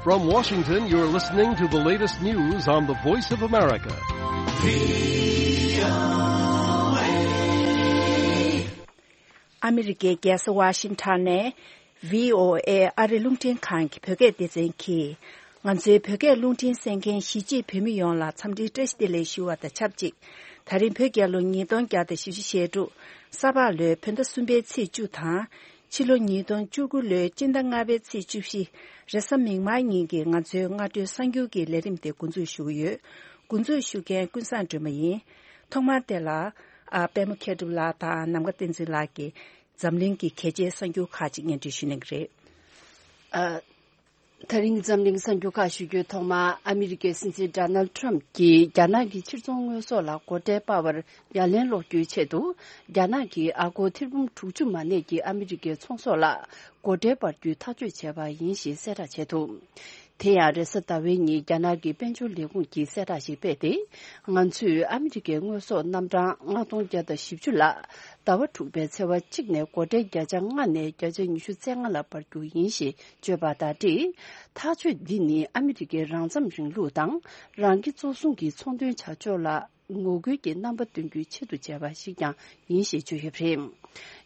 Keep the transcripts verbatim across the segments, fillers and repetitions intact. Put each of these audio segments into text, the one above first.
From Washington, you're listening to the latest news on the Voice of America. ཨ་མི་རི་ཀའི་རྒྱལ་ས་ཝ་ཤིང་ཊོན་ནས་བྷི་ཨོ་ཨེ་ཨ་རི་རླུང་འཕྲིན་ཁང་གི་བོད་སྐད་སྡེ་ཚན་གྱིས། ང་ཚོའི་བོད་སྐད་རླུང་འཕྲིན་གསན་མཁན་གཞིས་བྱེས་བོད་མི་ཡོངས་ལ་འཚམས་འདྲིའི་བཀྲ་ཤིས་བདེ་ལེགས་ཞུ་བ་དང་ཆབས་ཅིག། ད་རིང་བོད་རྒྱལ་ལོ་ཉིས་སྟོང་བརྒྱ་དང་བཞི་བཅུ་ཞེ་དྲུག། ས་ཕག་ལོའི་བོད་ཟླ་གསུམ་པའི་ཚེས་བཅུ་དང་། ཕྱི་ལོ་ཉིས་སྟོང་བཅུ་དགུ་ལོའི་སྤྱི་ཟླ་ལྔ་པའི་ཚེས་བཅུ་བཞི། རེས་གཟའ་མིག་དམར་ཉིན་གྱི་ང་ཚོའི་སྔ་དྲོའི་གསར་འགྱུར་གྱི་ལས་རིམ་དེ་འགོ་འཛུགས་ཞུ་གི་ཡོད། འགོ་འཛུགས་ཞུ་མཁན་ཀུན་བཟང་སྒྲོལ་མ་ཡིན། ཐོག་མར་དེ་ལ། ཨ། པད་མ་མཁས་གྲུབ་ལགས་དང་ནམ་མཁའ་བསྟན་འཛིན་ལགས་ཀྱིས་འཛམ་གླིང་གི་གལ་ཆེའི་གསར་འགྱུར་ཁག་ཅིག་སྙན་སྒྲོན་ཞུ་གནང་གི་རེད། ཨ། ད་རིང་འཛམ་གླིང་གསར་འགྱུར་ཁག་ཞུ་རྒྱུའི་ཐོག་མ། ཨ་མི་རི་ཀའི་སྲིད་འཛིན་ཌོ་ནལ་ཌི་ཊརམ་གྱིས་རྒྱ་ནག་གི་ཕྱིར་ཚོང་དངོས་ཟོག་ལ་སྒོ་ཁྲལ་སྤར་བར་ཡ་ལན་སློག་རྒྱུའི་ཆེད་དུ། རྒྱ་ནག་གིས་ཨ་སྒོར་ཐེར་འབུམ་དྲུག་ཅུ་མ་གནས་ཀྱི་ཨ་མི་རི་ཀའི་ཚོང་ཟོག་ལ་སྒོ་ཁྲལ་སྤར་རྒྱུའི་ཐག་གཅོད་བྱས་པ་ཡིན་ཞེས་གསལ་བསྒྲགས་བྱས་འདུག། དེ་ཡང་རེས་གཟའ་ཟླ་བའི་ཉིན་རྒྱ་ནག་གི་དཔལ་འབྱོར་ལས་ཁུངས་ཀྱིས་གསལ་བསྒྲགས་ཤིག་སྤེལ་ཏེ། ང་ཚོས་ཨ་མི་རི་ཀའི་དངོས་ཟོག་རྣམ་གྲངས་ལྔ་སྟོང་བརྒྱ་དང་བཞི་བཅུ་ལ་ཟླ་བ་དྲུག་པའི་ཚེས་པ་གཅིག་ནས་སྒོ་ཁྲལ་བརྒྱ་ཆ་ལྔ་ནས་བརྒྱ་ཆ་ཉི་ཤུ་རྩ་ལྔ་ལ་སྤར་རྒྱུ་ཡིན་ཞེས་བརྗོད་པ་དང་འབྲེལ། ཐག་གཅོད་འདི་ནི་ཨ་མི་རི་ཀའི་རང་འཚམ་རིང་ལུགས་དང་རང་སྐྱིད་གཙོ་བཟུང་གི་ཚོང་དོན་བྱ་ཕྱོགས་ལ་ངོ་རྒོལ་གྱི་རྣམ་པ་སྟོན་རྒྱུའི་ཆེད་དུ་བྱས་པ་ཞིག་ཀྱང་ཡིན་ཞེས་བརྗོད་ཡོད་པ་རེད།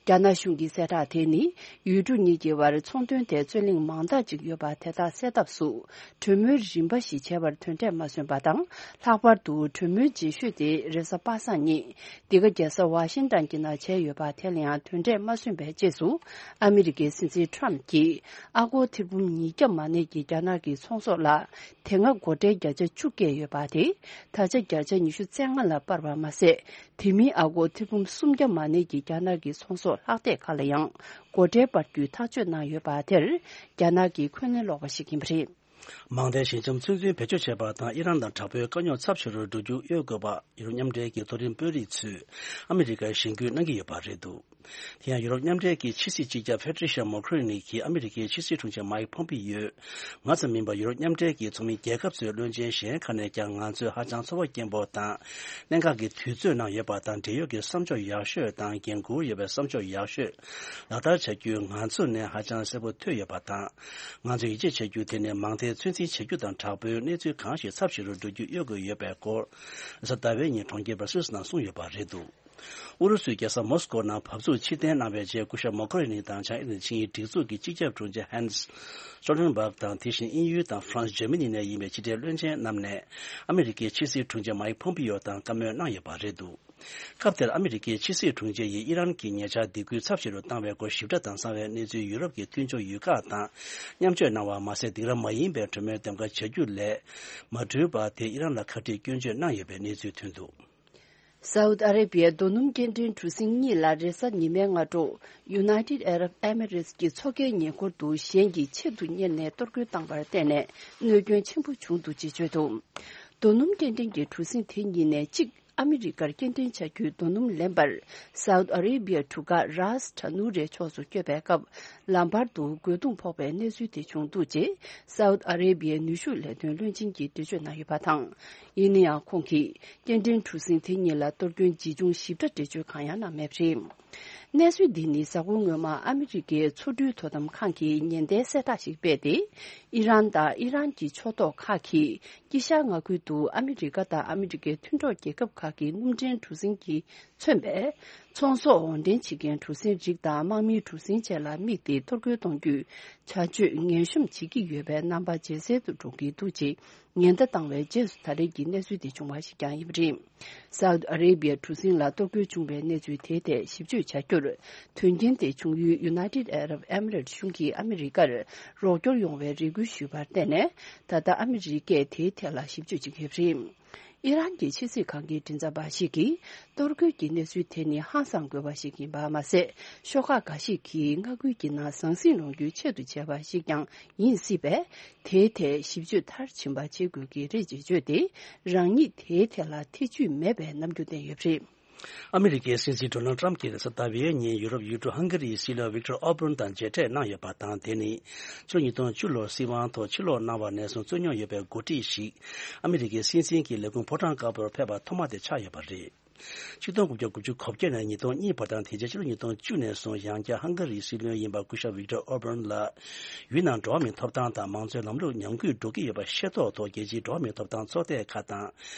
རྒྱ་ནག་གཞུང་གི་གསལ་བསྒྲགས་དེ་ནི། ཡུལ་གྲུ་གཉིས་ཀྱི་བར་ཚོང་དོན་ཐད་རྩོད་གླེང་མང་དག་ཅིག་ཡོད་པ་དེ་དག་སེལ་ཐབས་སུ་གྲོས་མོལ་རིམ་པ་ཞིག་བྱས་པར་དོན་འབྲས་མ་སོན་པ་དང་། ལྷག་པར་དུ་གྲོས་མོལ་རྗེས་ཤོས་དེ་རེས་གཟའ་པ་སངས་ཉིན་འདི་ག་རྒྱལ་ས་ཝ་ཤིང་ཏོན་གྱི་ནང་བྱས་ཡོད་པ་དེ་ལ་ཡང་དོན་འབྲས་མ་སོན་པའི་རྗེས་སུ། ཨ་མི་རི་ཀའི་སྲིད་འཛིན་ཊརམ་གྱིས་ཨ་སྒོར་ཐེར་འབུམ་ཉིས་བརྒྱ་མ་གནས་ཀྱི་རྒྱ་ནག་གི་ཚོང་ཟོག་ལ། དེ་སྔ་སྒོ་ཁྲལ་བརྒྱ་ཆ་བཅུ་བཀལ་ཡོད་པ་དེ། ད་ཆ་བརྒྱ་ཆ་ཉི་ཤུ་རྩ་ལྔ་ལ་སྤར་བ་མ་ཟད། དེ་མིན་ཨ་སྒོར་ཐེར་འབུམ་སུམ་བརྒྱ་མ་གནས་ཀྱི་རྒྱ་ནག་གི་ཚོང་ཟོག་ལྷག་སྡེར་ཁག་ལ་ཡང་སྒོ་ཁྲལ་སྤར་རྒྱུའི་ཐག་གཅོད་གནང་ཡོད་པ་དེར། རྒྱ་ནག་གིས་འཁོན་ལན་སློག་པ་ཞིག་ཡིན་པ་རེད། མང་མཐའི་ཞི་འཇམ་ཚོད་འཛིན་བེད་སྤྱོད་བྱས་པ་དང་། ཨི་རན་དང་དྲག་པོའི་དཀའ་རྙོག་ཚབས་ཆེ་རུ་འགྲོ་རྒྱུ་གཡོལ་དགོས་པ། ཡུ་རོབ་མཉམ་འབྲེལ་གྱི་མཐོ་རིམ་དཔོན་རིགས་ཚོས་ཨ་མི་རི་ཀར་ཞེན་སྐུལ་གནང་གི་ཡོད་པ་རེད་འདུག། དེ་ཡང་ཡུ་རོབ་མཉམ་འབྲེལ་གྱི་ཕྱི་སྲིད་སྤྱི་ཁྱབ་ཕེ་ཏྲི་ཤ་མོ་ཁུ་རི་ནི་གིས་ཨ་མི་རི་ཀའི་ཕྱི་སྲིད་དྲུང་ཆེ་མའིག་ཕོམ་པི་ཡོས། སྔ་ཙམ་མིན་པར་ཡུ་རོབ་མཉམ་འབྲེལ་གྱི་ཚོགས་མི་རྒྱལ་ཁབ་ཚོའི་བློན་ཆེན་གཞན་ཁག་ནས་ཀྱང་ང་ཚོས་ཧ་ཅང་ཚོར་བ་སྐྱེན་པོ་དང་། གནད་འགག་གི་དུས་ཚོད་ནང་ཡོད་པ་དང་། འབྲེལ་ཡོད་ཀྱི་བསམ་ཕྱོགས་ཡག་ཤོས་དང་། འགན་འཁུར་ཡོད་པའི་བསམ་ཕྱོགས་ཡག་ཤོས་ལག་བསྟར་བྱ་རྒྱུ་ང་ཚོ་ནས་ཧ་ཅང་གསལ་པོ་ཐོས་ཡོད་པ་དང་། ང་ཚོས་ཡིད་ཆེས་བྱ་རྒྱུ་དེ་ནི་མང་མཐའི་ཚོད་འཛིན་བྱ་རྒྱུ་དང་། དྲག་པོའི་གནས་ཚུལ་གང་ཞིག་ཚབས་ཆེ་རུ་འགྲོ་རྒྱུ་གཡོལ་དགོས་ཡོད་པའི་སྐོར། རེས་གཟའ་ཟླ་བའི་ཉིན་གྲོང་ཁྱེར་སྦར་སིལ་སི་ནང་གསུངས་ཡོད་པ་རེད་འདུག། ཨུ་རུ་སུའི་རྒྱལ་ས་མོ་སི་ཀོ་ནང་འབབ་ཚུགས་ཕྱིར་འཐེན་གནང་བའི་རྗེས། སྐུ་ཞབས་མོ་ཁོ་རི་ནི་དང་བྱང་ཨེ་ཤི་ཡའི་སྒྲིག་འཛུགས་ཀྱི་སྤྱི་ཁྱབ་དྲུང་ཆེ་ཧན་སི་སོལ་ཊན་བྷག་དང་། དེ་བཞིན་དབྱིན་ཡུལ་དང་ཧྥ་རན་སི། འཇར་མ་ནི་ནས་ཡིན་པའི་ཕྱི་འབྲེལ་བློན་ཆེན་རྣམས་ནས་ཨ་མི་རི་ཀའི་ཕྱི་སྲིད་དྲུང་ཆེ་མའིག་ཕོམ་པི་ཡོ་དང་བཀའ་མོལ་གནང་ཡོད་པ་རེད་འདུག། སྐབས་དེར་ཨ་མི་རི་ཀའི་ཕྱི་སྲིད་དྲུང་ཆེ་ཡིས་ཨི་རན་གྱི་ཉེ་ཆར་སྡིགས་སྐུལ་ཚབས་ཆེ་རུ་བཏང་བའི་སྐོར་ཞིབ་ཕྲ་དང་གསང་བའི་གནས་ཚུལ་ཡུ་རོབ་ཀྱི་མཐུན་ཕྱོགས་ཡུལ་ཁག་དང་མཉམ་སྤྱོད་གནང་བ་མ་ཟད། སྡིགས་ར་མ་ཡིན་པའི་གྲོས་མོལ་འདེམས་ཀ་བྱ་རྒྱུ་ལས་མ་གྲུབ་པ་དེ་ཨི་རན་ལ་ཁ་བྲལ་སྐྱོན་བརྗོད་གནང་ཡོད་པའི་གནས་ཚུལ་ཐོན་འདུག། སའུ་ཏི་ཨ་རེ་བྷི་ཡའི་རྡོ་སྣུམ་སྐྱེལ་འདྲེན་གྲུ་གཟིངས་གཉིས་ལ་རེས་གཟའ་ཉི་མའི་སྔ་དྲོ། United Arab Emirates གྱི་མཚོ་ཁའི་ཉེ་འཁོར་དུ་གཞན་གྱིས་ཆེད་དུ་གཉེར་ནས་གཏོར་རྒོལ་བཏང་བར་བརྟེན་ནས་གནོད་སྐྱོན་ཆེན་པོ་བྱུང་འདུག་ཅེས་བརྗོད་འདུག། རྡོ་སྣུམ་སྐྱེལ་འདྲེན་གྱི་གྲུ་གཟིངས་དེ་གཉིས་ནས་གཅིག་ཨ་མི་རི་ཀར་སྐྱེལ་འདྲེན་བྱ་རྒྱུའི་རྡོ་སྣུམ་ལེན་པར། སའུ་ཏི་ཨ་རེ་བྷི་ཡའི་གྲུ་ཁ་རཱས་ཐ་ནུ་རའི་ཕྱོགས་སུ་བསྐྱོད་པའི་སྐབས། ལམ་བར་དུ་རྒོལ་རྡུང་ཕོག་པའི་གནས་ཚུལ་དེ་བྱུང་འདུག་ཅེས། སའུ་ཏི་ཨ་རེ་བྷི་ཡའི་ནུས་ཤུགས་ལས་དོན་བློན་ཆེན་གྱིས་འགྲེལ་བརྗོད་གནང་ཡོད་པ་དང་། ཡིན་ན་ཡང་ཁོང་གིས། སྐྱེལ་འདྲེན་གྲུ་གཟིངས་དེ་གཉིས་ལ་གཏོར་སྐྱོན་ཇི་བྱུང་ཞིབ་ཕྲ་འགྲེལ་བརྗོད་གང་ཡང་གནང་མེད་པ་རེད། གནས་ཚུལ་འདི་ནི་གཟའ་འཁོར་སྔོན་མ་ཨ་མི་རི་ཀའི་མཚོ་འགྲུལ་དོ་དམ་ཁང་གིས་ཉེན་བརྡའི་གསལ་བསྒྲགས་ཤིག་སྤེལ་ཏེ། ཨི་རན་དང་ཨི་རན་གྱི་ཕྱོགས་གཏོགས་ཁག་གིས་དཀྱིལ་ཤར་མངའ་ཁུལ་དུ་ཨ་མི་རི་ཀ་དང་ཨ་མི་རི་ཀའི་མཐུན་གྲོགས་རྒྱལ་ཁབ་ཁག་གི་སྣུམ་འདྲེན་གྲུ་གཟིངས་ཀྱིས་མཚོན་པའི་ཚོང་ཟོག་འོར་འདྲེན་བྱེད་མཁན་གྲུ་གཟིངས་རིགས་དང་དམག་མིའི་གྲུ་གཟིངས་བཅས་ལ་དམིགས་ཏེ་གཏོར་རྒོལ་གཏོང་རྒྱུའི་བྱ་སྤྱོད་ངན་གཤོམ་བྱེད་ཀྱི་ཡོད་པའི་རྣམ་པ་ཇེ་གསལ་དུ་འགྲོ་གི་འདུག་ཅེས་ཉེན་བརྡ་བཏང་བའི་རྗེས་སུ་ད་རེས་ཀྱི་གནས་ཚུལ་དེ་བྱུང་བ་ཞིག་ཀྱང་ཡིན་པ་རེད། སའུ་ཏི་ཨ་རེ་བྷི་ཡའི་གྲུ་གཟིངས་ལ་གཏོར་རྒོལ་བྱུང་བའི་གནས་ཚུལ་དེའི་ཐད་ཞིབ་དཔྱོད་བྱ་རྒྱུར། དོན་རྐྱེན་དེ་བྱུང་ཡུལ་United Arab Emirates གཞུང་གིས་ཨ་མི་རི་ཀར་རོགས་སྐྱོར་ཡོང་བའི་རེ་སྐུལ་ཞུས་པར་བརྟེན་ནས། ད་ལྟ་ཨ་མི་རི་ཀས་དེའི་ཐད་ལ་ཞིབ་དཔྱོད་བྱེད་ཀྱི་ཡོད་པ་རེད། ཨི་རན་གྱི་ཕྱི་སྲིད་ཁང་གི་མགྲིན་ཚབ་པ་ཞིག་གིས། གཏོར་རྒོལ་གྱི་གནས་ཚུལ་དེ་ནི་ཧང་སང་དགོས་པ་ཞིག་ཡིན་པ་མ་ཟད། ཤོག་ཁག་འགའ་ཞིག་གིས་མངའ་ཁུལ་གྱི་ནང་ཟང་ཟིང་སློང་རྒྱུའི་ཆེད་དུ་བྱས་པ་ཞིག་ཀྱང་ཡིན་སྲིད་པས། དེའི་ཐད་ཞིབ་དཔྱོད་མཐར་ཕྱིན་པ་བྱེད་དགོས་ཀྱི་རེད་ཅེས་བརྗོད་དེ། རང་ཉིད་དེའི་ཐད་ལ་ཐེ་ཇུས་མེད་པའི་རྣམ་འགྱུར་བསྟན་ཡོད་པ་རེད། ཨ་མི་རི་ཀའི་སྲིད་འཛིན་ཌོ་ནལ་ཏྲམ་གྱིས་རེས་གཟའ་ཟླ་བའི་ཉིན་ཡུ་རོབ་ཡུལ་གྲུ་ཧང་ག་རིའི་སྲིད་བློན་ཝིག་ཏོར་ཨོར་བན་དང་མཇལ་འཕྲད་གནང་ཡོད་པ་དང་། དེ་ནི་ཕྱི་ལོ་ཉིས་སྟོང་བཅུ་ལོར་སྲིད་དབང་ཐོག་ཕྱིར་ལོག་གནང་བ་ནས་བཟུང་རྩོད་མྱོང་ཡོད་པའི་འགོ་ཁྲིད་ཞིག་ཨ་མི་རི་ཀའི་སྲིད་འཛིན་གྱི་ལས་ཁུངས་ཕོ་བྲང་དཀར་པོར་ཕེབས་པ་ཐོག་མ་དེ་ཆགས་ཡོད་པ་རེད། ཆིག་སྟོང་དགུ་བརྒྱ་དགུ་བཅུ་གོ་བརྒྱད་ནས་ཉིས་སྟོང་གཉིས་བར་དང་དེ་རྗེས་ཕྱི་ལོ་ཉིས་སྟོང་བཅུ་ནས་བཟུང་ཡང་བསྐྱར་ཧང་ག་རིའི་སྲིད་བློན་ཡིན་པ་སྐུ་ཞབས་ཝིག་ཏོར་ཨོར་བན་ལ། ཡུལ་ནང་འགྲོ་བ་མིའི་ཐོབ་ཐང་དང་མང་གཙོའི་ལམ་ལུགས་ཉམས་རྒུད་འགྲོ་གི་ཡོད་པ་ཤེས་རྟོགས་ཐོག་རྒྱལ་སྤྱིའི་འགྲོ་བ་མིའི་ཐོབ་ཐང་ཚོགས་སྡེ་ཁག་དང་།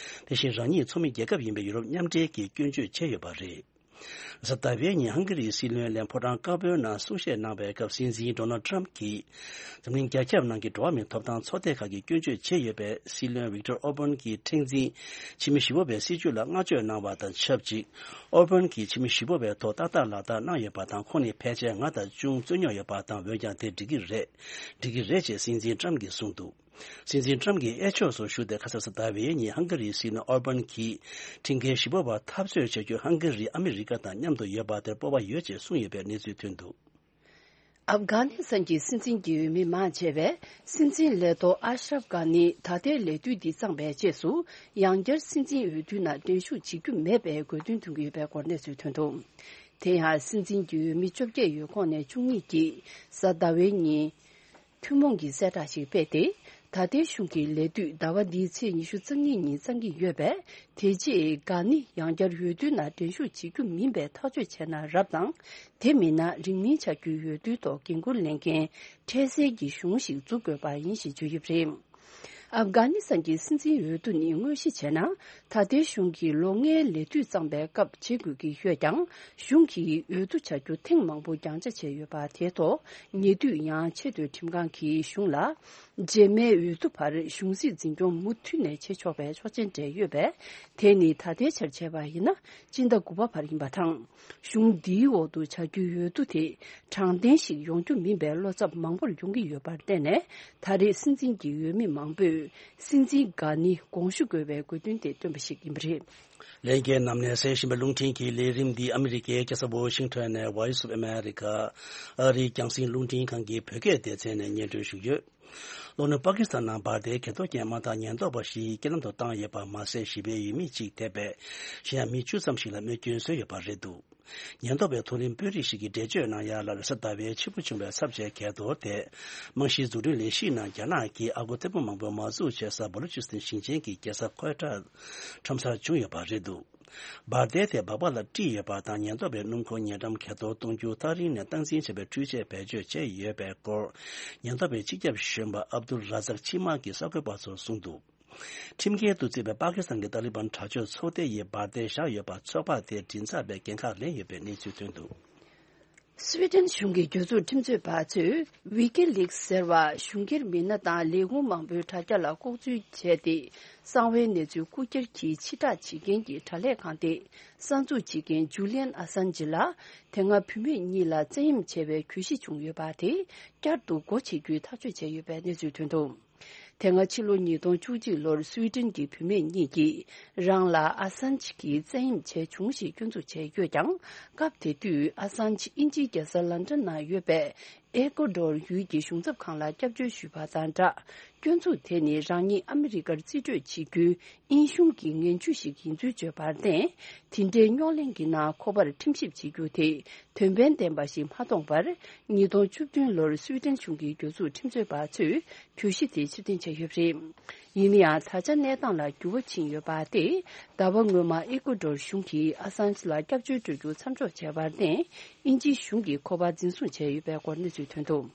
དེ་བཞིན་རང་ཉིད་ཚོགས་མི་རྒྱལ་ཁབ་ཡིན་པའི་ཡུ་རོབ་མཉམ་འབྲེལ་གྱིས་སྐྱོན་བརྗོད་བྱས་ཡོད་པ་རེད། གཟའ་ཟླ་བའི་ཉིན་ཧང་ག་རིའི་སྲིད་བློན་ལས་ཕོ་བྲང་དཀར་པོའི་ནང་གསུང་བཤད་གནང་བའི་སྐབས་སྲིད་འཛིན་ཌོ་ནལ་ཊམ་གྱིས། འཛམ་གླིང་རྒྱ་ཁྱབ་ནང་གི་འགྲོ་བ་མིའི་ཐོབ་ཐང་ཚོགས་སྡེ་ཁག་གིས་སྐྱོན་བརྗོད་བྱས་ཡོད་པའི་སྲིད་བློན་ཝིག་ཏོར་ཨོར་བན་གྱི་མཁྲེགས་འཛིན་ཕྱི་མི་ཞི་བ་བའི་སྲིད་བྱུས་ལ་བསྔགས་བརྗོད་གནང་བ་དང་ཆབས་ཅིག་ཨོར་བན་གྱིས་ཕྱི་མི་ཞི་བ་བའི་ཐོག་ཏག་ཏག་ལག་བསྟར་གནང་ཡོད་པ་དང་ཁོང་ནི་ཕལ་ཆེར་ང་དང་ཅུང་རྩོད་རྙོག་ཡོད་པ་དང་འོན་ཀྱང་དེ་འགྲིག་གི་རེད། འགྲིག་གི་རེད་ཅེས་སྲིད་འཛིན་ཊམ་གྱིས་གསུངས་འདུག་སྲིད་འཛིན་ཊམ་གྱིས་དབྱར་ཕྱོགས་སུ་བཞུགས་ཏེ་ཁ་སང་གཟའ་ཟླ་བའི་ཉིན་ཧང་ག་རིའི་སྲིད་བློན་ཨོར་བན་གྱིས་ཁྲིམས་འགལ་ཞི་བ་བ་འཐབ་རྩོད་བྱ་རྒྱུ་ཧང་ག་རི་ཨ་མི་རི་ཀ་དང་མཉམ་དུ་ཡོད་པ་དེར་སྤོབས་པ་ཡོད་ཅེས་གསུངས་ཡོད་པའི་གནས་ཚུལ་ཐོན་འདུག་ཨབ་གྷ་ནི་སི་ཐན་གྱི་སྲིད་འཛིན་གྱི་འོས་མི་མང་ཆེ་བས་སྲིད་འཛིན་ལས་ཐོག་ཨ་ཤ་རབ་གྷ་ནི་ད་ལྟའི་ལས་དུས་འདི་གཙང་པའི་རྗེས་སུ་ཡང་བསྐྱར་སྲིད་འཛིན་འོས་བསྡུའི་ནང་འགྲན་ཞུགས་བྱེད་རྒྱུ་མེད་པའི་དགོས་འདུན་འདོན་གྱི་ཡོད་པའི་སྐོར་གནས་ཚུལ་ཐོན་འདུག་དེ་ཡང་སྲིད་འཛིན་གྱི་འོས་མི་བཅོ་བརྒྱད་ཡོད་ཁོངས་ནས་བཅུ་གཉིས་ཀྱིས་གཟའ་ཟླ་བའི་ཉིན། ཐུན་མོང་གི་གསལ་བསྒྲགས་ཤིག་སྤེལ་ཏེ། ད་ལྟའི་གཞུང་གི་ལས་དུས་ཟླ་བ་འདིའི་ཚེས་ཉི་ཤུ་རྩ་གཉིས་ཉིན་གཙང་གི་ཡོད་པས། དེ་རྗེས་གྷ་ནི་ཡང་བསྐྱར་འོས་བསྡུའི་ནང་འགྲན་ཞུགས་བྱེད་རྒྱུ་མིན་པའི་ཐག་གཅོད་བྱས་ན་རབ་དང་། དེ་མིན་ན་རིང་མིན་བྱ་རྒྱུའི་འོས་བསྡུའི་ཐོག་འགན་འཁུར་ལེན་མཁན་འཕྲལ་སེལ་གྱི་གཞུང་ཞིག་འཛུགས་དགོས་པ་ཡིན་ཞེས་བརྗོད་ཡོད་པ་རེད། ཨབ་གྷ་ནི་སི་ཐན་གྱི་སྲིད་འཛིན་འོས་བསྡུ་ནི་དངོས་གཞི་བྱས་ན། ད་ལྟའི་གཞུང་གི་ལོ་ལྔའི་ལས་དུས་གཙང་པའི་སྐབས་བྱེད་དགོས་ཀྱི་ཡོད་ཀྱང་། གཞུང་གིས་འོས་བསྡུ་བྱ་རྒྱུ་ཐེངས་མང་པོ་རྒྱང་ཆ་བྱས་ཡོད་པ་དེའི་ཐོག་ཉེ་དུས་ཡང་ཆེས་མཐོའི་ཁྲིམས་ཁང་གིས་གཞུང་ལ། རྗེས་མའི་འོས་བསྡུ་བར་གཞུང་སྲིད་འཛིན་སྐྱོང་མུ་མཐུད་ནས་བྱེད་ཆོག་པའི་ཆོག་མཆན་སྤྲད་ཡོད་པས། དེ་ནི་ད་ལྟའི་ཆར་བྱས་པ་ཡིན་ན་སྤྱི་ཟླ་དགུ་པ་བར་ཡིན་པ་དང་། གཞུང་འདིའི་འོག་ཏུ་བྱ་རྒྱུའི་འོས་བསྡུ་དེ་དྲང་བདེན་ཞིག་ཡོང་རྒྱུ་མིན་པའི་བློ་འཚབ་མང་པོར་ཡོང་གི་ཡོད་པར་བརྟེན་ནས། ད་རེས་སྲིད་འཛིན་གྱི་འོས་མི་མང་པོས་སྲིད་འཛིན་གྷ་ནི་དགོངས་ཞུ་དགོས་པའི་དགོས་འདུན་དེ་བཏོན་པ་ཞིག་ཡིན་པ་རེད། ལྷན་རྒྱས་རྣམས་ནས་གསན་བཞིན་པའི་རླུང་འཕྲིན་གྱི་ལས་རིམ་འདི་ཨ་མི་རི་ཀའི་རྒྱལ་ས་ཝོ་ཤིང་ཊོན་ནས་Voice of America ཨ་རིའི་རྒྱང་སྲིང་རླུང་འཕྲིན་ཁང་གི་བོད་སྐད་སྡེ་ཚན་ནས་སྙན་སྒྲོན་ཞུས་ཡོད། ལྷོ་ནུབ་པ་ཀི་སི་ཐན་ནང་འབར་མདེལ་གྱེན་ཐོག་ཅན་མ་དང་ཉེན་རྟོག་པ་ཞིག་རྐྱེན་ལམ་དུ་བཏང་ཡོད་པ་མ་ཟད། ཞི་བའི་འོས་མི་གཅིག་ཐེ་བའི་གཞན་ཡང་མི་བཅུ་ཙམ་ཞིག་ལ་རྨས་སྐྱོན་བཟོས་ཡོད་པ་རེད་འདུག་ཉེན་རྟོག་པའི་མཐོ་རིམ་དཔོན་རིགས་ཤིག་གིས་འགྲེལ་བརྗོད་གནང་ཡ་ལ། རེས་གཟའ་ཟླ་བའི་ཕྱི་པོ་བྱུང་བའི་ཚབས་ཆེའི་གྱེས་རྡོར་དེ། རྨང་གཞིའི་འཛུགས་སྐྲུན་ལས་གཞིའི་ནང་རྒྱ་ནག་གིས་ཨ་སྒོར་ཐེར་འབུམ་མང་པོའི་མ་འཛུགས་བྱེད་ས་བ་ལུ་ཅི་སི་ཐན་ཞིང་ཆེན་གྱི་རྒྱལ་ས་ཁོའེ་ཊར་ཁྲོམ་སར་བྱུང་ཡོད་པ་རེད་འདུག་འབར་མདེལ་དེ་སྦག་སྦག་ལ་དཀྲིས་ཡོད་པ་དང་། ཉེན་རྟོག་པའི་སྣུམ་འཁོར་ཉེ་འགྲམ་གྱེས་རྡོར་གཏོང་རྒྱུ་ཐག་རིང་ནས་སྟངས་འཛིན་བྱས་པའི་འཕྲུལ་ཆས་བེད་སྤྱོད་བྱས་ཡོད་པའི་སྐོར། ཉེན་རྟོག་པའི་སྤྱི་ཁྱབ་གཞོན་པ་ཨབ་དུལ་ར་ཛག་ཆི་མག་གིས་གསར་འགོད་པ་ཚོར་གསུངས་འདུག་ཁྲིམས་འགལ་དུ་བརྩིས་པའི་པ་ཀི་སི་ཐན་གྱི་ཏཱ་ལི་བན་དྲག་སྤྱོད་ཚོགས་སྡེ་ཡིས་འབར་མདེལ་བཞག་ཡོད་པ་ཚོགས་པ་དེས་མགྲིན་ཚབ་པའི་འགན་ཁག་ལེན་ཡོད་པའི་གནས་ཚུལ་ཐོན་འདུག་སུའེ་ཏེན་གཞུང་གི་གྱོད་འཛུགས་ཁྲིམས་རྩོད་པ་ཚོས་ཝི་ཀི་ལིག་ཟེར་བ་གཞུང་སྒེར་མི་སྣ་དང་ལས་ཁུངས་མང་པོའི་དྲ་རྒྱ་ལ་ལྐོག་འཛུལ་བྱས་ཏེ། གསང་བའི་གནས་ཚུལ་རྐུ་འཁྱེར་གྱིས་ཕྱིར་བསྒྲགས་བྱེད་མཁན་གྱི་དྲ་ལས་ཁང་དེས་གསར་འཛུགས་བྱེད་མཁན་ཇུ་ལི་ཡན་ཨ་སན་ཇི་ལ་དེ་སྔ་བུད་མེད་གཉིས་ལ་བཙན་གཡེམ་བྱས་པའི་གྱོད་གཞི་བྱུང་ཡོད་པ་དེ་བསྐྱར་དུ་སྒོ་ཕྱེ་རྒྱུའི་ཐག་གཅོད་བྱས་ཡོད་པའི་གནས་ཚུལ་ཐོན་འདུག་དེ་སྔ་ཕྱི་ལོ་ཉིས་སྟོང་བཅུ་གཅིག་ལོར་སུའེ་ཏེན་གྱི་བུད་མེད་གཉིས་ཀྱིས་རང་ལ་ཨ་སན་ཇི་གིས་བཙན་གཡེམ་བྱས་བྱུང་ཞེས་སྐྱོན་འཛུགས་བྱས་ཡོད་ཀྱང་། སྐབས་དེ་དུས་ཨ་སན་ཇི་དབྱིན་ཇིའི་རྒྱལ་ས་ལན་ཀྲན་ནང་ཡོད་པའི་ཨེ་ཀོ་ཌོར་ཡུལ་གྱི་གཞུང་ཚབ་ཁང་ལ་སྐྱབས་བཅོལ་ཞུས་པ་དང་སྦྲགས། སྐྱོན་འཛུགས་དེ་ནི་རང་ཉིད་ཨ་མི་རི་ཀར་རྩིས་སྤྲོད་བྱེད་རྒྱུའི་དབྱིན་གཞུང་གི་ངན་ཇུས་ཤིག་ཡིན་ཚུལ་བརྗོད་པར་བརྟེན། དེ་འདྲའི་རྙོག་གླེང་གི་ནང་ཁོ་པར་ཁྲིམས་ཞིབ་བྱེད་རྒྱུ་དེ་དོན་ཕན་ལྡན་པ་ཞིག་མ་མཐོང་བར། ཉིས་སྟོང་བཅུ་བདུན་ལོར་སུའེ་ཏེན་གཞུང་གི་གྱོད་འཛུགས་ཁྲིམས་རྩོད་པ་ཚོས་གྱོད་གཞི་དེ་ཕྱིར་འཐེན་བྱས་ཡོད་པ་རེད། ཡིན་ན་ཡང་། ད་ཆ་གནས་སྟངས་ལ་འགྱུར་བ་ཕྱིན་ཡོད་པ་སྟེ། ཟླ་བ་སྔོན་མ་ཨི་ཀུ་ཌོར་གཞུང་གིས་ཨ་སན་ཇི་ལ་སྐྱབས་བཅོལ་སྤྲོད་རྒྱུ་མཚམས་འཇོག་བྱས་པར་བརྟེན། དབྱིན་ཇིའི་གཞུང་གིས་ཁོ་པ་འཛིན་བཟུང་བྱས་ཡོད་པའི་སྐོར་གནས་ཚུལ་ཐོན་འདུག་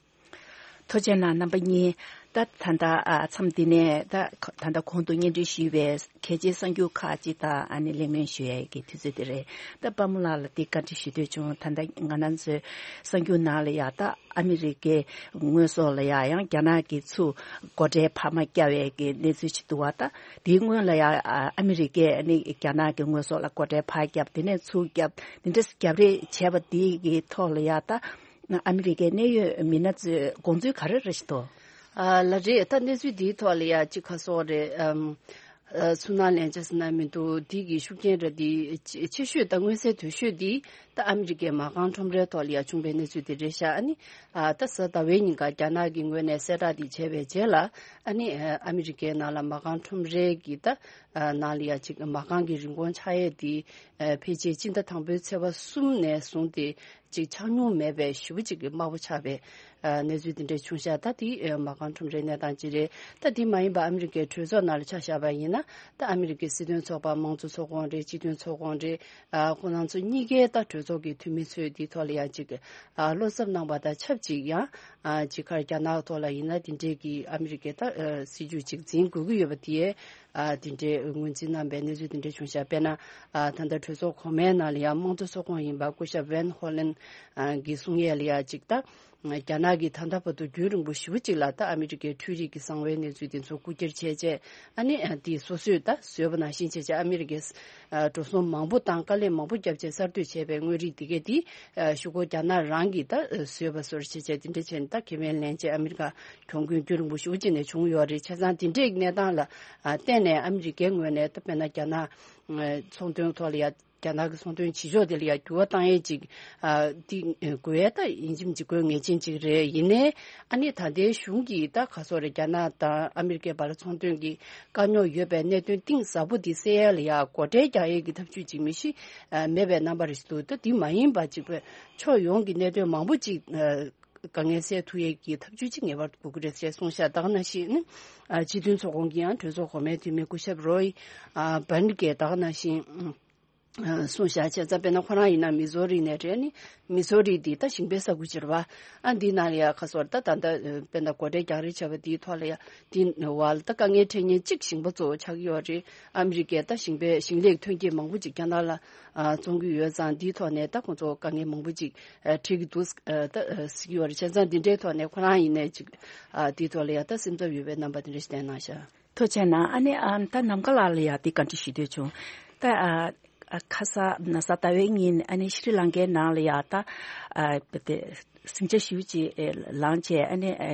ཐུགས་རྗེ་གནང་རྣམ་པ་གཉིས། ད་ད་ལྟ་ཨ་མཚམས་འདི་ནས་ད་ད་ལྟ་གོང་དུ་སྙན་སྒྲོན་ཞུས་པའི་གལ་ཆེའི་གསར་འགྱུར་ཁག་ཅིག་དང་ཨ་ནི་གླེང་མོལ་ཞུ་ཡས་ཀྱི་དུས་ཚོད་དེ་རེད། ད་དཔའ་མོ་ལགས་ལ་འདི་བཀའ་འདྲི་ཞུ་འདོད་བྱུང་། ད་ལྟ་ང་རང་ཚོའི་གསར་འགྱུར་ནང་ལ་ཡ་ད་ཨ་མི་རི་ཀའི་དངོས་ཟོག་ལ་ཡ་ཡང་རྒྱ་ནག་གིས་ཚུར་སྒོ་ཁྲལ་འཕར་མ་བརྒྱབ་པའི་གི་གནས་ཚུལ་ཞིག་འདུག་བ། ད་དེའི་སྔོན་ལ་ཡ་ཨ་མི་རི་ཀས་ཨ་ནི་རྒྱ་ནག་གི་དངོས་ཟོག་ལ་སྒོ་ཁྲལ་ཕར་བརྒྱབ། དེ་ནས་ཚུར་བརྒྱབ། དེ་འདྲ་རྒྱབ་རེས་བྱས་པ་དེའི་གི་ཐོག་ལ་ཡ་ད། ཨ་མི་རི་ཀའི་གནད་ཡོད་མི་སྣ་ཚོས་དགོངས་ཚུལ་ག་རེ་རེ་ཞིག་འདུག་ཨ་ལ་རེད། ད་གནས་ཚུལ་འདིའི་ཐོག་ལ་ཡ་གཅིག་ཁ་སོགས་རེད། ཨམ། ཨ་ཚུར་སྣང་ལན་ཆ་ཟེར་ན་མི་འདུག་འདི་གི་ཤུགས་རྐྱེན་ར་འདི་ཆེ་ཆེ་ཤོས་དང་མངོན་གསལ་དོད་ཤོས་འདི་ད་ཨ་མི་རི་ཀའི་མ་རྐང་ཁྲོམ་རའི་ཐོག་ལ་ཡ་བྱུང་བའི་གནས་ཚུལ་འདི་རེད་ཤག་ཨ་ནི་ཨ་ད་གཟའ་ཟླ་བའི་ཉིན་ཀ་རྒྱ་ནག་གི་ངོས་ནས་གསལ་བསྒྲགས་འདི་བྱས་པའི་རྗེས་ལ། ཨ་ནི་ཨ་ཨ་མི་རི་ཀའི་ནང་ལ་མ་རྐང་ཁྲོམ་རའི་གི་ད་ཨ་ནང་ལ་ཡ་གཅིག་མ་རྐང་གི་རིན་གོང་ཆག་ཡས་འདི་ཨ་ཕལ་ཆེར་སྤྱི་ཟླ་དང་པོའི་ཚེས་པ་གསུམ་ནས་བཟུང་སྟེ། ཅིག་ཆགས་མྱོང་མེད་པའི་ཞེ་པོ་ཅིག་གི་དམའ་པོ་ཆགས་པའི་ཨ་གནས་ཚུལ་དེ་འདྲ་བྱུང་ཤག་ད་དེ་ཨ་མ་རྐང་ཁྲོམ་རའི་གནས་སྟངས་ཅིག་རེད། ད་དེ་མ་ཡིན་པ་ཨ་མི་རི་ཀའི་གྲོས་ཚོགས་ནང་ལ་ཆ་བཞག་པ་ཡིན་ན། ད་ཨ་མི་རི་ཀའི་སྲིད་དོན་ཚོགས་པ་དམངས་གཙོ་ཚོགས་ཁོངས་རེད། སྤྱི་མཐུན་ཚོགས་ཁོངས་རེད། ཨ་ཁོ་རང་ཚོ་གཉིས་ཀའི་ད་གྲོས་ཚོགས་ཀྱི་འཐུས་མི་ཚོས་དེའི་ཐོག་ལ་ཡང་ཅིག་ཨ་བློ་འཚབ་གནང་བ་དང་ཆབས་ཅིག་ཡང་ཨ་ཅིག་ཁར་རྒྱ་ནག་ཐོག་ལ་ཡིན་ན་དེ་འདྲའི་གི་ཨ་མི་རི་ཀའི་ད་ཨ་སྲིད་ཇུས་ཅིག་འཛིན་དགོས་ཀྱི་ཡོད་པ་དེ་ཨ་དེ་འདྲའི་ངོས་འཛིན་གནང་པའི་གནས་ཚུལ་དེ་འདྲ་བྱུང་ཤག་དཔེར་ན་ཨ་ད་ལྟ་གྲོས་ཚོགས་གོང་མའི་ནང་ལ་ཡང་དམངས་གཙོ་ཚོགས་ཁོངས་ཡིན་པ་སྐུ་ཞབས་ཝེན་ཧོ་ལན་ཨ་གི་གསུང་ཡས་ལ་ཡང་ཅིག་ད། རྒྱ་ནག་གིས་ད་ལྟ་བར་དུ་རྒྱུན་རིང་པོ་ཞེ་པོ་ཅིག་ལ་ད་ཨ་མི་རི་ཀའི་འཕྲུལ་རིག་གི་གསང་བའི་གནས་ཚུལ་དེ་ཚོ་རྐུ་འཁྱེར་བྱས་རྗེས་ཨ་ནི་དེ་སོ་སོས་ད་བཟོས་པ་ནང་བཞིན་བྱས་རྗེས་ཨ་མི་རི་ཀས་འགྲོ་སོང་མང་པོ་བཏང་དཀའ་ལས་མང་པོ་བརྒྱབ་རྗེས་གསར་གཏོད་བྱས་པའི་དངོས་རིགས་དེ་གས་དེ་ཤོག་གུ་རྒྱ་ནག་རང་གིས་ད་བཟོས་པ་བཟོ་འདྲ་བྱས་རྗེས་དེ་འདྲ་བྱས་ནས་ད་ཁེ་ཕན་ལེན་རྗེས་ཨ་མི་རི་ཀ་གྱོང་གུན་རྒྱུན་རིང་པོ་ཞེ་པོ་ཅིག་ནས་བྱུང་ཡོད་རེད། བྱས་ཙང་དེ་འདྲའི་གནས་སྟངས་ལ་བརྟེན་ནས་ཨ་མི་རི་ཀའི་ངོས་ནས་ད་དཔེར་ན་རྒྱ་ནག་ཚོང་དོན་ཐོག་ལ་ཡ། རྒྱ་ནག་གི་ཚོང་དོན་བྱེད་ཕྱོགས་དེ་ལ་ཡང་འགྱུར་བ་བཏང་ཡས་ཅིག་ཨ་དེ་དགོས་ཡས་ད་ཡིན་གཅིག་མིན་གཅིག་དགོས་ངེས་ཅན་ཅིག་རེད། ཡིན་ནའི་ཨ་ནི་ད་ལྟའི་གཞུང་གིས་ད་ག་སོག་རེད། རྒྱ་ནག་དང་ཨ་མི་རི་ཀའི་བར་ཚོང་དོན་གྱི་དཀའ་རྙོག་ཡོད་པའི་གནད་དོན་གཏིང་ཟབ་པོ་དེ་སེལ་ཡས་ལ་ཡང་སྒོ་ཁྲལ་རྒྱག་ཡས་ཀྱི་ཐབས་ཇུས་ཅིག་མི་ཤི་ཨ་མེད་པའི་རྣམ་པ་རེ་ཞིག་འདུག་ད་དེ་མ་ཡིན་པ་ཅིག་པའི་ཕྱོགས་ཡོངས་ཀྱི་གནད་དོན་མང་པོ་ཅིག་ཨ་དཀའ་ངལ་སེལ་ཐུབ་ཡས་ཀྱི་ཐབས་ཇུས་ཅིག་ངེས་པར་དགོས་ཀྱི་རེད་ཅེས་གསུངས་ཤག་ད་ག་ནང་བཞིན་ཨ་སྤྱི་མཐུན་ཚོགས་ཁོངས་ཀྱི་ཡང་གྲོས་ཚོགས་གོང་མའི་འཐུས་མི་སྐུ་ཞབས་རོའི་ཨ་བན་གྱིས་ད་ག་ནང་བཞིན། གསུངས་བཞག་བྱས་ཙང་དཔེར་ན་ཁོ་རང་ཡིན་ན་མི་ཟོ་རི་ནས་རེད། ནི་མི་ཟོ་རི་འདི་ད་ཞིང་པའི་ས་ཁུལ་ཅིག་རེད་པ། ཨ་འདི་ནང་ལ་ཡ་ཁ་སོར་ད་ད་ད་དཔེར་ན་སྒོ་ཁྲལ་རྒྱག་རེས་བྱས་པ་འདིའི་ཐོག་ལ་ཡ་འདི་བ་ལ་ད་དཀའ་ངལ་འཕྲད་མཁན་གཅིག་ཞིང་པ་གཙོ་བོ་ཆགས་ཀྱི་ཡོད་རེད། ཨ་མི་རི་ཀས་ད་ཞིང་པའི་ཞིང་ལས་ཐོན་སྐྱེད་མང་པོ་ཅིག་རྒྱ་ནག་ལ་བཙོང་གི་ཡོད་ཙང་འདིའི་ཐོག་ནས་ད་ཁོང་ཚོ་དཀའ་ངལ་མང་པོ་ཅིག་འཕྲད་ཀྱི་འདུག་ད་ཟེར་གྱི་ཡོད་རེད། བྱས་ཙང་འདི་འདྲའི་ཐོག་ནས་ཁོ་རང་ཡིན་ནས་ཅིག་འདིའི་ཐོག་ལ་ཡ་ད་སེམས་འཚབ་ཡོད་པའི་རྣམ་པ་འདི་འདྲ་ཞིག་བསྟན་གནང་ཤག་ཐུགས་རྗེ་གནང་། ཨ་ནི་ཨ་ད་ནམ་མཁའ་ལགས་ལ་ཡ་འདི་བཀའ་འདྲི་ཞུ་འདོད་བྱུང་། ད་ཨ་ཨ་ཁ་ས་ན་ས་ཟླ་བའི་ཉིན་ཨ་ནི་ཤྲི་ལང་ཀའི་ནང་ལ་ཡ་ད་ཨ་དེ་ཟིང་ཆ་ཞེ་པོ་ཅིག་ལངས་བྱས་ཨ་ནི་ཨ་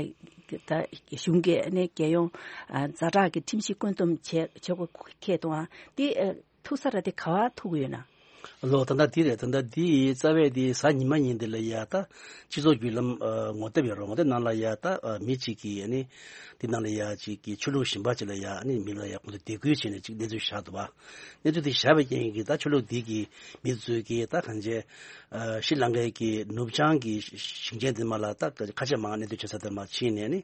ད་གཞུང་གིས་ཨ་ནི་རྒྱལ་ཡོངས་ཨ་ཛ་དྲག་གི་ཁྲིམས་གཞི་བཀོད་འདོམས་བྱས་བྱེད་དགོས་ཁེལ་འདུག་ཨ་འདི་ཨ་ཐུག་ས་ར་དེ་ག་བ་ཐུག་ཡོད་ན། ལོ་ད་ལྟ་འདི་རེད། ད་ལྟ་འདི་རྩ་བའི་འདི་གཟའ་ཉི་མ་ཉིན་འདི་ལ་ཡ་ད་སྤྱི་ཚོགས་བརྒྱུད་ལམ་ཨ་ངོ་དེབ་ཡོད་རེད། ངོ་དེབ་ནང་ལ་ཡ་ད་ཨ་མི་གཅིག་གིས་ཨ་ནི་འདི་ནང་ལ་ཡ་གཅིག་གིས་ཆོས་ལུགས་གཞན་པ་གཅིག་ལ་ཡ་ཨ་ནི་མི་ལ་ཡ་ཁོང་ཚོ་སྡིགས་སྐུལ་བྱས་ནས་གཅིག་གནས་ཚུལ་བཞག་འདུག་བ། གནས་ཚུལ་འདི་བཞག་པའི་རྐྱེན་གྱིས་ད་ཆོས་ལུགས་འདི་གི་མི་ཚོས་ཀྱིས་ད་གང་བྱས་ཨ་ཤྲི་ལང་ཀའི་གི་ནུབ་བྱང་གི་ཞིང་ཆེན་འདི་མ་ལ་ད་ཁ་ཆེ་མང་གནས་སྡོད་བྱེད་ས་དེ་མ་ཕྱིན་ནས་ནི།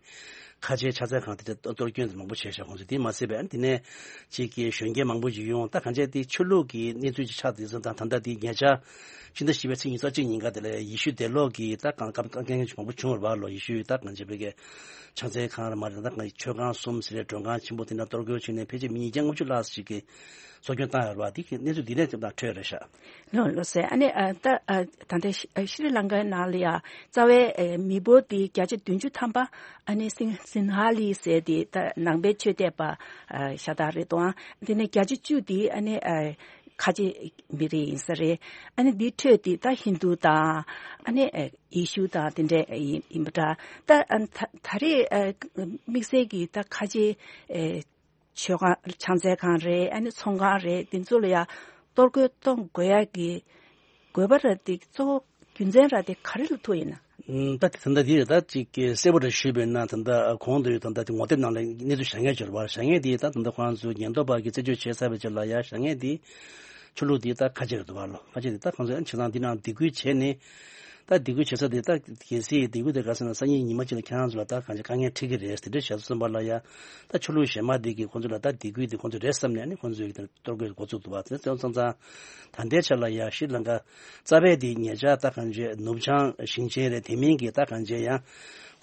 ཁ་ཆེའི་ཕྱག་འཚལ་ཁང་དེ་འདྲ་གཏོར་སྐྱོན་དེ་མང་པོ་བྱས་ཤག་ཁོང་ཚོས་དེ་མ་ཟད་པའི་ཨ་ནི་དེ་ནས་ཅིག་གི་གཞོན་སྐྱེས་མང་པོ་ཅིག་ཡོང་། ད་གང་བྱས་དེ་ཆོས་ལུགས་ཀྱི་གནས་ཚུལ་ཅིག་ཆགས་དེ་ཚོ་དང་ད་ལྟ་དེ་ཉེ་ཆར་ཕྱི་ཟླ་བཞི་པའི་ཚེས་ཉི་ཤུ་རྩ་གཅིག་ཉིན་ཀ་དེ་ལ་ཡེ་ཤུ་དེད་ལོག་གི་ད་གང་སྐབས་དཀའ་ངལ་ཅིག་མང་པོ་བྱུང་བ་རེད་བ་ལོ། ཡེ་ཤུ་ད་གང་བྱས་པའི་གི་ཕྱག་འཚལ་ཁང་རེད་མ་རེད། ད་གང་མཆོད་ཁང་གསུམ་ཟེར་རེད། མགྲོན་ཁང་ཆེན་པོ་དེ་འདྲ་གཏོར་རྒོལ་བྱས་ནས་ཕལ་ཆེར་མི་ཉིས་བརྒྱ་ལྔ་བཅུ་ལྷག་ཅིག་གི་སྲོག་སྐྱོན་བཏང་ཡོད་རེད་བ། དེ་གི་གནས་ཚུལ་དེ་ནས་ཅིག་དང་འཕྲོད་རེད་ཤག་ལོ་ལོ་ཟེར། ཨ་ནི་ཨ་ད་ཨ་ད་ལྟ་ཤི་ཤྲི་ལང་ཀའི་ནང་ལ་ཡ་རྩ་བའི་ཨ་མི་འབོར་དེ་བརྒྱ་ཆ་བདུན་ཅུ་ཐམ་པ་ཨ་ནི་སིང་སིན་ཧ་ལི་ཟེར་དེ་ད་ནང་པའི་ཆོས་དད་པ་ཨ་ཤ་སྟག་རེད་དོ། ཨ་དེ་ནས་བརྒྱ་ཆ་བཅུ་དེ་ཨ་ནི་ཨ་ཁ་ཆེ་མི་རིགས་ཡིན་ས་རེད། ཨ་ནི་འདི་འཕྲོད་དེ་ད་ཧིན་རྡུ་དང་ཨ་ནི་ཨ་ཡེ་ཤུ་དང་དེ་འདྲ་ཡིན་ཡིན་པ་འདྲ། ད་ཨ་ད་ད་རེས་ཨ་དམིགས་བསལ་གྱི་ད་ཁ་ཆེ་ཨ། མཆོད་ཁང་ཕྱག་འཚལ་ཁང་རེད། ཨ་ནི་ཚོང་ཁང་རེད། འདི་ཚོ་ལ་ཡ་གཏོར་རྒོལ་གཏོང་དགོས་ཡ་གི་དགོས་པ་ར་དེ་གཙོ་བོ་རྒྱུ་མཚན་ར་དེ་ག་རེ་ལ་ཐུག་ཡིན་ན། ཨུམ། ད་དེ་ད་ལྟ་དེ་རེད། ད་ཅིག་གི་གསལ་པོ་ར་ཞུས་པས་ན་ད་ལྟ་གོང་དུ་ད་ལྟ་དེ་ངོ་དེབ་ནང་ལ་གནས་ཚུལ་བཞག་མཁན་ཅིག་ཡོད་རེད་བ། བཞག་མཁན་དེ་ད་ད་ལྟ་ཁོང་ཚོ་ཉེན་རྟོག་པ་གི་རྩད་གཅོད་བྱས་ཚར་བའི་རྗེས་ལ་ཡ་བཞག་མཁན་དེ་ཆོས་ལུགས་དེ་ད་ཁ་ཆེ་རེད་འདུག་བ་ལོ། ཁ་ཆེ་དེ་ད་ཁོང་ཚོ་ཡང་བྱེད་སྟངས་འདི་ནང་སྡིགས་སྐུལ་བྱས་ནས། ད་སྡིགས་སྐུལ་བྱེད་ས་དེ་ད་གལ་སྲིད་སྡིགས་སྐུལ་དེ་ག་ཟེར་ན་སང་ཉིན་ཉི་མ་གཅིག་ལ་ཁྱེད་རང་ཚོ་ལ་ད་གང་ཅི་དཀའ་ངལ་འཕྲད་ཀྱི་རེད་ཟེར་འདྲ་བཤད་སོང་བ་ལ་ཡ། ད་ཆོས་ལུགས་གཞན་མ་དེ་གིས་ཁོང་ཚོ་ལ་ད་སྡིགས་སྐུལ་དེ་ཁོང་ཚོ་རེད་བསམ་ནས་ནི་ཁོང་ཚོས་གཏོར་རྒོལ་འགོ་བཙུགས་འདུག་བ། དེ་ཚོ་ཚང་ཚང་ད་ལྟའི་ཆ་ལ་ཡ་ཤྲི་ལང་ཀ་རྩ་བའི་དེ་ཉེ་ཆར་ད་གང་ཅི་ནུབ་བྱང་ཞིང་ཆེན་རེད། དེ་མིན་གྱི་ད་གང་ཅི་ཡང་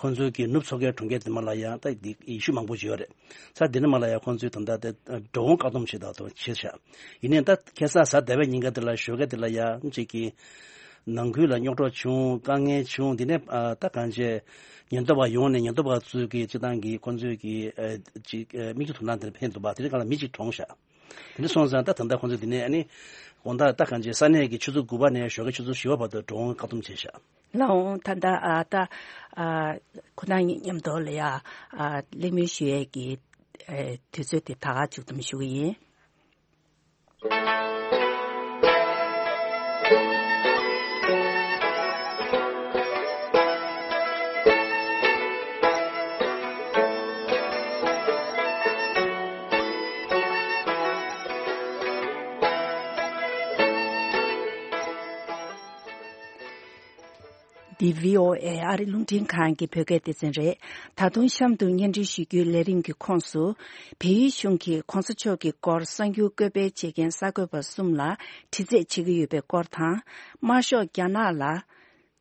ཁོང་ཚོའི་གི་ནུབ་མཚོ་ཁའི་གྲོང་ཁྱེར་དེ་མ་ལ་ཡ་ད་དེ་ཡེ་ཤུ་མང་པོ་ཅིག་ཡོད་རེད། ས་དེ་ནི་མ་ལ་ཡ་ཁོང་ཚོས་ད་ལྟ་དེ་འགྲོ་འོང་བཀག་སྡོམ་བྱེད་ད་དོ་བྱེད་ཤག་ཡིན་ནའི་ད་ཁ་སང་གཟའ་ཟླ་བའི་ཉིན་ཀ་དེ་ལ་ཞོགས་ཀ་དེ་ལ་ཡ་ཅིག་གི་ནང་ཁུལ་ལ་རྙོག་དྲ་བྱུང་། དཀའ་ངལ་བྱུང་། དེ་ནས་ཨ་ད་གང་བྱས་ཉེན་རྟོག་པ་ཡོང་ནས་ཉེན་རྟོག་པ་ཚོས་ཀྱི་སྤྱི་བཏང་གི་ཁོང་ཚོས་ཀྱི་ཨ་ཅིག་ཨ་མིག་ཆུ་དོར་སྣང་དེ་འཕེན་འདུག་པ། དེ་རིང་ག་ལ་མི་གཅིག་གྲོངས་ཤག་དེ་འདྲ་སོང་ཙང་ད་ད་ལྟ་ཁོང་ཚོས་དེ་ནས་ཨ་ནི་དགོང་དག་ད་གང་བྱས་ས་གནས་ཀྱི་ཆུ་ཚོད་དགུ་པ་ནས་ཞོགས་ཀའི་ཆུ་ཚོད་བཞི་པ་བར་དུ་འགྲོ་འོང་བཀག་སྡོམ་བྱས་ཤག་ལགས་འོང་། ད་ལྟ་ཨ་ད་ཨ་ཁོ་ན་ཉིད་མཉམ་དུ་ལ་ཡ་ཨ་གླེང་མོལ་ཞུ་ཡས་ཀྱི་ཨ་དུས་ཚོད་དེ་ད་ག་མཇུག་བསྡོམས་ཞུ་གི་ཡིན། འདི་བྷི་ཨོ་ཨེ་ཨ་རི་རླུང་འཕྲིན་ཁང་གི་བོད་སྐད་སྡེ་ཚན་རེད། ད་དུང་གཤམ་དུ་སྙན་སྒྲོན་ཞུ་རྒྱུའི་ལས་རིམ་གྱི་ཁོངས་སུ། བལ་ཡུལ་གཞུང་གིས་གོང་ས་མཆོག་གི་སྐོར་གསར་འགྱུར་བཀོད་སྤེལ་བྱེད་མཁན་གསར་འགོད་པ་གསུམ་ལ་དྲི་རྩད་བྱེད་ཀྱི་ཡོད་པའི་སྐོར་དང་། དམར་ཤོག་རྒྱ་ནག་ལ་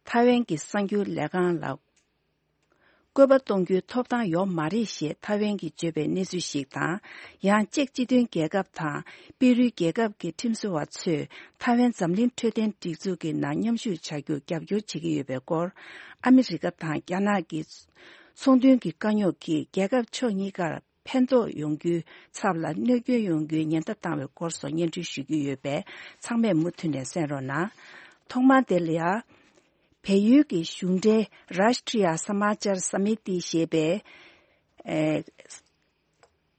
ཐའེ་ཝན་གྱི་གསར་འགྱུར་ལས་ཁང་ལ་བཀོད་པ་གཏོང་རྒྱུའི་ཐོབ་ཐང་ཡོད་མ་རེད་ཞེས་ཐའེ་ཝན་གྱིས་བརྗོད་པའི་གནས་ཚུལ་ཞིག་དང་། ཡང་ཅེཀ་སྤྱི་མཐུན་རྒྱལ་ཁབ་དང་པེ་རུའི་རྒྱལ་ཁབ་ཀྱི་ཁྲིམས་བཟོ་བ་ཚོས་ཐའེ་ཝན་འཛམ་གླིང་འཕྲོད་བསྟེན་སྒྲིག་འཛུགས་ཀྱི་ནང་མཉམ་ཞུགས་བྱ་རྒྱུར་རྒྱབ་སྐྱོར་བྱེད་ཀྱི་ཡོད་པའི་སྐོར། ཨ་མི་རི་ཀ་དང་རྒྱ་ནག་གི་ཚོང་དོན་གྱི་དཀའ་རྙོག་གིས་རྒྱལ་ཁབ་ཕྱོགས་གཉིས་ཀར་ཕན་ཐོགས་ཡོང་རྒྱུའི་ཚབ་ལ་གནོད་སྐྱོན་ཡོང་རྒྱུའི་ཉེན་བརྡ་བཏང་བའི་སྐོར་སོགས་སྙན་སྒྲོན་ཞུ་རྒྱུ་ཡོད་པས། ཚང་མས་མུ་མཐུད་ནས་གསན་རོགས་གནང་། ཐོག་མར་དེ་ལ་ཡ། བལ་ཡུལ་གྱི་གཞུང་འབྲེལ་Rashtriya Samachar Samiti ཞེས་པའི། ཨེ།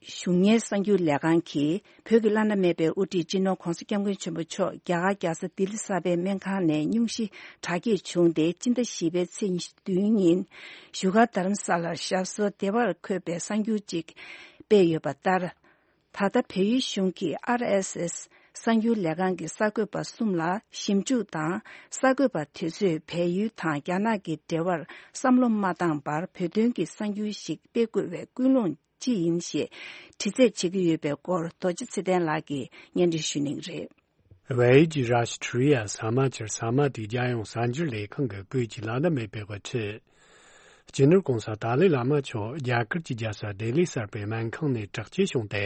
གཞུང་གཉེར་གསར་འགྱུར་ལས་ཁང་གིས་བོད་ཀྱི་བླ་ན་མེད་པའི་དབུ་ཁྲིད་སྤྱི་ནོར་༧གོང་ས་༧སྐྱབས་མགོན་ཆེན་པོ་མཆོག་རྒྱ་གར་རྒྱལ་ས་ལྡི་ལི་གསར་པའི་སྨན་ཁང་ནས་སྙུང་གཞི་དྲག་སྐྱེད་བྱུང་སྟེ། སྤྱི་ཟླ་བཞི་པའི་ཚེས་ཉི་ཤུ་བདུན་ཉིན་བཞུགས་སྒར་རྡ་རམ་ས་ལར་ཞབས་སོར་བདེ་བར་འཁོད་པའི་གསར་འགྱུར་ཅིག་སྤེལ་ཡོད་པ་ལྟར། ད་ལྟ་བལ་ཡུལ་གཞུང་གིས་ཨར་ཨེས་ཨེས་གསར་འགྱུར་ལས་ཁང་གི་གསར་འགོད་པ་གསུམ་ལ་ཞིབ་འཇུག་དང་། གསར་འགོད་པ་དེ་ཚོས་བལ་ཡུལ་དང་རྒྱ་ནག་གི་འབྲེལ་བར་བསམ་བློ་མ་བཏང་བར་བོད་དོན་གྱི་གསར་འགྱུར་ཞིག་སྤེལ་དགོས་པའི་ཀུན་སློང་ཅི་ཡིན་ཞེས་དྲི་རྩད་བྱེད་ཀྱི་ཡོད་པའི་སྐོར། རྡོ་རྗེ་ཚེ་བརྟན་ལགས་ཀྱིས་སྙན་སྒྲོན་ཞུ་གནང་གི་རེད། བལ་ཡུལ་གྱི་Rashtriya Samachar Samiti རྒྱལ་ཡོངས་གསར་འགྱུར་ལས་ཁང་གི་བོད་ཀྱི་བླ་ན་མེད་པའི་དབུ་ཁྲིད། སྤྱི་ནོར་༧གོང་ས་ཏཱ་ལའི་བླ་མ་མཆོག་རྒྱ་གར་གྱི་རྒྱལ་ས་ལྡི་ལི་གསར་པའི་སྨན་ཁང་ནས་དྲག་སྐྱེད་བྱུང་སྟེ།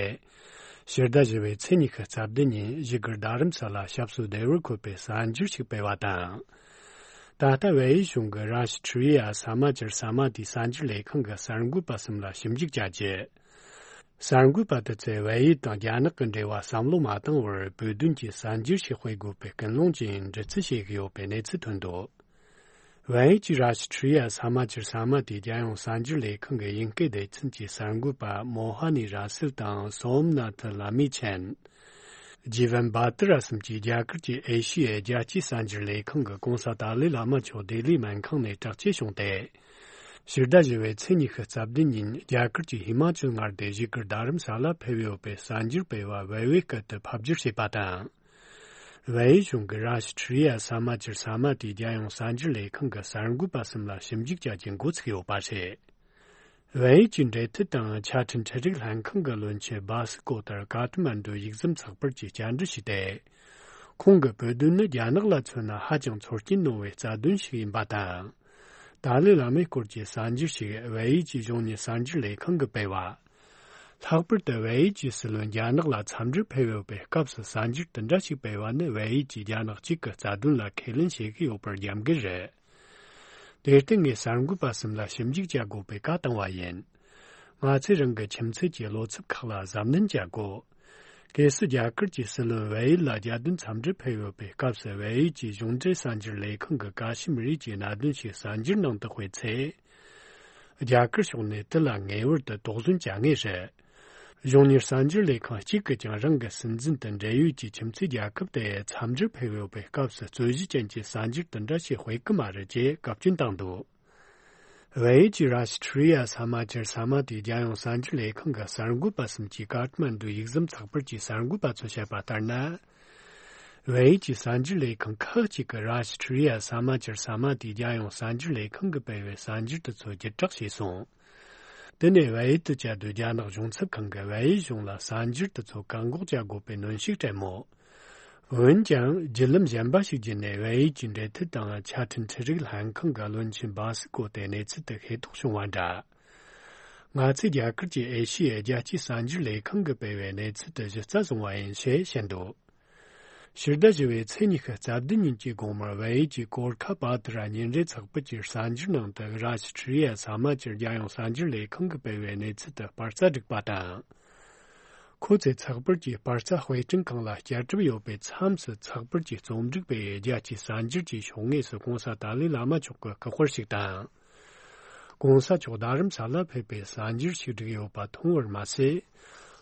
ཕྱི་ཟླ་བཞི་པའི་ཚེས་ཉི་ཤུ་རྩ་བདུན་ཉིན་བཞུགས་སྒར་རྡ་རམ་ས་ལ་ཞབས་སོར་བདེ་བར་འཁོད་པའི་གསར་འགྱུར་ཞིག་སྤེལ་བ་དང་། ད་ལྟ་བལ་ཡུལ་གཞུང་གི་Rashtriya Samachar Samiti གསར་འགྱུར་ལས་ཁང་གི་གསར་འགོད་པ་གསུམ་ལ་ཞིབ་འཇུག་བྱ་རྒྱུ། གསར་འགོད་པ་དེ་ཚོས་བལ་ཡུལ་དང་རྒྱ་ནག་གི་འབྲེལ་བ་བསམ་བློ་མ་བཏང་བར་བོད་དོན་གྱི་གསར་འགྱུར་ཞིག་སྤེལ་དགོས་པའི་ཀུན་སློང་ཅན་འདྲི་རྩད་བྱེད་ཀྱི་ཡོད་པའི་གནས་ཚུལ་ཐོན་འདུག་བལ་ཡུལ་གྱི་Rashtriya Samachar Samiti རྒྱལ་ཡོངས་གསར་འགྱུར་ལས་ཁང་གི་དབྱིན་སྐད་སྡེ་ཚན་གྱི་གསར་འགོད་པ་མོ་ཧ་ནི་ར་སིལ་དང་སོམ་ནཱ་ཐི་ལ་མི་ཆན། ཇི་ཝན་བྷ་ཏི་ར་གསུམ་གྱིས་རྒྱ་གར་གྱི་ཨེ་ཤི་ཡའི་རྒྱལ་སྤྱིའི་གསར་འགྱུར་ལས་ཁང་གི་༧གོང་ས་ཏཱ་ལའི་བླ་མ་མཆོག་ལྡི་ལིའི་སྨན་ཁང་ནས་དྲག་སྐྱེད་བྱུང་སྟེ། ཕྱི་ཟླ་བཞི་པའི་ཚེས་ཉི་ཤུ་རྩ་བདུན་ཉིན་རྒྱ་གར་གྱི་ཧི་མ་ཅལ་མངའ་སྡེའི་བཞུགས་སྒར་རྡ་རམ་ས་ལ་ཕེབས་ཡོད་པའི་གསར་འགྱུར་སྤེལ་བ་བལ་པོའི་སྐད་དུ་ཕབ་བསྒྱུར་བྱས་པ་དང་། བལ་ཡུལ་གཞུང་གི་Rashtriya Samachar Samiti རྒྱལ་ཡོངས་གསར་འགྱུར་ལས་ཁང་གི་གསར་འགོད་པ་གསུམ་ལ་ཞིབ་འཇུག་བྱ་རྒྱུའི་འགོ་ཚུགས་ཡོད་པ་རེད། བལ་ཡུལ་གྱི་འབྲེལ་མཐུད་དང་ཆ་འཕྲིན་འཕྲུལ་རིག་ལྷན་ཁང་གི་བློན་ཆེན་བྷ་སི་ཀོ་ཏར་ཀ་ཐ་མན་ཌུ་ཡིག་ཟམ་ཚགས་པར་གྱིས་བཅར་འདྲི་ཞུས་ཏེ། ཁོང་གིས་བོད་དོན་ནི་རྒྱ་ནག་ལ་མཚོན་ན་ཧ་ཅང་ཚོར་སྐྱེན་གནང་བའི་རྩ་དོན་ཞིག་ཡིན་པ་དང་། ཏཱ་ལའི་བླ་མའི་སྐོར་གྱི་གསར་འགྱུར་ཞིག་བལ་ཡུལ་གྱི་གཞུང་གཉེར་གསར་འགྱུར་ལས་ཁང་གིས་སྤེལ་བ། ལྷག་པར་དུ་བལ་ཡུལ་གྱི་སྲིད་བློན་རྒྱ་ནག་ལ་འཚམས་འདྲིར་ཕེབས་ཡོད་པའི་སྐབས་སུ་གསར་འགྱུར་དེ་འདྲ་ཞིག་སྤེལ་བ་ནི་བལ་ཡུལ་གྱིས་རྒྱ་ནག་གཅིག་གི་རྩ་དོན་ལ་ཁས་ལེན་བྱེད་ཀྱི་ཡོད་པར་རྒྱབ་འགལ་རེད། དེར་བརྟེན་ངས་གསར་འགོད་པ་གསུམ་ལ་ཞིབ་འཇུག་བྱ་དགོས་པའི་བཀའ་བཏང་བ་ཡིན། ང་ཚོས་རང་གི་ཁྱིམ་མཚེས་ཀྱི་བློ་འཚབ་ཁག་ལ་གཟབ་ནན་བྱ་དགོས། གལ་སྲིད་རྒྱ་གར་གྱི་སྲིད་བློན་བལ་ཡུལ་ལ་རྒྱལ་དོན་འཚམས་འདྲིར་ཕེབས་ཡོད་པའི་སྐབས་སུ་བལ་ཡུལ་གྱི་གཞུང་འབྲེལ་གསར་འགྱུར་ལས་ཁང་གི་ཀ་ཤི་མིར་ཡུལ་གྱི་གནད་དོན་ཞིག་གསར་འགྱུར་ནང་དུ་སྤེལ་ཚེ། རྒྱ་གར་ཕྱོགས་ནས་དེ་ལ་ངེས་པར་དུ་དོགས་ཟོན་བྱ་ངེས་རེད། གཞུང་གཉེར་གསར་འགྱུར་ལས་ཁང་གཅིག་གིས་ཀྱང་རང་གི་སྲིད་འཛིན་དང་འབྲེལ་ཡོད་ཀྱི་ཁྱིམ་མཚེས་རྒྱལ་ཁབ་དེ་འཚམས་འདྲིར་ཕེབས་ཡོད་པའི་སྐབས་སུ་རྩོད་གཞི་ཅན་གྱི་གསར་འགྱུར་དེ་འདྲ་ཞིག་སྤེལ་གི་མ་རེད་ཅེས་བཀའ་བཀྱོན་བཏང་འདུག་བལ་ཡུལ་གྱི་Rashtriya Samachar Samiti རྒྱལ་ཡོངས་གསར་འགྱུར་ལས་ཁང་གི་གསར་འགོད་པ་གསུམ་གྱིས་ཀ་ཐ་མན་ཌུ་ཡིག་ཟམ་ཚགས་པར་གྱི་གསར་འགོད་པ་ཚོས་བཤད་པ་ལྟར་ན། བལ་ཡུལ་གྱི་གསར་འགྱུར་ལས་ཁང་ཁག་ཅིག་གིས་Rashtriya Samachar Samiti རྒྱལ་ཡོངས་གསར་འགྱུར་ལས་ཁང་གིས་སྤེལ་བའི་གསར་འགྱུར་དེ་ཚོ་བརྒྱུད་བསྒྲགས་བྱས་སོང་། དེ་ནས་བལ་ཡུལ་དུ་བཅའ་སྡོད་རྒྱ་ནག་གཞུང་ཚབ་ཁང་གིས་བལ་ཡུལ་གཞུང་ལ་གསར་འགྱུར་དེ་ཚོ་བཀག་འགོག་བྱ་དགོས་པའི་གནོན་ཤུགས་སྤྲད་མོད། འོན་ཀྱང་བརྒྱུད་ལམ་གཞན་པ་ཞིག་བརྒྱུད་ནས་བལ་ཡུལ་གྱི་འབྲེལ་མཐུད་དང་ཆ་འཕྲིན་འཕྲུལ་རིག་ལྷན་ཁང་གི་བློན་ཆེན་བྷ་སི་ཀོ་ཏེ་གནས་ཚུལ་དེ་ཤེས་རྟོགས་བྱུང་བ་འདྲ། ང་ཚོས་རྒྱ་གར་གྱི་ཨེ་ཤི་ཡའི་རྒྱལ་སྤྱིའི་གསར་འགྱུར་ལས་ཁང་གིས་སྤེལ་བའི་གནས་ཚུལ་དེ་གཞི་རྩ་བཟུང་བ་ཡིན་ཞེས་བཤད་འདུག་ཕྱི་ཟླ་བཞི་པའི་ཚེས་ཉི་ཤུ་རྩ་བདུན་ཉིན་གྱི་དགོང་མོར་བལ་ཡུལ་གྱི་གོར་ཁ་པ་ཏི་ར་ཉིན་རེའི་ཚགས་པར་གྱི་གསར་འགྱུར་ནང་དུ་Rashtriya Samachar རྒྱལ་ཡོངས་གསར་འགྱུར་ལས་ཁང་གིས་སྤེལ་བའི་གནས་ཚུལ་དེ་སྤར་རྩ་བསྒྲིགས་པ་དང་། ཁོ་ཚོས་ཚགས་པར་གྱི་སྤར་རྩ་དཔེ་སྐྲུན་ཁང་ལ་བསྐྱར་གྲུབ་ཡོད་པའི་མཚམས་སུ་ཚགས་པར་གྱི་རྩོམ་སྒྲིག་པས་རྒྱལ་སྤྱིའི་གསར་འགྱུར་གྱི་ཕྱོགས་ངོས་སུ་གོང་ས་ཏཱ་ལའི་བླ་མ་མཆོག་གི་སྐུ་པར་ཞིག་དང་། གོང་ས་མཆོག་རྡ་རམ་ས་ལ་ཕེབས་པའི་གསར་འགྱུར་ཞིག་བསྒྲིགས་ཡོད་པ་མཐོང་བར་མ་ཟད།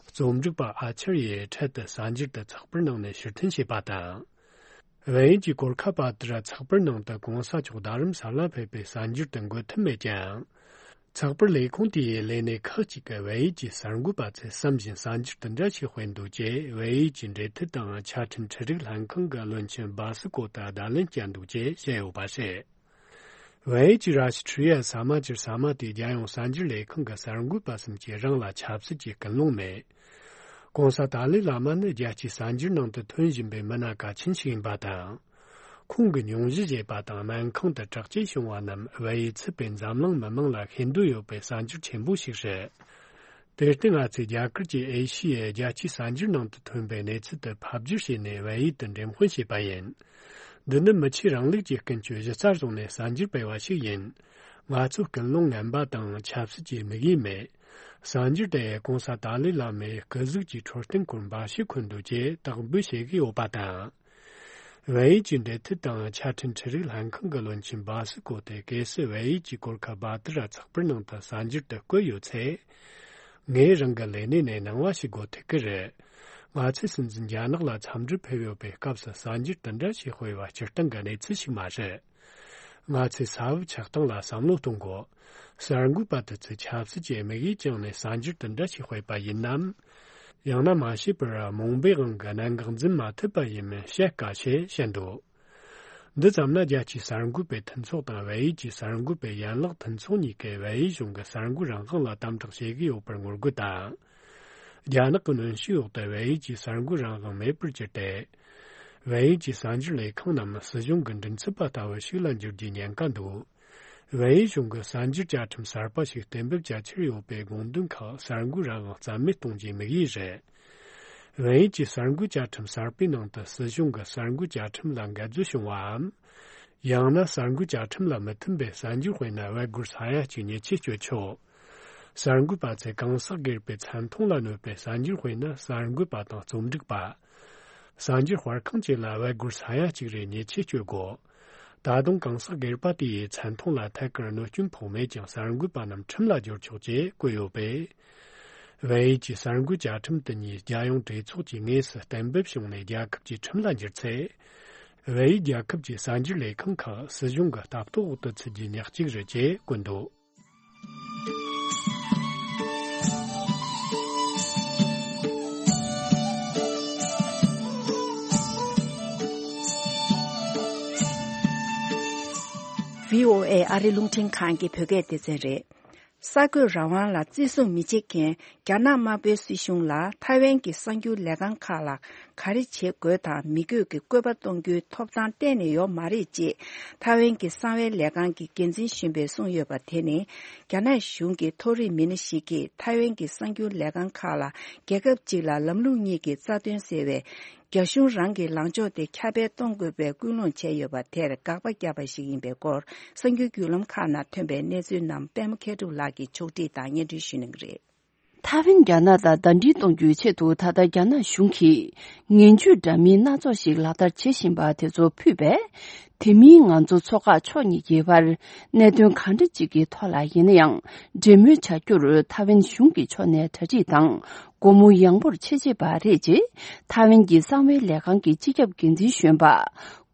རྩོམ་སྒྲིག་པ་ཨ་ཆར་ཡས་འཕྲལ་དུ་གསར་འགྱུར་དེ་ཚགས་པར་ནང་ནས་ཕྱིར་འཐེན་བྱས་པ་དང་། བལ་ཡུལ་གྱི་གོར་ཁ་པ་ཏི་ར་ཚགས་པར་ནང་དུ་གོང་ས་མཆོག་རྡ་རམ་ས་ལ་ཕེབས་པའི་གསར་འགྱུར་དེ་འགོད་ཐུབ་མེད་ཀྱང་། ཚགས་པར་ལས་ཁུངས་དེའི་ལས་སྣེ་ཁག་ཅིག་གིས་བལ་ཡུལ་གྱི་གསར་འགོད་པ་ཚོས་བསམ་བཞིན་གསར་འགྱུར་དེ་འདྲ་ཞིག་སྤེལ་འདུག་ཅེས་བལ་ཡུལ་གྱི་འབྲེལ་མཐུད་དང་ཆ་འཕྲིན་འཕྲུལ་རིག་ལྷན་ཁང་གི་བློན་ཆེན་བྷ་སི་ཀོ་ཏ་བརྡ་ལན་བསྐྱལ་འདུག་ཅེས་བཤད་ཡོད་པ་རེད། བལ་ཡུལ་གྱི་ར་ཤི་ཁྲི་ཡ་ས་མ་ཅིར་ས་མ་དེའི་རྒྱལ་ཡོངས་གསར་འགྱུར་ལས་ཁང་གི་གསར་འགོད་པ་གསུམ་གྱིས་རང་ལ་ཆབ་སྲིད་ཀྱི་ཀུན་སློང་མེད། གོང་ས་ཏཱ་ལའི་བླ་མ་ནི་རྒྱལ་སྤྱིའི་གསར་འགྱུར་ནང་དུ་ཐོན་བཞིན་པའི་མི་སྣ་གལ་ཆེན་ཞིག་ཡིན་པ་དང་། ཁོང་གི་སྙུང་གཞི་བྱས་པ་དང་སྨན་ཁང་དུ་དྲག་སྐྱེད་བྱུང་བ་རྣམས་བལ་ཡུལ་ཚུད་པའི་འཛམ་གླིང་མི་མང་ལ་ཤེས་འདོད་ཡོད་པའི་གསར་འགྱུར་ཆེན་པོ་ཞིག་རེད། དེར་བརྟེན་ང་ཚོས་རྒྱ་གར་གྱི་ཨེ་ཤི་ཡའི་རྒྱལ་སྤྱིའི་གསར་འགྱུར་ནང་དུ་ཐོན་པའི་གནས་ཚུལ་དེ་ཕབ་བསྒྱུར་བྱས་ནས་བལ་ཡུལ་དུ་འགྲེམས་སྤེལ་བྱས་པ་ཡིན། འདི་ནི་མི་ཆོས་རིང་ལུགས་ཀྱི་ཀུན་སྤྱོད་གཞི་རྩར་བཟུང་ནས་གསར་འགྱུར་སྤེལ་བ་ཞིག་ཡིན། ང་ཚོ་ཀུན་སློང་ངན་པ་དང་ཆབ་སྲིད་ཀྱི་དམིགས་ཡུལ་མེད། གསར་འགྱུར་དེ་གོང་ས་ཏཱ་ལའི་བླ་མའི་སྐུ་གཟུགས་ཀྱི་འཕྲོད་བསྟེན་སྐོར་འབའ་ཞིག་འཁོད་འདུག་ཅེས་དག་འབུལ་བྱེད་ཀྱི་ཡོད་པ་དང་། བལ་ཡུལ་གྱི་འབྲེལ་མཐུད་དང་ཆ་འཕྲིན་འཕྲུལ་རིག་ལྷན་ཁང་གི་བློན་ཆེན་སྦ་སི་ཀོ་ཏེ་གེ་སི་བལ་ཡུལ་གྱི་གོར་ཁ་སྦ་ཏི་ར་ཚགས་པར་ནང་དུ་གསར་འགྱུར་དུ་བཀོད་ཡོད་ཚེ། ངས་རང་གི་ལས་གནས་ནས་གནང་བ་ཞིག་དགོས་ཐུག་གི་རེད། ང་ཚོས་སྲིད་འཛིན་རྒྱ་ནག་ལ་འཚམས་འདྲི་ཕེབས་ཡོད་པའི་སྐབས་སུ་གསར་འགྱུར་དེ་འདྲ་ཞིག་སྤེལ་བ་སྤྱིར་བཏང་གི་གནས་ཚུལ་ཞིག་མ་རེད། ང་ཚོས་ས་བབ་ཆགས་སྟངས་ལ་བསམ་བློ་གཏོང་དགོས། གསར་འགོད་པ་དེ་ཚོས་ཆབ་སྲིད་ཀྱི་དམིགས་ཡུལ་བཅངས་ནས་གསར་འགྱུར་དེ་འདྲ་ཞིག་སྤེལ་པ་ཡིན་ནམ། ཡང་ན་མ་ཤེས་པར་རྨོངས་པའི་དབང་གིས་གནད་འགག་འཛིན་མ་ཐུབ་པ་ཡིན་མིན་བཤད་དཀའ་ཞེས་བཤད་འདུག་འདི་ཙམ་ན་རྒྱལ་སྤྱིའི་གསར་འགོད་པའི་མཐུན་ཚོགས་དང་བལ་ཡུལ་གྱི་གསར་འགོད་པའི་ཡན་ལག་མཐུན་ཚོགས་གཉིས་ཀས་བལ་ཡུལ་གཞུང་གི་གསར་འགོད་རང་དབང་ལ་དམ་དྲག་བྱེད་ཀྱི་ཡོད་པར་ངོ་རྒོལ་དང་། རྒྱ་ནག་གི་གནོན་ཤུགས་འོག་ཏུ་བལ་ཡུལ་གྱི་གསར་འགོད་རང་དབང་མེད་པར་གྱུར་ཏེ། བལ་ཡུལ་གྱི་གསར་འགྱུར་ལས་ཁང་རྣམས་སྲིད་གཞུང་གི་མགྲིན་ཚབ་པ་ལྟ་བུ་ཞིག་ལ་འགྱུར་རྒྱུའི་ཉེན་ཁ་འདུག་བལ་ཡུལ་གཞུང་གིས་གསར་འགྱུར་བཅའ་ཁྲིམས་གསར་པ་ཞིག་གཏན་འབེབས་བྱ་འཆར་ཡོད་པའི་དགོངས་དོན་ཁག་གསར་འགོད་རང་དབང་རྩ་མེད་གཏོང་རྒྱུའི་དམིགས་ཡུལ་རེད། བལ་ཡུལ་གྱི་གསར་འགོད་བཅའ་ཁྲིམས་གསར་པའི་ནང་དུ་སྲིད་གཞུང་གིས་གསར་འགོད་བཅའ་ཁྲིམས་ལ་འགལ་འཛོལ་བྱུང་བའམ། ཡང་ན་གསར་འགོད་བཅའ་ཁྲིམས་ལ་མི་མཐུན་པའི་གསར་འགྱུར་སྤེལ་ན་བལ་སྒོར་ས་ཡ་གཅིག་ཉེས་ཆད་གཅོད་ཆོག་གསར་འགོད་པ་ཚོས་གང་ཟག་སྒེར་པའི་མཚན་མཐོང་ལ་གནོད་པའི་གསར་འགྱུར་སྤེལ་ན་གསར་འགོད་པ་དང་རྩོམ་སྒྲིག་པ། གསར་འགྱུར་སྤེལ་ཁང་བཅས་ལ་བལ་སྒོར་ས་ཡ་གཅིག་རེ་ཉེས་ཆད་གཅོད་དགོས། ད་དུང་གང་ཟག་སྒེར་པ་དེའི་མཚན་མཐོང་ལ་ཐད་ཀར་གནོད་སྐྱོན་ཕོག་མེད་ཀྱང་གསར་འགོད་པ་རྣམས་ཁྲིམས་ལ་སྦྱོར་ཆོག་ཅེས་བཀོད་ཡོད་པས། བལ་ཡུལ་གྱི་གསར་འགོད་བཅའ་ཁྲིམས་དེ་ཉིད་རྒྱལ་ཡོངས་གྲོས་ཚོགས་ཀྱི་དངོས་སུ་གཏན་འབེབས་བྱུང་ནས་རྒྱལ་ཁབ་ཀྱི་ཁྲིམས་ལ་འགྱུར་ཚེ། བལ་ཡུལ་རྒྱལ་ཁབ་ཀྱི་གསར་འགྱུར་ལས་ཁང་ཁག་སྲིད་གཞུང་གི་ལྟ་རྟོག་འོག་ཏུ་ཚུད་རྒྱུའི་ཉག་གཅིག་རེད་ཅེས་བཀོད་འདུག་བྷི་ཨོ་ཨེ་ཨ་རི་རླུང་འཕྲིན་ཁང་གི་བོད་སྐད་སྡེ་ཚན་རེད། གསར་འགོད་རང་དབང་ལ་བརྩི་སྲུང་མི་བྱེད་མཁན་རྒྱ་ནག་དམར་པོའི་སྲིད་གཞུང་ལ་ཐའེ་ཝན་གྱི་གསར་འགྱུར་ལས་ཁང་ཁག་ལ་ག་རེ་བྱེད་དགོས་དང་མི་དགོས་ཀྱི་བཀོད་པ་གཏོང་རྒྱུའི་ཐོབ་ཐང་གཏན་ནས་ཡོད་མ་རེད་ཅེས་ཐའེ་ཝན་གྱི་གསང་བའི་ལས་ཁང་གི་འགན་འཛིན་གཞོན་པས་གསུངས་ཡོད་པ་དེ་ནི། རྒྱ་ནག་གཞུང་གི་མཐོ་རིམ་མི་སྣ་ཞིག་གིས་ཐའེ་ཝན་གྱི་གསར་འགྱུར་ལས་ཁང་ཁག་ལ་རྒྱལ་ཁབ་གཅིག་ལ་ལམ་ལུགས་གཉིས་ཀྱི་རྩ་དོན་ཟེར་བའི་རྒྱ་གཞུང་རང་གི་ལངས་ཕྱོགས་དེ་ཁྱབ་སྤེལ་གཏོང་དགོས་པའི་སྐུལ་སློང་བྱས་ཡོད་པ་དེར་དགག་པ་བརྒྱབ་པ་ཞིག་ཡིན་པའི་སྐོར་གསར་འགྱུར་བརྒྱུད་ལམ་ཁག་ནང་ཐོན་པའི་གནས་ཚུལ་རྣམས་པད་མ་མཁས་གྲུབ་ལགས་ཀྱིས་ཕྱོགས་སྒྲིག་དང་སྙན་སྒྲོན་ཞུ་གནང་གི་རེད། ཐའེ་ཝན་རྒྱ་ནག་དང་ཟླ་སྒྲིལ་གཏོང་རྒྱུའི་ཆེད་དུ་ད་ལྟ་རྒྱ་ནག་གཞུང་གིས་ངན་ཇུས་འདྲ་མིན་སྣ་ཚོགས་ཤིག་ལག་བསྟར་བྱེད་བཞིན་པ་དེ་ཚོ་ཕུད་པས། དེ་མིན་ང་ཚོ་མཚོ་འགག་ཕྱོགས་གཉིས་ཀྱི་བར་གནད་དོན་གང་འདྲ་ཅིག་གི་ཐོག་ལ་ཡིན་ན་ཡང་འབྲེལ་མོལ་བྱ་རྒྱུར་ཐའེ་ཝན་གཞུང་གི་ཕྱོགས་ནས་གྲ་སྒྲིག་དང་སྒོ་མོ་ཡངས་པོར་བྱེད་ཅེས་པ་རེད་ཅེས་ཐའེ་ཝན་གྱི་གསང་བའི་ལས་ཁང་གི་སྤྱི་ཁྱབ་འགན་འཛིན་གཞོན་པ་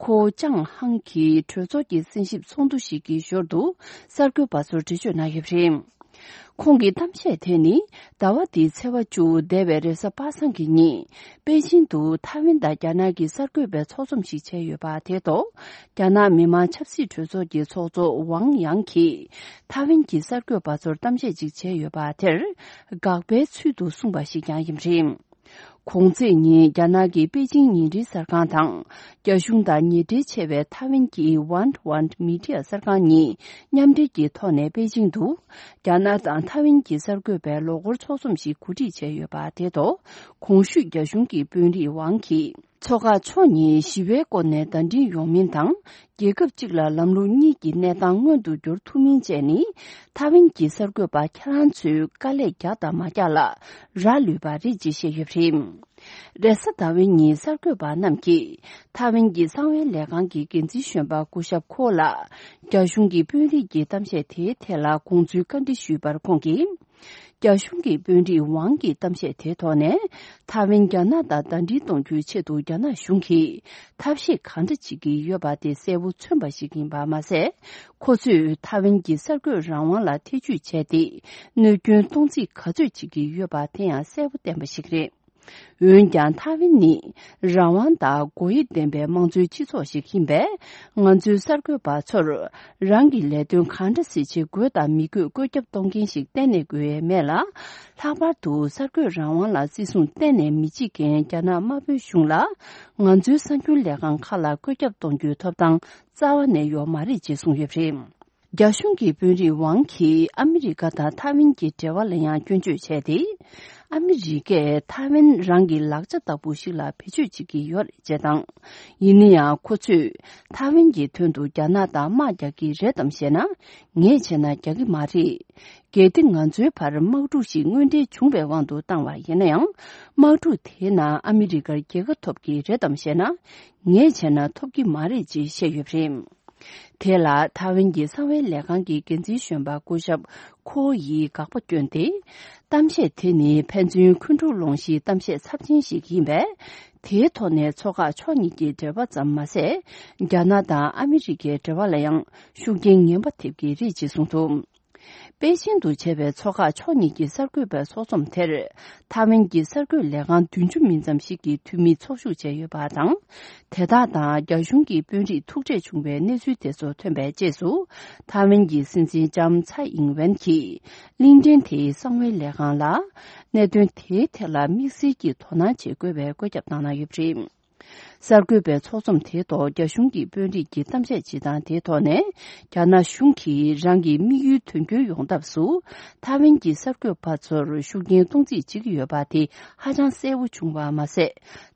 ཁོ་ཅང་ཧང་གིས་གྲོས་ཚོགས་ཀྱི་གསན་ཞིབ་ཚོགས་འདུ་ཞིག་གི་ཞོར་དུ་གསར་འགོད་པ་ཚོར་འགྲེལ་བརྗོད་གནང་ཡོད་པ་རེད། ཁོང་གི་གཏམ་བཤད་དེ་ནི་ཟླ་བ་འདིའི་ཚེས་པ་བཅུ་འདས་པའི་རེས་གཟའ་པ་སངས་ཀྱི་ཉིན་པེ་ཅིང་དུ་ཐའེ་ཝན་དང་རྒྱ་ནག་གི་གསར་འགོད་པའི་ཚོགས་འཛོམས་ཤིག་བྱས་ཡོད་པ་དེ་ཐོག་རྒྱ་ནག་མི་དམངས་ཆབ་སྲིད་གྲོས་ཚོགས་ཀྱི་ཚོགས་གཙོ་ཝང་ཡང་གིས་ཐའེ་ཝན་གྱི་གསར་འགོད་པ་ཚོར་གཏམ་བཤད་ཅིག་བྱས་ཡོད་པ་དེར་དགག་པའི་ཚུལ་དུ་གསུངས་པ་ཞིག་ཀྱང་ཡིན་པ་རེད། གོང་ཚེས་ཉིན་རྒྱ་ནག་གི་པེ་ཅིང་ཉིན་རེའི་གསར་ཁང་དང་། རྒྱ་གཞུང་དང་ཉེ་འབྲེལ་ཆེ་བའི་ཐའེ་ཝན་གྱི་One One Media གསར་ཁང་གཉིས་མཉམ་འབྲེལ་གྱི་ཐོག་ནས་པེ་ཅིང་དུ། རྒྱ་ནག་དང་ཐའེ་ཝན་གྱི་གསར་འགོད་པའི་ལོ་འཁོར་ཚོགས་འཛོམས་ཤིག་གོ་སྒྲིག་བྱས་ཡོད་པ་དེ་ཐོག་གོང་ཞུས་རྒྱ་གཞུང་གི་དཔོན་རིགས་ཝང་གིས། མཚོ་འགག་ཕྱོགས་གཉིས་ཞི་བའི་སྒོ་ནས་ཟླ་སྒྲིལ་ཡོང་མིན་དང་། རྒྱལ་ཁབ་གཅིག་ལ་ལམ་ལུགས་གཉིས་ཀྱི་གནས་སྟངས་མངོན་དུ་འགྱུར་ཐུབ་མིན་བཅས་ནི། ཐའེ་ཝན་གྱི་གསར་འགོད་པ་ཁྱེད་རང་ཚོས་དཀའ་ལས་རྒྱག་དང་མ་རྒྱག་ལ་རག་ལུས་པ་རེད་ཅེས་བཤད་ཡོད་པ་རེད། རེས་གཟའ་ཟླ་བའི་ཉིན་གསར་འགོད་པ་རྣམས་ཀྱིས་ཐའེ་ཝན་གྱི་གསང་བའི་ལས་ཁང་གི་འགན་འཛིན་གཞོན་པ་སྐུ་ཞབས་ཁོ་ལ་རྒྱ་གཞུང་གི་དཔོན་རིགས་ཀྱི་གཏམ་བཤད་དེའི་ཐད་ལ་དགོངས་ཚུལ་བཀའ་འདྲི་ཞུས་པར་ཁོང་གིས། རྒྱ་གཞུང་གི་དཔོན་རིགས་ཝང་གི་གཏམ་བཤད་དེའི་ཐོག་ནས། ཐའེ་ཝན་རྒྱ་ནག་དང་ཟླ་སྒྲིལ་གཏོང་རྒྱུའི་ཆེད་དུ་རྒྱ་ནག་གཞུང་གིས་ཐབས་ཤེས་གང་འདྲ་བྱེད་ཀྱི་ཡོད་པ་དེ་གསལ་པོ་མཚོན་པ་ཞིག་ཡིན་པ་མ་ཟད། ཁོ་ཚོས་ཐའེ་ཝན་གྱི་གསར་འགོད་རང་དབང་ལ་ཐེ་ཇུས་བྱས་ཏེ། གནོད་སྐྱོན་གཏོང་རྩིས་ག་ཚོད་བྱེད་ཀྱི་ཡོད་པ་དེ་ཡང་གསལ་པོ་བསྟན་པ་ཞིག་རེད། འོན་ཀྱང་ཐའེ་ཝན་ནི་རང་དབང་དང་སྒོ་དབྱེ་ལྡན་པའི་དམངས་གཙོའི་སྤྱི་ཚོགས་ཤིག་ཡིན་པས། ང་ཚོའི་གསར་འགོད་པ་ཚོར་རང་གི་ལས་དོན་གང་འདྲ་སེ་བྱེད་དགོས་དང་མི་དགོས་བཀོད་ཁྱབ་གཏོང་མཁན་ཞིག་གཏན་ནས་དགོས་ཡས་མེད་ལ། ལྷག་པར་དུ་གསར་འགོད་རང་དབང་ལ་བརྩི་སྲུང་གཏན་ནས་མི་བྱེད་མཁན་རྒྱ་ནག་དམར་པོའི་གཞུང་ལ། ང་ཚོའི་གསར་འགྱུར་ལས་ཁང་ཁག་ལ་བཀོད་ཁྱབ་གཏོང་རྒྱུའི་ཐོབ་ཐང་རྩ་བ་ནས་ཡོད་མ་རེད་ཅེས་གསུངས་ཡོད་པ་རེད། རྒྱ་གཞུང་གི་དཔོན་རིགས་ཝང་གིས་ཨ་མི་རི་ཀ་དང་ཐའེ་ཝན་གྱི་འབྲེལ་བ་ལ་ཡང་སྐྱོན་བརྗོད་བྱས་ཏེ། ཨ་མི་རི་ཀས་ཐའེ་ཝན་རང་གི་ལག་ཆ་ལྟ་བུ་ཞིག་ལ་བེད་སྤྱོད་བྱེད་ཀྱི་ཡོད་རེད་ཅེས་དང་། ཡིན་ན་ཡང་ཁོ་ཚོས་ཐའེ་ཝན་གྱི་དོན་དུ་རྒྱ་ནག་དང་དམག་རྒྱག་གི་རེད་དམ་ཞེ་ན། ངས་བྱས་ན་རྒྱག་གི་མ་རེད། གལ་ཏེ་ང་ཚོའི་བར་དམག་འཁྲུག་ཞིག་དངོས་འབྲེལ་བྱུང་བའི་དབང་དུ་བཏང་བ་ཡིན་ན་ཡང་། དམག་འཁྲུག་དེའི་ནང་ཨ་མི་རི་ཀར་རྒྱལ་ཁ་ཐོབ་ཀྱི་རེད་དམ་ཞེ་ན། ངས་བྱས་ན་ཐོབ་ཀྱི་མ་རེད་ཅེས་བཤད་ཡོད་པ་རེད། དེ་ལ་ཐའེ་ཝན་གྱི་གསང་བའི་ལས་ཁང་གི་འགན་འཛིན་གཞོན་པ་སྐུ་ཞབས་ཁོ་ཡིས་དགག་པ་བསྐྱོན་ཏེ། གཏམ་བཤད་དེ་ནི་ཕན་ཚུན་འཁོན་འཁྲུག་སློང་གཞིའི་གཏམ་བཤད་ཚབས་ཆེན་ཞིག་ཡིན་པས། དེའི་ཐོག་ནས་མཚོ་འགག་ཕྱོགས་གཉིས་ཀྱི་འབྲེལ་བ་ཙམ་མ་ཟད། རྒྱ་ནག་དང་ཨ་མི་རི་ཀའི་འབྲེལ་བ་ལ་ཡང་ཤུགས་རྐྱེན་ངན་པ་ཐེབས་ཀྱི་རེད་ཅེས་གསུངས་འདུག་པེ་ཅིང་དུ་བྱས་པའི་མཚོ་འགག་ཕྱོགས་གཉིས་ཀྱི་གསར་འགོད་པའི་ཚོགས་འཛོམས་དེར། ཐའེ་ཝན་གྱི་གསར་འགོད་ལས་ཁང་བདུན་ཅུ་མིན་ཙམ་ཞིག་གི་འཐུས་མི་ཚོགས་ཞུགས་བྱས་ཡོད་པ་དང་། དེ་དག་དང་རྒྱ་གཞུང་གི་དཔོན་རིགས་ཐུག་འཕྲད་བྱུང་བའི་གནས་ཚུལ་དེ་ཚོ་ཐོན་པའི་རྗེས་སུ། ཐའེ་ཝན་གྱི་སྲིད་འཛིན་ལྕམ་ཚའེ་ཨིང་ཝེན་གྱིས་གླིང་ཕྲན་དེའི་གསང་བའི་ལས་ཁང་ལ། གནད་དོན་དེའི་ཐད་ལ་དམིགས་བསལ་གྱི་དོ་སྣང་བྱེད་དགོས་པའི་བཀོད་ཁྱབ་བཏང་གནང་ཡོད་པ་རེད། གསར་འགོད་པའི་ཚོགས་འཛོམས་དེའི་ཐོག་རྒྱ་གཞུང་གི་དཔོན་རིགས་ཀྱིས་གཏམ་བཤད་བྱེད་སྟངས་དེའི་ཐོག་ནས། རྒྱ་ནག་གཞུང་གིས་རང་གི་དམིགས་ཡུལ་དོན་འཁྱོལ་ཡོང་ཐབས་སུ། ཐའེ་ཝན་གྱི་གསར་འགོད་པ་ཚོར་ཤུགས་རྐྱེན་གཏོང་རྩིས་བྱེད་ཀྱི་ཡོད་པ་དེ་ཧ་ཅང་གསལ་པོ་བྱུང་བ་མ་ཟད།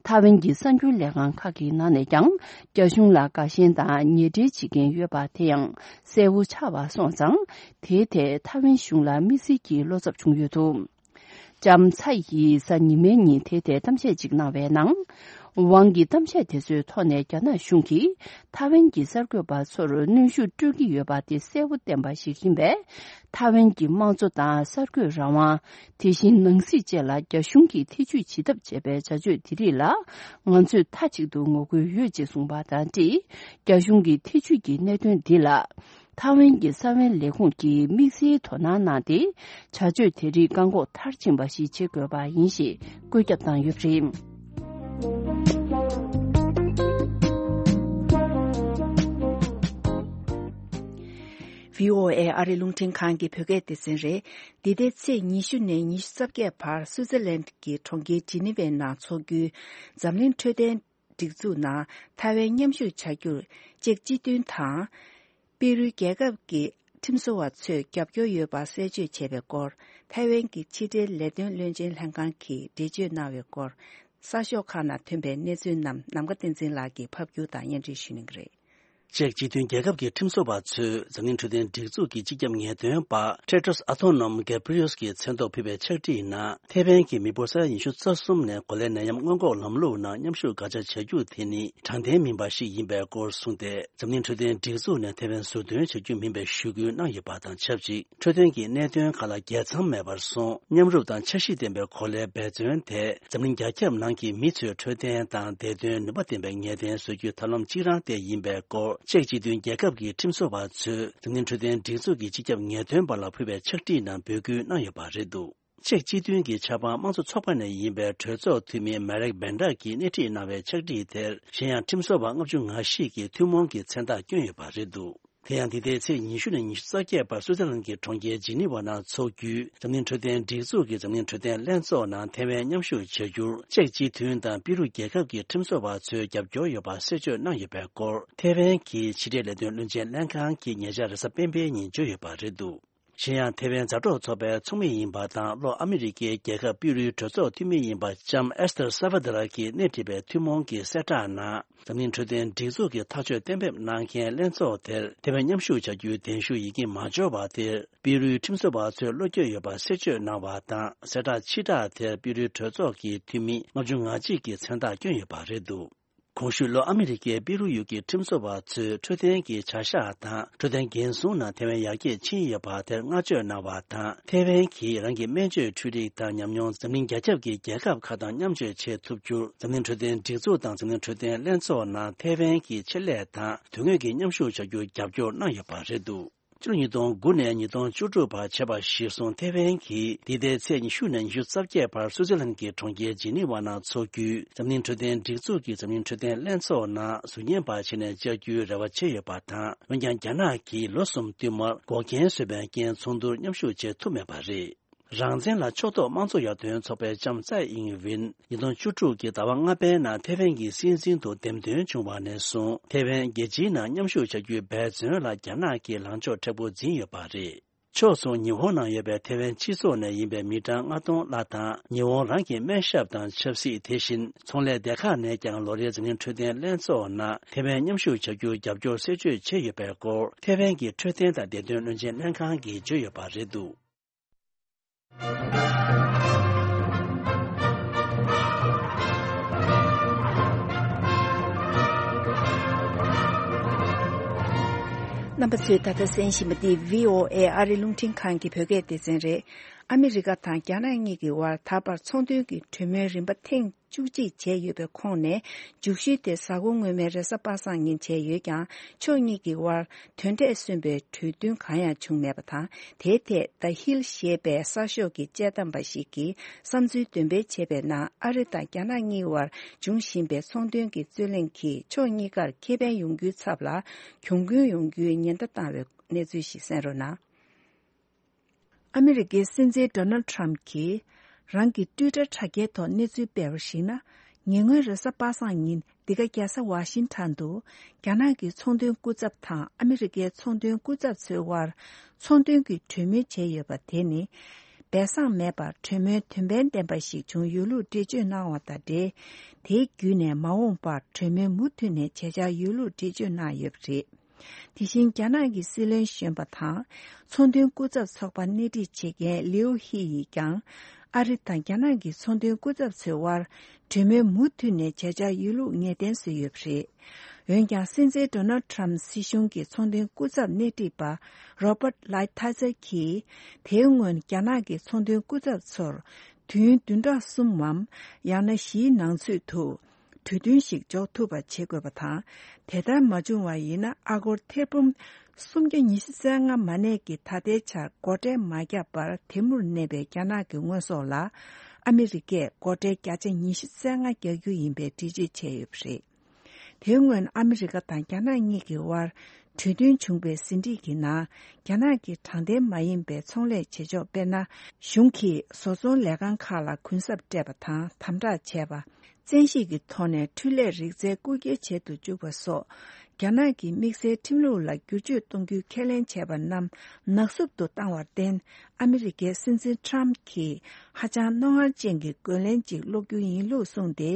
ཐའེ་ཝན་གྱི་གསར་འགྱུར་ལས་ཁང་ཁག་གི་ནང་ནས་ཀྱང་། རྒྱ་གཞུང་ལ་དགའ་ཞེན་དང་ཉེ་འབྲེལ་བྱེད་མཁན་ཡོད་པ་དེ་ཡང་གསལ་པོ་ཆགས་པ་སོང་ཙང་། དེའི་ཐད་ཐའེ་ཝན་གཞུང་ལ་དམིགས་བསལ་གྱི་བློ་འཚབ་བྱུང་ཡོད་འདུག་ལྕམ་ཚའེ་ཡིས་གཟའ་ཉི་མའི་ཉིན་དེ་ཐད་གཏམ་བཤད་ཅིག་གནང་བའི་ནང་། ཝང་གིས་གཏམ་བཤད་དེ་ཚོའི་ཐོག་ནས་རྒྱ་ནག་གཞུང་གིས་ཐའེ་ཝན་གྱི་གསར་འགོད་པ་ཚོར་གནོན་ཤུགས་སྤྲོད་ཀྱི་ཡོད་པ་དེ་གསལ་པོ་བསྟན་པ་ཞིག་ཡིན་པས། ཐའེ་ཝན་གྱི་དམངས་གཙོ་དང་གསར་འགོད་རང་དབང་། དེ་བཞིན་ནང་སྲིད་བཅས་ལ་རྒྱ་གཞུང་གིས་ཐེ་ཇུས་བྱེད་ཐབས་བྱས་པའི་བྱ་སྤྱོད་དེ་རིགས་ལ། ང་ཚོས་མཐའ་གཅིག་ཏུ་ངོ་རྒོལ་ཡོད་ཅེས་གསུངས་པ་དང་འབྲེལ། རྒྱ་གཞུང་གི་ཐེ་ཇུས་ཀྱི་གནད་དོན་འདི་ལ། ཐའེ་ཝན་གྱི་གསང་བའི་ལས་ཁུངས་ཀྱིས་དམིགས་བསལ་དོ་སྣང་གནང་སྟེ། བྱ་སྤྱོད་དེ་རིགས་བཀག་འགོག་མཐར་ཕྱིན་པ་ཞིག་བྱེད་དགོས་པ་ཡིན་ཞེས་བཀོད་ཁྱབ་བཏང་ཡོད་པ་རེད། བྷི་ཨོ་ཨེ་ཨ་རི་རླུང་འཕྲིན་ཁང་གི་བོད་སྐད་སྡེ་ཚན་རེད། འདི་ཟླའི་ཚེས་ཉི་ཤུ་ནས་ཉི་ཤུ་རྩ་བརྒྱད་བར་སུའུ་ཙེར་ལན་གྱི་གྲོང་ཁྱེར་ཇི་ནི་ཝའི་ནང་འཚོགས་རྒྱུའི་འཛམ་གླིང་འཕྲོད་བསྟེན་སྒྲིག་འཛུགས་ནང་ཐའེ་ཝན་མཉམ་ཞུགས་བྱ་རྒྱུར་ཅེཀ་སྤྱི་མཐུན་དང་། པེ་རུའི་རྒྱལ་ཁབ་ཀྱི་ཁྲིམས་བཟོ་བ་ཚོས་རྒྱབ་སྐྱོར་ཡོད་པ་གསལ་བརྗོད་བྱས་པའི་སྐོར། ཐའེ་ཝན་གྱི་ཕྱི་འབྲེལ་ལས་དོན་བློན་ཆེན་ལྷན་ཁང་གིས་འགྲེལ་བརྗོད་གནང་བའི་སྐོར། གསར་ཤོག་ཁག་ནང་ཐོན་པའི་གནས་ཚུལ་རྣམས་ནམ་མཁའ་བསྟན་འཛིན་ལགས་ཀྱིས་ཕབ་སྒྱུར་དང་སྙན་སྒྲོན་ཞུ་གནང་གི་རེད། ཅེཀ་སྤྱི་མཐུན་རྒྱལ་ཁབ་ཀྱི་ཁྲིམས་བཟོ་བ་ཚོས་འཛམ་གླིང་འཕྲོད་བསྟེན་སྒྲིག་འཛུགས་ཀྱི་སྤྱི་ཁྱབ་ངེས་སྟོན་པ་Tedros Adhanom Ghebreyesus གྱི་མཚན་ཐོག་ཕུལ་བའི་ཕྱག་བྲིས་ནང་། ཐའེ་ཝན་གྱི་མི་འབོར་ས་ཡ་ཉི་ཤུ་རྩ་གསུམ་ནས་གོ་ལའི་ནད་ཡམས་སྔོན་འགོག་ལམ་ལུགས་ནང་མཉམ་ཞུགས་དགག་བྱ་བྱ་རྒྱུ་དེ་ནི་དྲང་བདེན་མིན་པ་ཞིག་ཡིན་པའི་སྐོར་གསུངས་ཏེ། འཛམ་གླིང་འཕྲོད་བསྟེན་སྒྲིག་འཛུགས་ནས་ཐའེ་ཝན་ཟུར་འདོན་བྱ་རྒྱུ་མིན་པའི་ཞུ་སྐུལ་གནང་ཡོད་པ་དང་ཆབས་ཅིག་འཕྲོད་བསྟེན་གྱི་གནད་དོན་ཁག་ལ་རྒྱལ་མཚམས་མེད་པར་སོང་། མཉམ་རུབ་དང་འཆར་གཞི་ལྡན་པའི་གོ་ལའི་འབད་བརྩོན་དེ་འཛམ་གླིང་རྒྱ་ཁྱབ་ནང་གི་མི་ཚོའི་འཕྲོད་བསྟེན་དང་བདེ་དོན་ནུས་པ་ལྡན་པའི་ངེས་གཏན་བཟོ་རྒྱུའི་ཐབས་ལམ་གཅིག་རང་དེ་ཡིན་པའི་སྐོར། ཅེཀ་སྤྱི་མཐུན་རྒྱལ་ཁབ་ཀྱི་ཁྲིམས་བཟོ་བ་ཚོས་འཛམ་གླིང་འཕྲོད་བསྟེན་སྒྲིག་འཛུགས་ཀྱི་སྤྱི་ཁྱབ་ངེས་སྟོན་པ་ལ་ཕུལ་བའི་ཕྱག་བྲིས་ནང་འབོད་སྐུལ་གནང་ཡོད་པ་རེད་འདུག་ཅེཀ་སྤྱི་མཐུན་གྱི་ཆབ་འབངས་དམངས་གཙོ་ཚོགས་པ་ནས་ཡིན་པའི་གྲོས་ཚོགས་འཐུས་མི་མེ་རེག་བེན་ཌར་གྱིས་སྣེ་ཁྲིད་གནང་བའི་ཕྱག་བྲིས་དེར། གཞན་ཡང་ཁྲིམས་བཟོ་བ་ལྔ་བཅུ་ང་བཞི་གིས་ཐུན་མོང་གི་མཚན་རྟགས་བསྐྱོན་ཡོད་པ་རེད་འདུག་དེ་ཡང་འདི་ཟླའི་ཚེས་ཉི་ཤུ་ནས་ཉི་ཤུ་རྩ་བརྒྱད་བར་སུའུ་ཙེར་ལན་གྱི་གྲོང་ཁྱེར་ཇི་ནི་ཝ་ནང་འཚོགས་རྒྱུའི་འཛམ་གླིང་འཕྲོད་བསྟེན་སྒྲིག་འཛུགས་ཀྱི་འཛམ་གླིང་འཕྲོད་བསྟེན་ལྷན་ཚོགས་ནང་ཐའེ་ཝན་མཉམ་ཞུགས་བྱ་རྒྱུར་ཅེཀ་སྤྱི་མཐུན་དང་པི་རུ་རྒྱལ་ཁབ་ཀྱི་ཁྲིམས་བཟོ་བ་ཚོས་རྒྱབ་སྐྱོར་ཡོད་པ་གསལ་བརྗོད་གནང་ཡོད་པའི་སྐོར། ཐའེ་ཝན་གྱི་ཕྱི་འབྲེལ་ལས་དོན་བློན་ཆེན་ལྷན་ཁང་གིས་ཉེ་ཆར་རེས་གཟའ་སྤེན་པའི་ཉིན་བརྗོད་ཡོད་པ་རེད་འདུག་གཞན་ཡང་། ཐའེ་ཝན་མཛའ་གྲོགས་ཚོགས་པའི་ཚོགས་མི་ཡིན་པ་དང་། ལྷོ་ཨ་མི་རི་ཀའི་རྒྱལ་ཁབ་པི་རུའི་གྲོས་ཚོགས་འཐུས་མི་ཡིན་པ་ལྕམ་ཨེ་སི་ཐར་སཱ་ཝ་ད་ར་གིས་སྣེ་ཁྲིད་པའི་ཐུན་མོང་གི་གསལ་བསྒྲགས་ནང་། འཛམ་གླིང་འཕྲོད་བསྟེན་སྒྲིག་འཛུགས་ཀྱི་ཐག་གཅོད་གཏན་འབེབས་གནང་མཁན་ལྷན་ཚོགས་དེར་ཐའེ་ཝན་མཉམ་ཞུགས་བྱ་རྒྱུའི་གདན་ཞུ་ཡི་གེ་མ་འབྱོར་བ་དེར། པི་རུའི་ཁྲིམས་བཟོ་བ་ཚོས་བློ་འགྱོད་ཡོད་པ་གསལ་བརྗོད་གནང་བ་དང་། གསལ་བསྒྲགས་ཕྱིར་བསྒྲགས་དེར་པི་རུའི་གྲོས་ཚོགས་ཀྱི་འཐུས་མི་ལྔ་བཅུ་ང་གཅིག་གིས་མཚན་རྟགས་བསྐྱོན་ཡོད་པ་རེད་འདུག་གོང་ཞུས་ལྷོ་ཨ་མི་རི་ཀའི་པི་རུ་ཡུལ་གྱི་ཁྲིམས་བཟོ་བ་ཚོས་འཕྲོད་བསྟེན་གྱི་བྱ་གཞག་དང་འཕྲོད་བསྟེན་འགན་སྲུང་ནང་ཐའེ་ཝན་ཡར་རྒྱས་ཕྱིན་ཡོད་པ་དེར་བསྔགས་བརྗོད་གནང་བ་དང་། ཐའེ་ཝན་གྱིས་རང་གི་སྨན་བཅོས་འཕྲུལ་རིག་དང་ཉམས་མྱོང་འཛམ་གླིང་རྒྱ་ཁྱབ་ཀྱི་རྒྱལ་ཁབ་ཁག་དང་མཉམ་སྤྱོད་བྱེད་ཐུབ་རྒྱུར། འཛམ་གླིང་འཕྲོད་བསྟེན་སྒྲིག་འཛུགས་དང་འཛམ་གླིང་འཕྲོད་བསྟེན་ལྷན་ཚོགས་ནང་ཐའེ་ཝན་གྱི་ཆེད་ལས་དང་དོན་དངོས་ཀྱི་མཉམ་ཞུགས་བྱ་རྒྱུར་རྒྱབ་སྐྱོར་གནང་ཡོད་པ་རེད་འདུག་ཕྱི་ལོ་ཉིས་སྟོང་དགུ་ནས་ཉིས་སྟོང་བཅུ་དྲུག་བར་བྱས་པ་གཞིར་བཟུང་། ཐེ་ཝན་གྱིས་འདི་ཟླའི་ཚེས་ཉི་ཤུ་ནས་ཉི་ཤུ་རྩ་བརྒྱད་བར་སུའུ་ཙི་ལན་གྱི་གྲོང་ཁྱེར་ཇི་ནི་ཝ་ནང་འཚོགས་རྒྱུའི་འཛམ་གླིང་འཕྲོད་བསྟེན་སྒྲིག་འཛུགས་ཀྱི་འཛམ་གླིང་འཕྲོད་བསྟེན་ལྷན་ཚོགས་ནང་གཟུགས་བརྙན་པར་བྱས་ནས་བཅར་རྒྱུའི་རེ་བ་བྱས་ཡོད་པ་དང་། འོན་ཀྱང་། རྒྱ་ནག་གིས་ལོ་གསུམ་བསྟུད་མར་འགོག་རྐྱེན་བཟོས་པའི་རྐྱེན། ཚོགས་འདུར་མཉམ་ཞུགས་བྱེད་ཐུབ་མེད་པ་རེད། རང་བཙན་ལ་ཕྱོགས་གཏོགས་དམངས་གཙོ་ཡར་ཐོན་ཚོགས་པའི་ལྕམ་ཚའེ་ཨིང་ཝེན་ཉིས་སྟོང་བཅུ་དྲུག་གི་ཟླ་བ་ལྔ་པའི་ནང་ཐེ་ཝན་གྱི་སྲིད་འཛིན་དུ་འདེམས་ཐོན་བྱུང་བ་ནས་བཟུང་། ཐེ་ཝན་རྒྱལ་སྤྱིའི་ནང་མཉམ་ཞུགས་བྱ་རྒྱུའི་འབད་བརྩོན་ལ་རྒྱ་ནག་གིས་ལངས་ཕྱོགས་མཁྲེགས་པོ་འཛིན་ཡོད་པ་རེད། ཕྱོགས་མཚུངས། ཉི་ཧོང་ནང་ཡོད་པའི་ཐེ་ཝན་སྤྱི་ཚོགས་ནས་ཡིན་པའི་མི་གྲངས་ལྔ་སྟོང་ལྷག་དང་། ཉི་ཧོང་རང་གི་སྨན་ཞབས་དང་ཆབ་སྲིད། དེ་བཞིན་ཚོང་ལས་སྡེ་ཁག་ནས་ཀྱང་ལོ་རེའི་འཛམ་གླིང་འཕྲོད་བསྟེན་ལྷན་ཚོགས་ནང་ཐེ་ཝན་མཉམ་ཞུགས་བྱ་རྒྱུར་རྒྱབ་སྐྱོར་གསལ་བརྗོད་བྱས་ཡོད་པའི་སྐོར། ཐེ་ཝན་གྱི་འཕྲོད་བསྟེན་དང་བདེ་དོན་བློན་ཆེན་ལྷན་ཁང་གིས་བརྗོད་ཡོད་པ་རེད་འདུག་རྣམ་པ་ཚོས་ད་ལྟ་གསན་བཞིན་པ་འདི་བྷི་ཨོ་ཨེ་ཨ་རི་རླུང་འཕྲིན་ཁང་གི་བོད་སྐད་སྡེ་ཚན་རེད། ཨ་མི་རི་ཀ་དང་རྒྱ་ནག་གཉིས་ཀྱི་དབར་ད་བར་ཚོང་དོན་གྱི་གྲོས་མོལ་རིམ་པ་ཐེངས་བཅུ་གཅིག་བྱས་ཡོད་པའི་ཁོངས་ནས། མཇུག་ཞུ་དེ་གཟའ་འཁོར་སྔོན་མའི་རེས་གཟའ་པ་སངས་ཉིན་བྱས་ཡོད་ཀྱང་། ཕྱོགས་གཉིས་ཀྱི་དབར་དོན་འབྲས་སོན་པའི་གྲོས་མཐུན་གང་ཡང་བྱུང་མེད་པ་དང་། དེའི་ཐད་The Hill ཞེས་པའི་གསར་ཤོག་གི་དཔྱད་གཏམ་པ་ཞིག་གིས་བསམ་ཚུལ་འདོན་སྤེལ་བྱས་པའི་ནང་། ཨ་རི་དང་རྒྱ་ནག་གཉིས་དབར་འབྱུང་བཞིན་པའི་ཚོང་དོན་གྱི་རྩོད་གླེང་གིས་ཕྱོགས་གཉིས་ཀར་ཁེ་ཕན་ཡོང་རྒྱུའི་ཚབ་ལ་གྱོང་གུན་ཡོང་རྒྱུའི་ཉེན་བརྡ་བཏང་བའི་གནས་ཚུལ་ཞིག་གསན་རོགས་གནང་། ཨ་མི་རི་ཀའི་སྲིད་འཛིན་ཌོ་ནལ་ཊམ་གྱིས་རང་གི་ཊུའི་ཊར་དྲ་རྒྱའི་ཐོག་གནས་ཚུལ་སྤེལ་བར་གཞིགས་ན། ཉེ་སྔོན་རེས་གཟའ་པ་སངས་ཉིན། འདི་ག་རྒྱལ་ས་ཝ་ཤིང་ཊོན་དུ་རྒྱ་ནག་གི་ཚོང་དོན་སྐུ་ཚབ་དང་ཨ་མི་རི་ཀའི་ཚོང་དོན་སྐུ་ཚབ་ཚོའི་དབར་ཚོང་དོན་གྱི་གྲོས་མོལ་བྱས་ཡོད་པ་དེ་ནི། སྦས་གསང་མེད་པར་གྲོས་མོལ་དོན་ཕན་ལྡན་པ་ཞིག་བྱུང་ཡོད་ལུགས་འགྲེལ་བརྗོད་གནང་བ་དང་འབྲེལ། དེའི་བརྒྱུད་ནས་མ་འོངས་པར་གྲོས་མོལ་མུ་མཐུད་ནས་བྱེད་འཆར་ཡོད་ལུགས་འགྲེལ་བརྗོད་གནང་ཡོད་པ་རེད། དེ་བཞིན་རྒྱ་ནག་གི་སྲིད་བློན་གཞོན་པ་དང་། ཚོང་དོན་སྐུ་ཚབ་ཚོགས་པ་སྣེ་ཁྲིད་བྱེད་མཁན་ལིའུ་ཧི་ཡིས་ཀྱང་། ཨ་རི་དང་རྒྱ་ནག་གི་ཚོང་དོན་སྐུ་ཚབ་ཚོའི་དབར་གྲོས་མོལ་མུ་མཐུད་ནས་བྱེད་འཆར་ཡོད་ལུགས་ངེས་གཏན་བཟོས་ཡོད་པ་རེད། འོན་ཀྱང་། སྲིད་འཛིན་ཌོ་ནལ་ཊམ་སྲིད་གཞུང་གི་ཚོང་དོན་སྐུ་ཚབ་སྣེ་ཁྲིད་པ་རོ་པར་ལའི་ཐ་ཛར་གྱིས། དེའི་སྔོན་རྒྱ་ནག་གི་ཚོང་དོན་སྐུ་ཚབ་ཚོར་དུས་ཡུན་བདུན་ཕྲག་གསུམ་མམ། ཡང་ན་བཞིའི་ནང་ཚུད་དུ། གྲོས་མཐུན་ཞིག་འཇོག་ཐུབ་པ་བྱེད་དགོས་པ་དང་། དེ་ལྟར་མ་བྱུང་བ་ཡིན་ན། ཨ་སྒོར་ཐེར་འབུམ་སུམ་བརྒྱ་ཉི་ཤུ་རྩ་ལྔ་མ་གནས་ཀྱི་ད་ལྟའི་ཆར་སྒོ་ཁྲལ་མ་བརྒྱབ་པར་དེ་མུར་གནས་པའི་རྒྱ་ནག་གི་དངོས་ཟོག་ལ། ཨ་མི་རི་ཀས་སྒོ་ཁྲལ་བརྒྱ་ཆ་ཉི་ཤུ་རྩ་ལྔ་རྒྱག་རྒྱུ་ཡིན་པའི་འགྲེལ་བརྗོད་བྱས་ཡོད་པ་རེད། དེའི་སྔོན་ཨ་མི་རི་ཀ་དང་རྒྱ་ནག་གཉིས་ཀྱི་དབར་གྲོས་མཐུན་བྱུང་པའི་ཟིན་བྲིས་ཀྱི་ནང་། རྒྱ་ནག་གི་དྲང་བདེན་མ་ཡིན་པའི་ཚོང་ལས་བྱེད་ཕྱོགས། དཔེར་ན། གཞུང་གིས་བཟོ་ཚོང་ལས་ཁང་ཁག་ལ་གུན་གསབ་སྤྲད་པ་དང་། དམ་དྲག་བྱས་པ། བཙན་ཤེད་ཀྱི་ཐོག་ནས་འཕྲུལ་ལས་རིག་རྩལ་རྐུ་འཁྱེར་བྱེད་དུ་བཅུག་པ་སོགས། རྒྱ་ནག་གི་དམིགས་བསལ་ཁྲིམས་ལུགས་ལ་བསྒྱུར་བཅོས་གཏོང་རྒྱུའི་ཁས་ལེན་བྱས་པ་རྣམས་ནག་བསུབ་ཏུ་བཏང་བར་བརྟེན། ཨ་མི་རི་ཀའི་སྲིད་འཛིན་ཊམ་གྱིས་ཧ་ཅང་རྣོ་ངར་ཅན་གྱི་རྒོལ་ལན་ཅིག་སློག་རྒྱུ་ཡིན་ལུགས་གསུངས་ཏེ།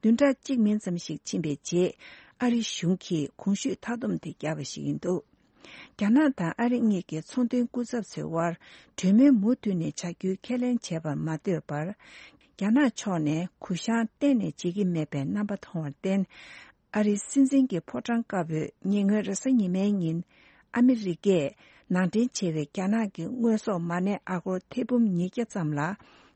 བདུན་ཕྲག་གཅིག་མིན་ཙམ་ཞིག་ཕྱིན་པའི་རྗེས། ཨ་རི་གཞུང་གིས་གོང་ཞུས་མཐའ་སྡོམ་དེ་བརྒྱབ་པ་ཞིག་ཡིན་འདུག་རྒྱ་ནག་དང་ཨ་རི་གཉིས་ཀྱི་ཚོང་དོན་སྐུ་ཚབ་ཚོའི་དབར་གྲོས་མོལ་མུ་མཐུད་ནས་བྱ་རྒྱུའི་ཁས་ལེན་བྱས་པར་མ་ལྟོས་པར། རྒྱ་ནག་ཕྱོགས་ནས་གུ་བཤངས་གཏན་ནས་བྱེད་ཀྱི་མེད་པའི་རྣམ་པ་མཐོང་བར་བརྟེན། ཨ་རིའི་སྲིད་འཛིན་གྱི་ཕོ་བྲང་དཀར་པོས་ཉེ་སྔོན་རེས་གཟའ་ཉི་མའི་ཉིན། ཨ་མི་རི་ཀས་ནང་འདྲེན་བྱས་པའི་རྒྱ་ནག་གི་དངོས་ཟོག་མ་གནས་ཨ་སྒོར་ཐེར་འབུམ་ཉིས་བརྒྱ་ཙམ་ལ།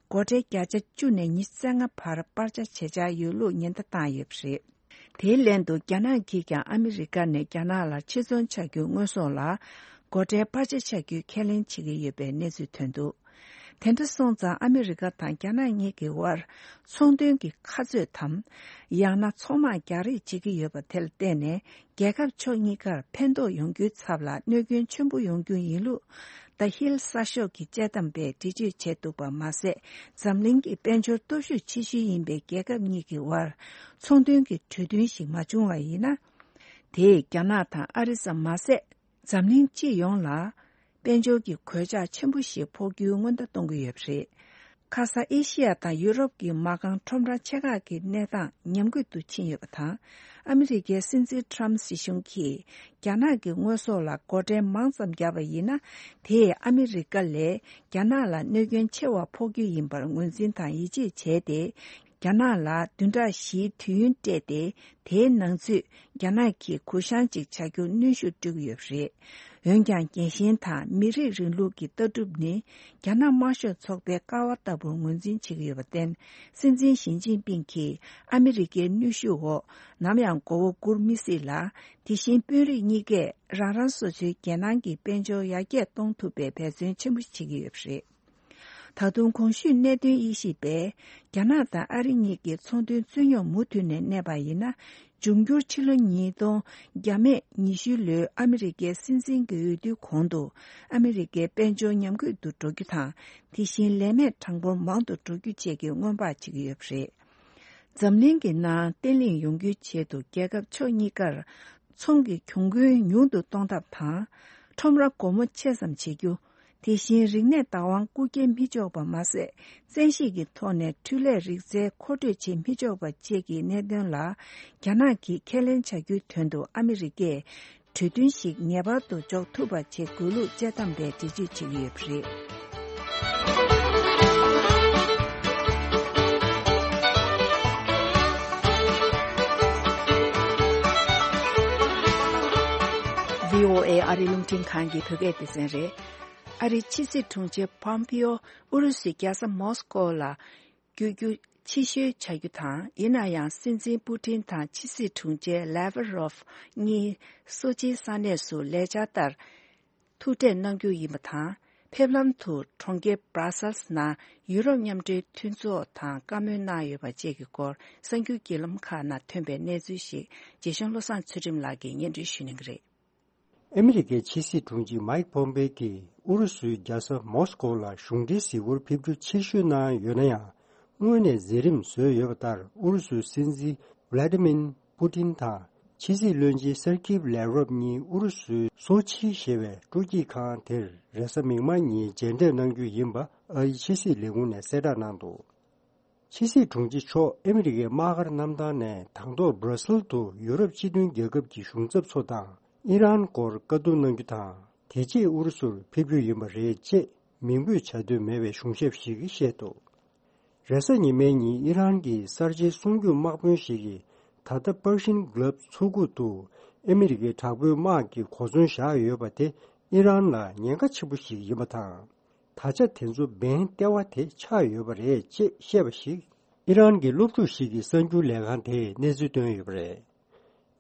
སྒོ་ཁྲལ་བརྒྱ་ཆ་བཅུ་ནས་ཉི་ཤུ་རྩ་ལྔ་བར་སྤར་ཆ་བྱེད་འཆར་ཡོད་ལུགས་ཉེན་བརྡ་བཏང་ཡོད་པ་རེད། དེའི་ལན་དུ། རྒྱ་ནག་གིས་ཀྱང་ཨ་མི་རི་ཀ་ནས་རྒྱ་ནག་ལ་ཕྱིར་ཚོང་བྱ་རྒྱུའི་དངོས་ཟོག་ལ། སྒོ་ཁྲལ་སྤར་ཆ་བྱ་རྒྱུའི་ཁས་ལེན་བྱེད་ཀྱི་ཡོད་པའི་གནས་ཚུལ་ཐོན་འདུག་དེ་འདྲ་སོང་ཙང་། ཨ་མི་རི་ཀ་དང་རྒྱ་ནག་གཉིས་ཀྱི་དབར་ཚོང་དོན་གྱི་ཁ་རྩོད་དམ། ཡང་ན་ཚོང་དམག་རྒྱག་རེས་བྱེད་ཀྱི་ཡོད་པ་དེ་ལ་བརྟེན་ནས། རྒྱལ་ཁབ་ཕྱོགས་གཉིས་ཀར་ཕན་ཐོགས་ཡོང་རྒྱུའི་ཚབ་ལ་གནོད་སྐྱོན་ཆེན་པོ་ཡོང་རྒྱུ་ཡིན་ལུགས། The Hill གསར་ཤོག་གི་དཔྱད་གཏམ་པས་འགྲེལ་བརྗོད་བྱས་འདུག་པ་མ་ཟད། འཛམ་གླིང་གི་དཔལ་འབྱོར་སྟོབས་ཤུགས་ཆེ་ཤོས་ཡིན་པའི་རྒྱལ་ཁབ་གཉིས་ཀྱི་དབར་ཚོང་དོན་གྱི་གྲོས་མཐུན་ཞིག་མ་བྱུང་བ་ཡིན་ན། དེས་རྒྱ་ནག་དང་ཨ་རི་ཙམ་མ་ཟད། འཛམ་གླིང་སྤྱི་ཡོངས་ལ་དཔལ་འབྱོར་གྱི་གོད་ཆག་ཆེན་པོ་ཞིག་ཕོག་རྒྱུའི་སྔོན་བརྡ་གཏོང་གི་ཡོད་པ་རེད། ཁ་ས་ཨེ་ཤི་ཡ་དང་ཡུ་རོབ་ཀྱི་མ་རྐང་ཁྲོམ་ར་ཆེ་ཁག་གི་གནས་སྟངས་ཉམས་རྒུད་དུ་ཕྱིན་ཡོད་པ་དང་། ཨ་མི་རི་ཀའི་སྲིད་འཛིན་ཊམ་སྲིད་གཞུང་གིས་རྒྱ་ནག་གི་དངོས་ཟོག་ལ་སྒོ་ཁྲལ་མང་ཙམ་བརྒྱབ་པ་ཡིན་ན། དེས་ཨ་མི་རི་ཀ་ལས་རྒྱ་ནག་ལ་གནོད་སྐྱོན་ཆེ་བ་ཕོག་རྒྱུ་ཡིན་པར་ངོས་འཛིན་དང་ཡིད་ཆེས་བྱས་ཏེ། རྒྱ་ནག་ལ་བདུན་ཕྲག་བཞིའི་དུས་ཡུན་སྤྲད་དེ། དེའི་ནང་ཚུད་རྒྱ་ནག་གིས་གུ་བཤངས་ཅིག་བྱ་རྒྱུར་གནོན་ཤུགས་སྤྲོད་ཀྱི་ཡོད་པ་རེད། འོན་ཀྱང་། རྒྱལ་ཞེན་དང་མི་རིགས་རིང་ལུགས་ཀྱི་ལྟ་གྲུབ་ནི་རྒྱ་ནག་དམར་ཤོག་ཚོགས་པའི་ཀ་བ་ལྟ་བུར་ངོས་འཛིན་བྱེད་ཀྱི་ཡོད་པར་བརྟེན། སྲིད་འཛིན་ཞི་ཅིན་ཕིང་གིས་ཨ་མི་རི་ཀའི་གནོན་ཤུགས་འོག་ནམ་ཡང་མགོ་བོ་སྒུར་མི་སྲིད་ལ། དེ་བཞིན་དཔོན་རིགས་གཉིས་ཀས་རང་རང་སོ་སོའི་རྒྱལ་ནང་གི་དཔལ་འབྱོར་ཡར་རྒྱས་གཏོང་ཐུབ་པའི་འབད་བརྩོན་ཆེན་པོ་བྱེད་ཀྱི་ཡོད་པ་རེད། ད་དུང་གོང་ཞུས་གནད་དོན་དབྱེ་ཞིབ་པས། རྒྱ་ནག་དང་ཨ་རི་གཉིས་ཀྱི་ཚོང་དོན་རྩོད་རྙོག་མུ་མཐུད་ནས་གནས་པ་ཡིན་ན། འབྱུང་འགྱུར་ཕྱི་ལོ་ཉིས་སྟོང་བརྒྱ་མེད་ཉི་ཤུ་ལོའི་ཨ་མི་རི་ཀའི་སྲིད་འཛིན་གྱི་འོས་བསྡུའི་གོང་དུ། ཨ་མི་རི་ཀའི་དཔལ་འབྱོར་ཉམས་རྒུད་དུ་འགྲོ་རྒྱུ་དང་། དེ་བཞིན་ལས་མེད་གྲངས་འབོར་མང་དུ་འགྲོ་རྒྱུ་བཅས་ཀྱི་སྔོན་དཔག་བྱེད་ཀྱི་ཡོད་པ་རེད། འཛམ་གླིང་གི་ནང་བརྟན་ལྷིང་ཡོང་རྒྱུའི་ཆེད་དུ། རྒྱལ་ཁབ་ཕྱོགས་གཉིས་ཀར་ཚོང་གི་གྱོང་གུན་ཉུང་དུ་གཏོང་ཐབས་དང་། ཁྲོམ་ར་སྒོ་མོ་ཕྱེད་ཙམ་བྱེད་རྒྱུ། དེ་བཞིན་རིག་གནས་བདག་དབང་རྐུ་འཁྱེར་མི་ཆོག་པ་མ་ཟད། བཙན་ཤེད་ཀྱི་ཐོག་ནས་འཕྲུལ་ལས་རིག་རྩལ་མཁོ་སྤྲོད་བྱེད་མི་ཆོག་པ་བཅས་ཀྱི་གནད་དོན་ལ། རྒྱ་ནག་གིས་ཁས་ལེན་བྱ་རྒྱུའི་དོན་དུ་ཨ་མི་རི་ཀས་གྲོས་མཐུན་ཞིག་ངེས་པར་དུ་འཇོག་ཐུབ་པ་བྱེད་དགོས་ལུགས་དཔྱད་གཏམ་པས་འགྲེལ་བརྗོད་བྱེད་ཀྱི་ཡོད་པ་རེད། བྷི་ཨོ་ཨེ་ཨ་རི་རླུང་འཕྲིན་ཁང་གི་བོད་སྐད་སྡེ་ཚན་རེད། ཨ་རིའི་ཕྱི་སྲིད་དྲུང་ཆེ་པོམ་པིའོ་ཨུ་རུ་སུའི་རྒྱལ་ས་མོ་སི་ཀོ་ལ་བསྐྱོད་རྒྱུ་ཕྱིར་བཤོལ་བྱ་རྒྱུ་དང་། ཡིན་ན་ཡང་སྲིད་འཛིན་པུ་ཏིན་དང་ཕྱི་སྲིད་དྲུང་ཆེ་ལེ་ཝ་རོབ་གཉིས་སོ་ཆིའི་ས་གནས་སུ་ལས་འཆར་ལྟར་ཐུག་འཕྲད་གནང་རྒྱུ་ཡིན་པ་དང་། ཕེབས་ལམ་དུ་གྲོང་ཁྱེར་སྦྲ་སལ་ནང་ཡུ་རོབ་མཉམ་འབྲེལ་མཐུན་ཚོགས་དང་བཀའ་མོལ་གནང་ཡོད་པ་བཅས་ཀྱི་སྐོར་གསར་འགྱུར་བརྒྱུད་ལམ་ཁག་ནང་ཐོན་པའི་གནས་ཚུལ་ཞིག་རྗེ་གཞུང་བློ་བཟང་ཚུལ་ཁྲིམས་ལགས་ཀྱིས་སྙན་སྒྲོན་ཞུ་གནང་གི་རེད། ཨ་མི་རི་ཀའི་ཕྱི་སྲིད་དྲུང་ཆེ་མཱིག་པོམ་པེ་གྱིས་ཨུ་རུ་སུའི་རྒྱལ་ས་མོ་སི་ཀོ་ལ་གཞུང་འབྲེལ་གཟིགས་སྐོར་ཕེབས་རྒྱུ་ཕྱིར་བཤོལ་གནང་ཡོད་ན་ཡང་། སྔོན་ནས་མཛད་རིམ་བཟོས་ཡོད་པ་ལྟར། ཨུ་རུ་སུའི་སྲིད་འཛིན་ཝ་ལ་ཏི་མིན་པུ་ཏིན་དང་ཕྱི་སྲིད་བློན་ཆེན་སར་ཀི་ལེ་རོབ་གཉིས་ཨུ་རུ་སུའི་སོ་ཆི་ཞེས་པའི་སྤྲོ་སྐྱིད་ཁང་དེར་རེས་གཟའ་མིག་དམར་ཉིན་མཇལ་འཕྲད་གནང་རྒྱུ་ཡིན་པ་ཨ་རིའི་ཕྱི་སྲིད་ལས་ཁུངས་ནས་གསལ་བསྒྲགས་གནང་འདུག། ཕྱི་སྲིད་དྲུང་ཆེ་མཆོག་ཨ་མི་རི་ཀའི་དམག་སྒར་གནམ་ཐང་ནས་དང་ཐོག་སྦྲ་སིལ་དུ་ཡུ་རོབ་སྤྱི་མཐུན་རྒྱལ་ཁབ་ཀྱི་གཞུང་ཚབ་ཚོ་དང་ཨི་རན་སྐོར་བཀའ་བསྡུར་གནང་རྒྱུ་དང་། དེ་རྗེས་ཨུ་རུ་སུར་ཕེབས་རྒྱུ་ཡིན་པ་རེད་ཅེས་མིང་འབོད་བྱ་འདོད་མེད་པའི་གཞུང་ཞབས་ཤིག་གིས་བཤད་འདུག། རེས་གཟའ་ཉི་མའི་ཉིན་ཨི་རན་གྱི་གསར་བརྗེའི་སྲུང་སྐྱོབ་དམག་དཔོན་ཞིག་གིས་ད་ལྟ་པར་ཤིན་གྷི་ལབ་མཚོ་ཁུག་ཏུ་ཨ་མི་རི་ཀའི་དྲག་པོའི་དམག་གིས་གོ་མཚོན་བཞག་ཡོད་པ་དེ་ཨི་རན་ལ་ཉེན་ཁ་ཆེན་པོ་ཞིག་ཡིན་པ་དང་། ད་ཆ་དེ་ཚོ་འབེན་ལྟེ་བ་དེ་ཆགས་ཡོད་པ་རེད་ཅེས་བཤད་པ་ཞིག་ཨི་རན་གྱི་སློབ་ཕྲུག་ཞིག་གིས་གསར་འགྱུར་ལས་ཁང་དེར་གནས་ཚུལ་བཏོན་ཡོད་པ་རེད།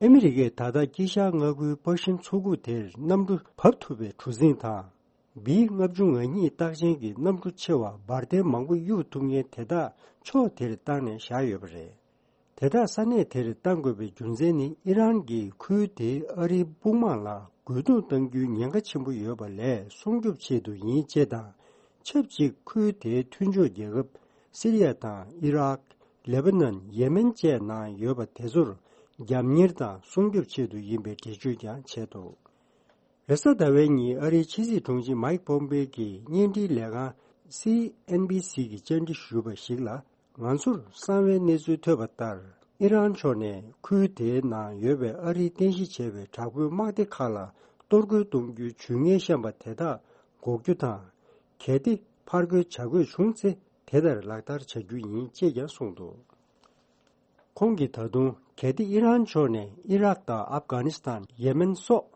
ཨ་མི་རི་ཀས་ད་ལྟ་དཀྱིལ་ཤར་མངའ་ཁུལ་པར་ཤིན་མཚོ་ཁུག་དེར་གནམ་གྲུ་བབས་ཐུབ་པའི་གྲུ་གཟིངས་དང་། བི་ལྔ་བཅུ་ང་གཉིས་རྟགས་ཅན་གྱི་གནམ་གྲུ་ཆེ་བ་འབར་མདེལ་མང་པོ་གཡུག་ཐུབ་མཁན་དེ་དག་ཕྱོགས་དེར་བཏང་ནས་བཞག་ཡོད་པ་རེད། དེ་དག་ས་གནས་དེར་གཏང་དགོས་པའི་རྒྱུ་མཚན་ནི། ཨི་རན་གྱིས་ཁུལ་དེའི་ཨ་རིའི་དཔུང་དམག་ལ་རྒོལ་རྡུང་གཏང་རྒྱུའི་ཉེན་ཁ་ཆེན་པོ་ཡོད་པ་ལས་སྲུང་སྐྱོབ་ཆེད་དུ་ཡིན་ཅེས་དང་། ཆབས་ཅིག་ཁུལ་དེའི་མཐུན་ཕྱོགས་རྒྱལ་ཁབ་སི་རི་ཡ་དང་ཨི་རག་ལེ་པ་ནན། ཡེ་མེན་བཅས་ནང་ཡོད་པ་དེ་ཚོར་རྒྱབ་གཉེར་དང་སྲུང་སྐྱོབ་ཆེད་དུ་ཡིན་པའི་འགྲེལ་བརྗོད་ཀྱང་བྱས་འདུག། རེས་གཟའ་ཟླ་བའི་ཉིན་ཨ་རིའི་ཕྱི་སྲིད་དྲུང་ཆེ་མཱིག་པོམ་པེ་གྱིས་བརྙན་འཕྲིན་ལས་ཁང་སི་ཨེན་བི་སི་གི་བཅར་འདྲི་ཞུས་པ་ཞིག་ལ། ང་ཚོར་གསང་བའི་གནས་ཚུལ་ཐོས་པ་ལྟར། ཨི་རན་ཕྱོགས་ནས་ཁུལ་དེའི་ནང་ཡོད་པའི་ཨ་རིའི་རྟེན་གཞི་བྱས་པའི་དྲག་པོའི་དམག་སྡེ་ཁག་ལ་གཏོར་རྒོལ་གཏོང་རྒྱུའི་ཇུས་ངན་བཤམས་པ་དེ་དག་འགོག་རྒྱུ་དང་། གལ་ཏེ་ཕར་རྒོལ་བྱ་དགོས་བྱུང་ཚེ། དེ་ལྟར་ལག་བསྟར་བྱ་རྒྱུ་ཡིན་ཅེས་ཀྱང་གསུངས་འདུག། ཁོང་གིས་ད་དུང་། གལ་ཏེ་ཨི་རན་ཕྱོགས་ནས་ཨི་རག་དང་ཨབ་གྷ་ནི་སི་ཐན། ཡེ་མེན་སོགས་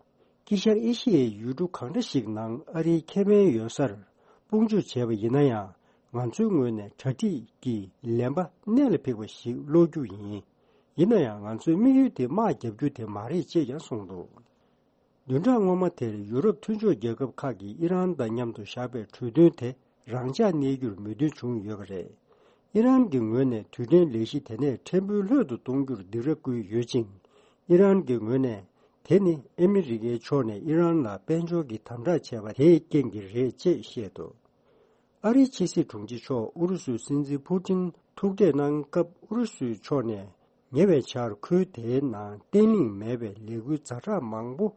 དཀྱིལ་ཤར་ཨེ་ཤི་ཡའི་ཡུལ་གྲུ་གང་འདྲ་ཞིག་ནང་ཨ་རིའི་ཁེ་ཕན་ཡོད་སར་དཔུང་འཇུག་བྱས་པ་ཡིན་ན་ཡང་། ང་ཚོའི་ངོས་ནས་གྲ་སྒྲིག་གི་ལན་པ་གནད་ལ་འཕིགས་པ་ཞིག་སློག་རྒྱུ་ཡིན། ཡིན་ན་ཡང་། ང་ཚོའི་དམིགས་ཡུལ་དེ་དམག་རྒྱག་རྒྱུ་དེ་མ་རེད་ཅེས་ཀྱང་གསུངས་འདུག། བདུན་ཕྲག་སྔོན་མ་དེར་ཡུ་རོབ་མཐུན་ཕྱོགས་རྒྱལ་ཁབ་ཁག་གིས་ཨི་རན་དང་མཉམ་དུ་བཞག་པའི་གྲོས་མཐུན་དེ་རང་འཇགས་གནས་རྒྱུར་མོས་མཐུན་བྱུང་ཡོད་པ་རེད། ཨི་རན་གྱི་ངོས་ནས་དུས་དྲན་ལས་གཞི་དེ་ནས་ཕྲན་བུ་ལྷོད་དུ་གཏོང་རྒྱུར་སྡིགས་ར་བསྐུལ་ཡོད་ཅིང་། ཨི་རན་གྱི་ངོས་ནས་དེ་ནི་ཨ་མི་རི་ཀའི་ཕྱོགས་ནས་ཨི་རན་ལ་དཔལ་འབྱོར་གྱི་དམ་དྲག་བྱས་པ་དེའི་རྐྱེན་གྱིས་རེད་ཅེས་བཤད་འདུག། ཨ་རིའི་ཕྱི་སྲིད་དྲུང་ཆེ་མཆོག་ཨུ་རུ་སུའི་སྲིད་འཛིན་ཕུ་ཏིན་ཐུག་འཕྲད་གནང་སྐབས། ཨུ་རུ་སུའི་ཕྱོགས་ནས་ཉེ་བའི་ཆར་ཁུལ་དེའི་ནང་བརྟན་ལྷིང་མེད་པའི་ལས་འགུལ་ཛ་དྲག་མང་པོ་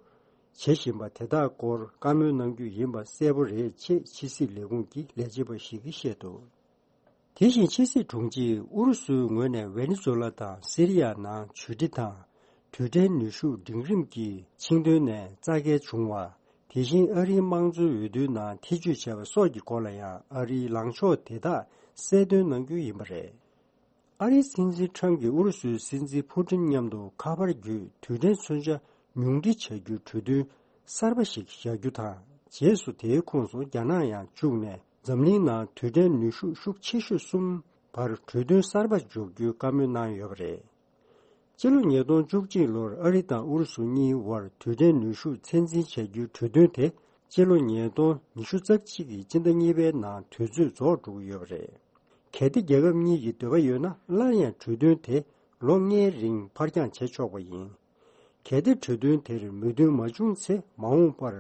བྱེད་བཞིན་པ་དེ་དག་སྐོར་བཀའ་མོལ་གནང་རྒྱུ་ཡིན་པ་གསལ་པོ་རེད་ཅེས་ཕྱི་སྲིད་ལས་ཁུངས་ཀྱི་ལས་བྱེད་པ་ཞིག་གིས་བཤད་འདུག། དེ་བཞིན་ཕྱི་སྲིད་དྲུང་ཆེས་ཨུ་རུ་སུའི་ངོས་ནས་ཝེ་ནེ་ཛུ་ལ་དང་སི་རི་ཡ་ནང་ཇུས་འབྲི་དང་། དུས་དྲན་ནུས་ཤུགས་འབྲིང་རིམ་གྱི་ཆིངས་དོན་ནས་རྩ་འགལ་བྱུང་བ། དེ་བཞིན་ཨ་རིའི་དམངས་གཙོའི་འོས་བསྡུའི་ནང་ཐེ་བྱུས་བྱས་པ་སོགས་ཀྱི་སྐོར་ལ་ཡང་ཨ་རིའི་ལངས་ཕྱོགས་དེ་དག་གསལ་སྟོན་གནང་རྒྱུ་ཡིན་པ་རེད། ཨ་རིའི་སྲིད་འཛིན་ཁྲམ་གྱིས་ཨུ་རུ་སུའི་སྲིད་འཛིན་ཕུ་ཏིན་མཉམ་དུ་ཁ་པར་བརྒྱུད་དུས་དྲན་མཚོན་ཆ་ཉུང་འཕྲི་བྱ་རྒྱུའི་གྲོས་མཐུན་ གསར་པ་ཞིག་བཞག་རྒྱུ་དང་། རྗེས་སུ་དེའི་ཁོངས་སུ་རྒྱ་ནག་ཡང་བཅུག་ནས། འཛམ་གླིང་ནང་རྡུལ་ཕྲན་ནུས་ཤུགས་ཤུགས་ཆེ་ཤོས་གསུམ་བར་གྲོས་མཐུན་གསར་པ་འཇོག་རྒྱུའི་བཀའ་མོལ་གནང་ཡོད་པ་རེད། སྤྱི་ལོ་ཉིས་སྟོང་བཅུ་གཅིག་ལོར་ཨ་རི་དང་ཨུ་རུ་སུ་གཉིས་དབར་རྡུལ་ཕྲན་ནུས་ཤུགས་ཚད་འཛིན་བྱ་རྒྱུའི་གྲོས་མཐུན་དེ། སྤྱི་ལོ་ཉིས་སྟོང་ཉི་ཤུ་རྩ་གཅིག་གི་སྤྱི་ཟླ་གཉིས་པའི་ནང་དུས་ཚོད་རྫོགས་འགྲོ་གི་ཡོད་པ་རེད། གལ་ཏེ་རྒྱལ་ཁབ་གཉིས་ཀྱི་འདོད་པ་ཡོད་ན། སླར་ཡང་གྲོས་མཐུན་དེ་ལོ་ལྔའི་རིང་ཕར་འགྱངས་བྱེད་ཆོག་པ་ཡིན། གལ་ཏེ་གྲོས་མཐུན་དེར་མོས་མཐུན་མ་བྱུང་ཚེ། མ་འོངས་པར་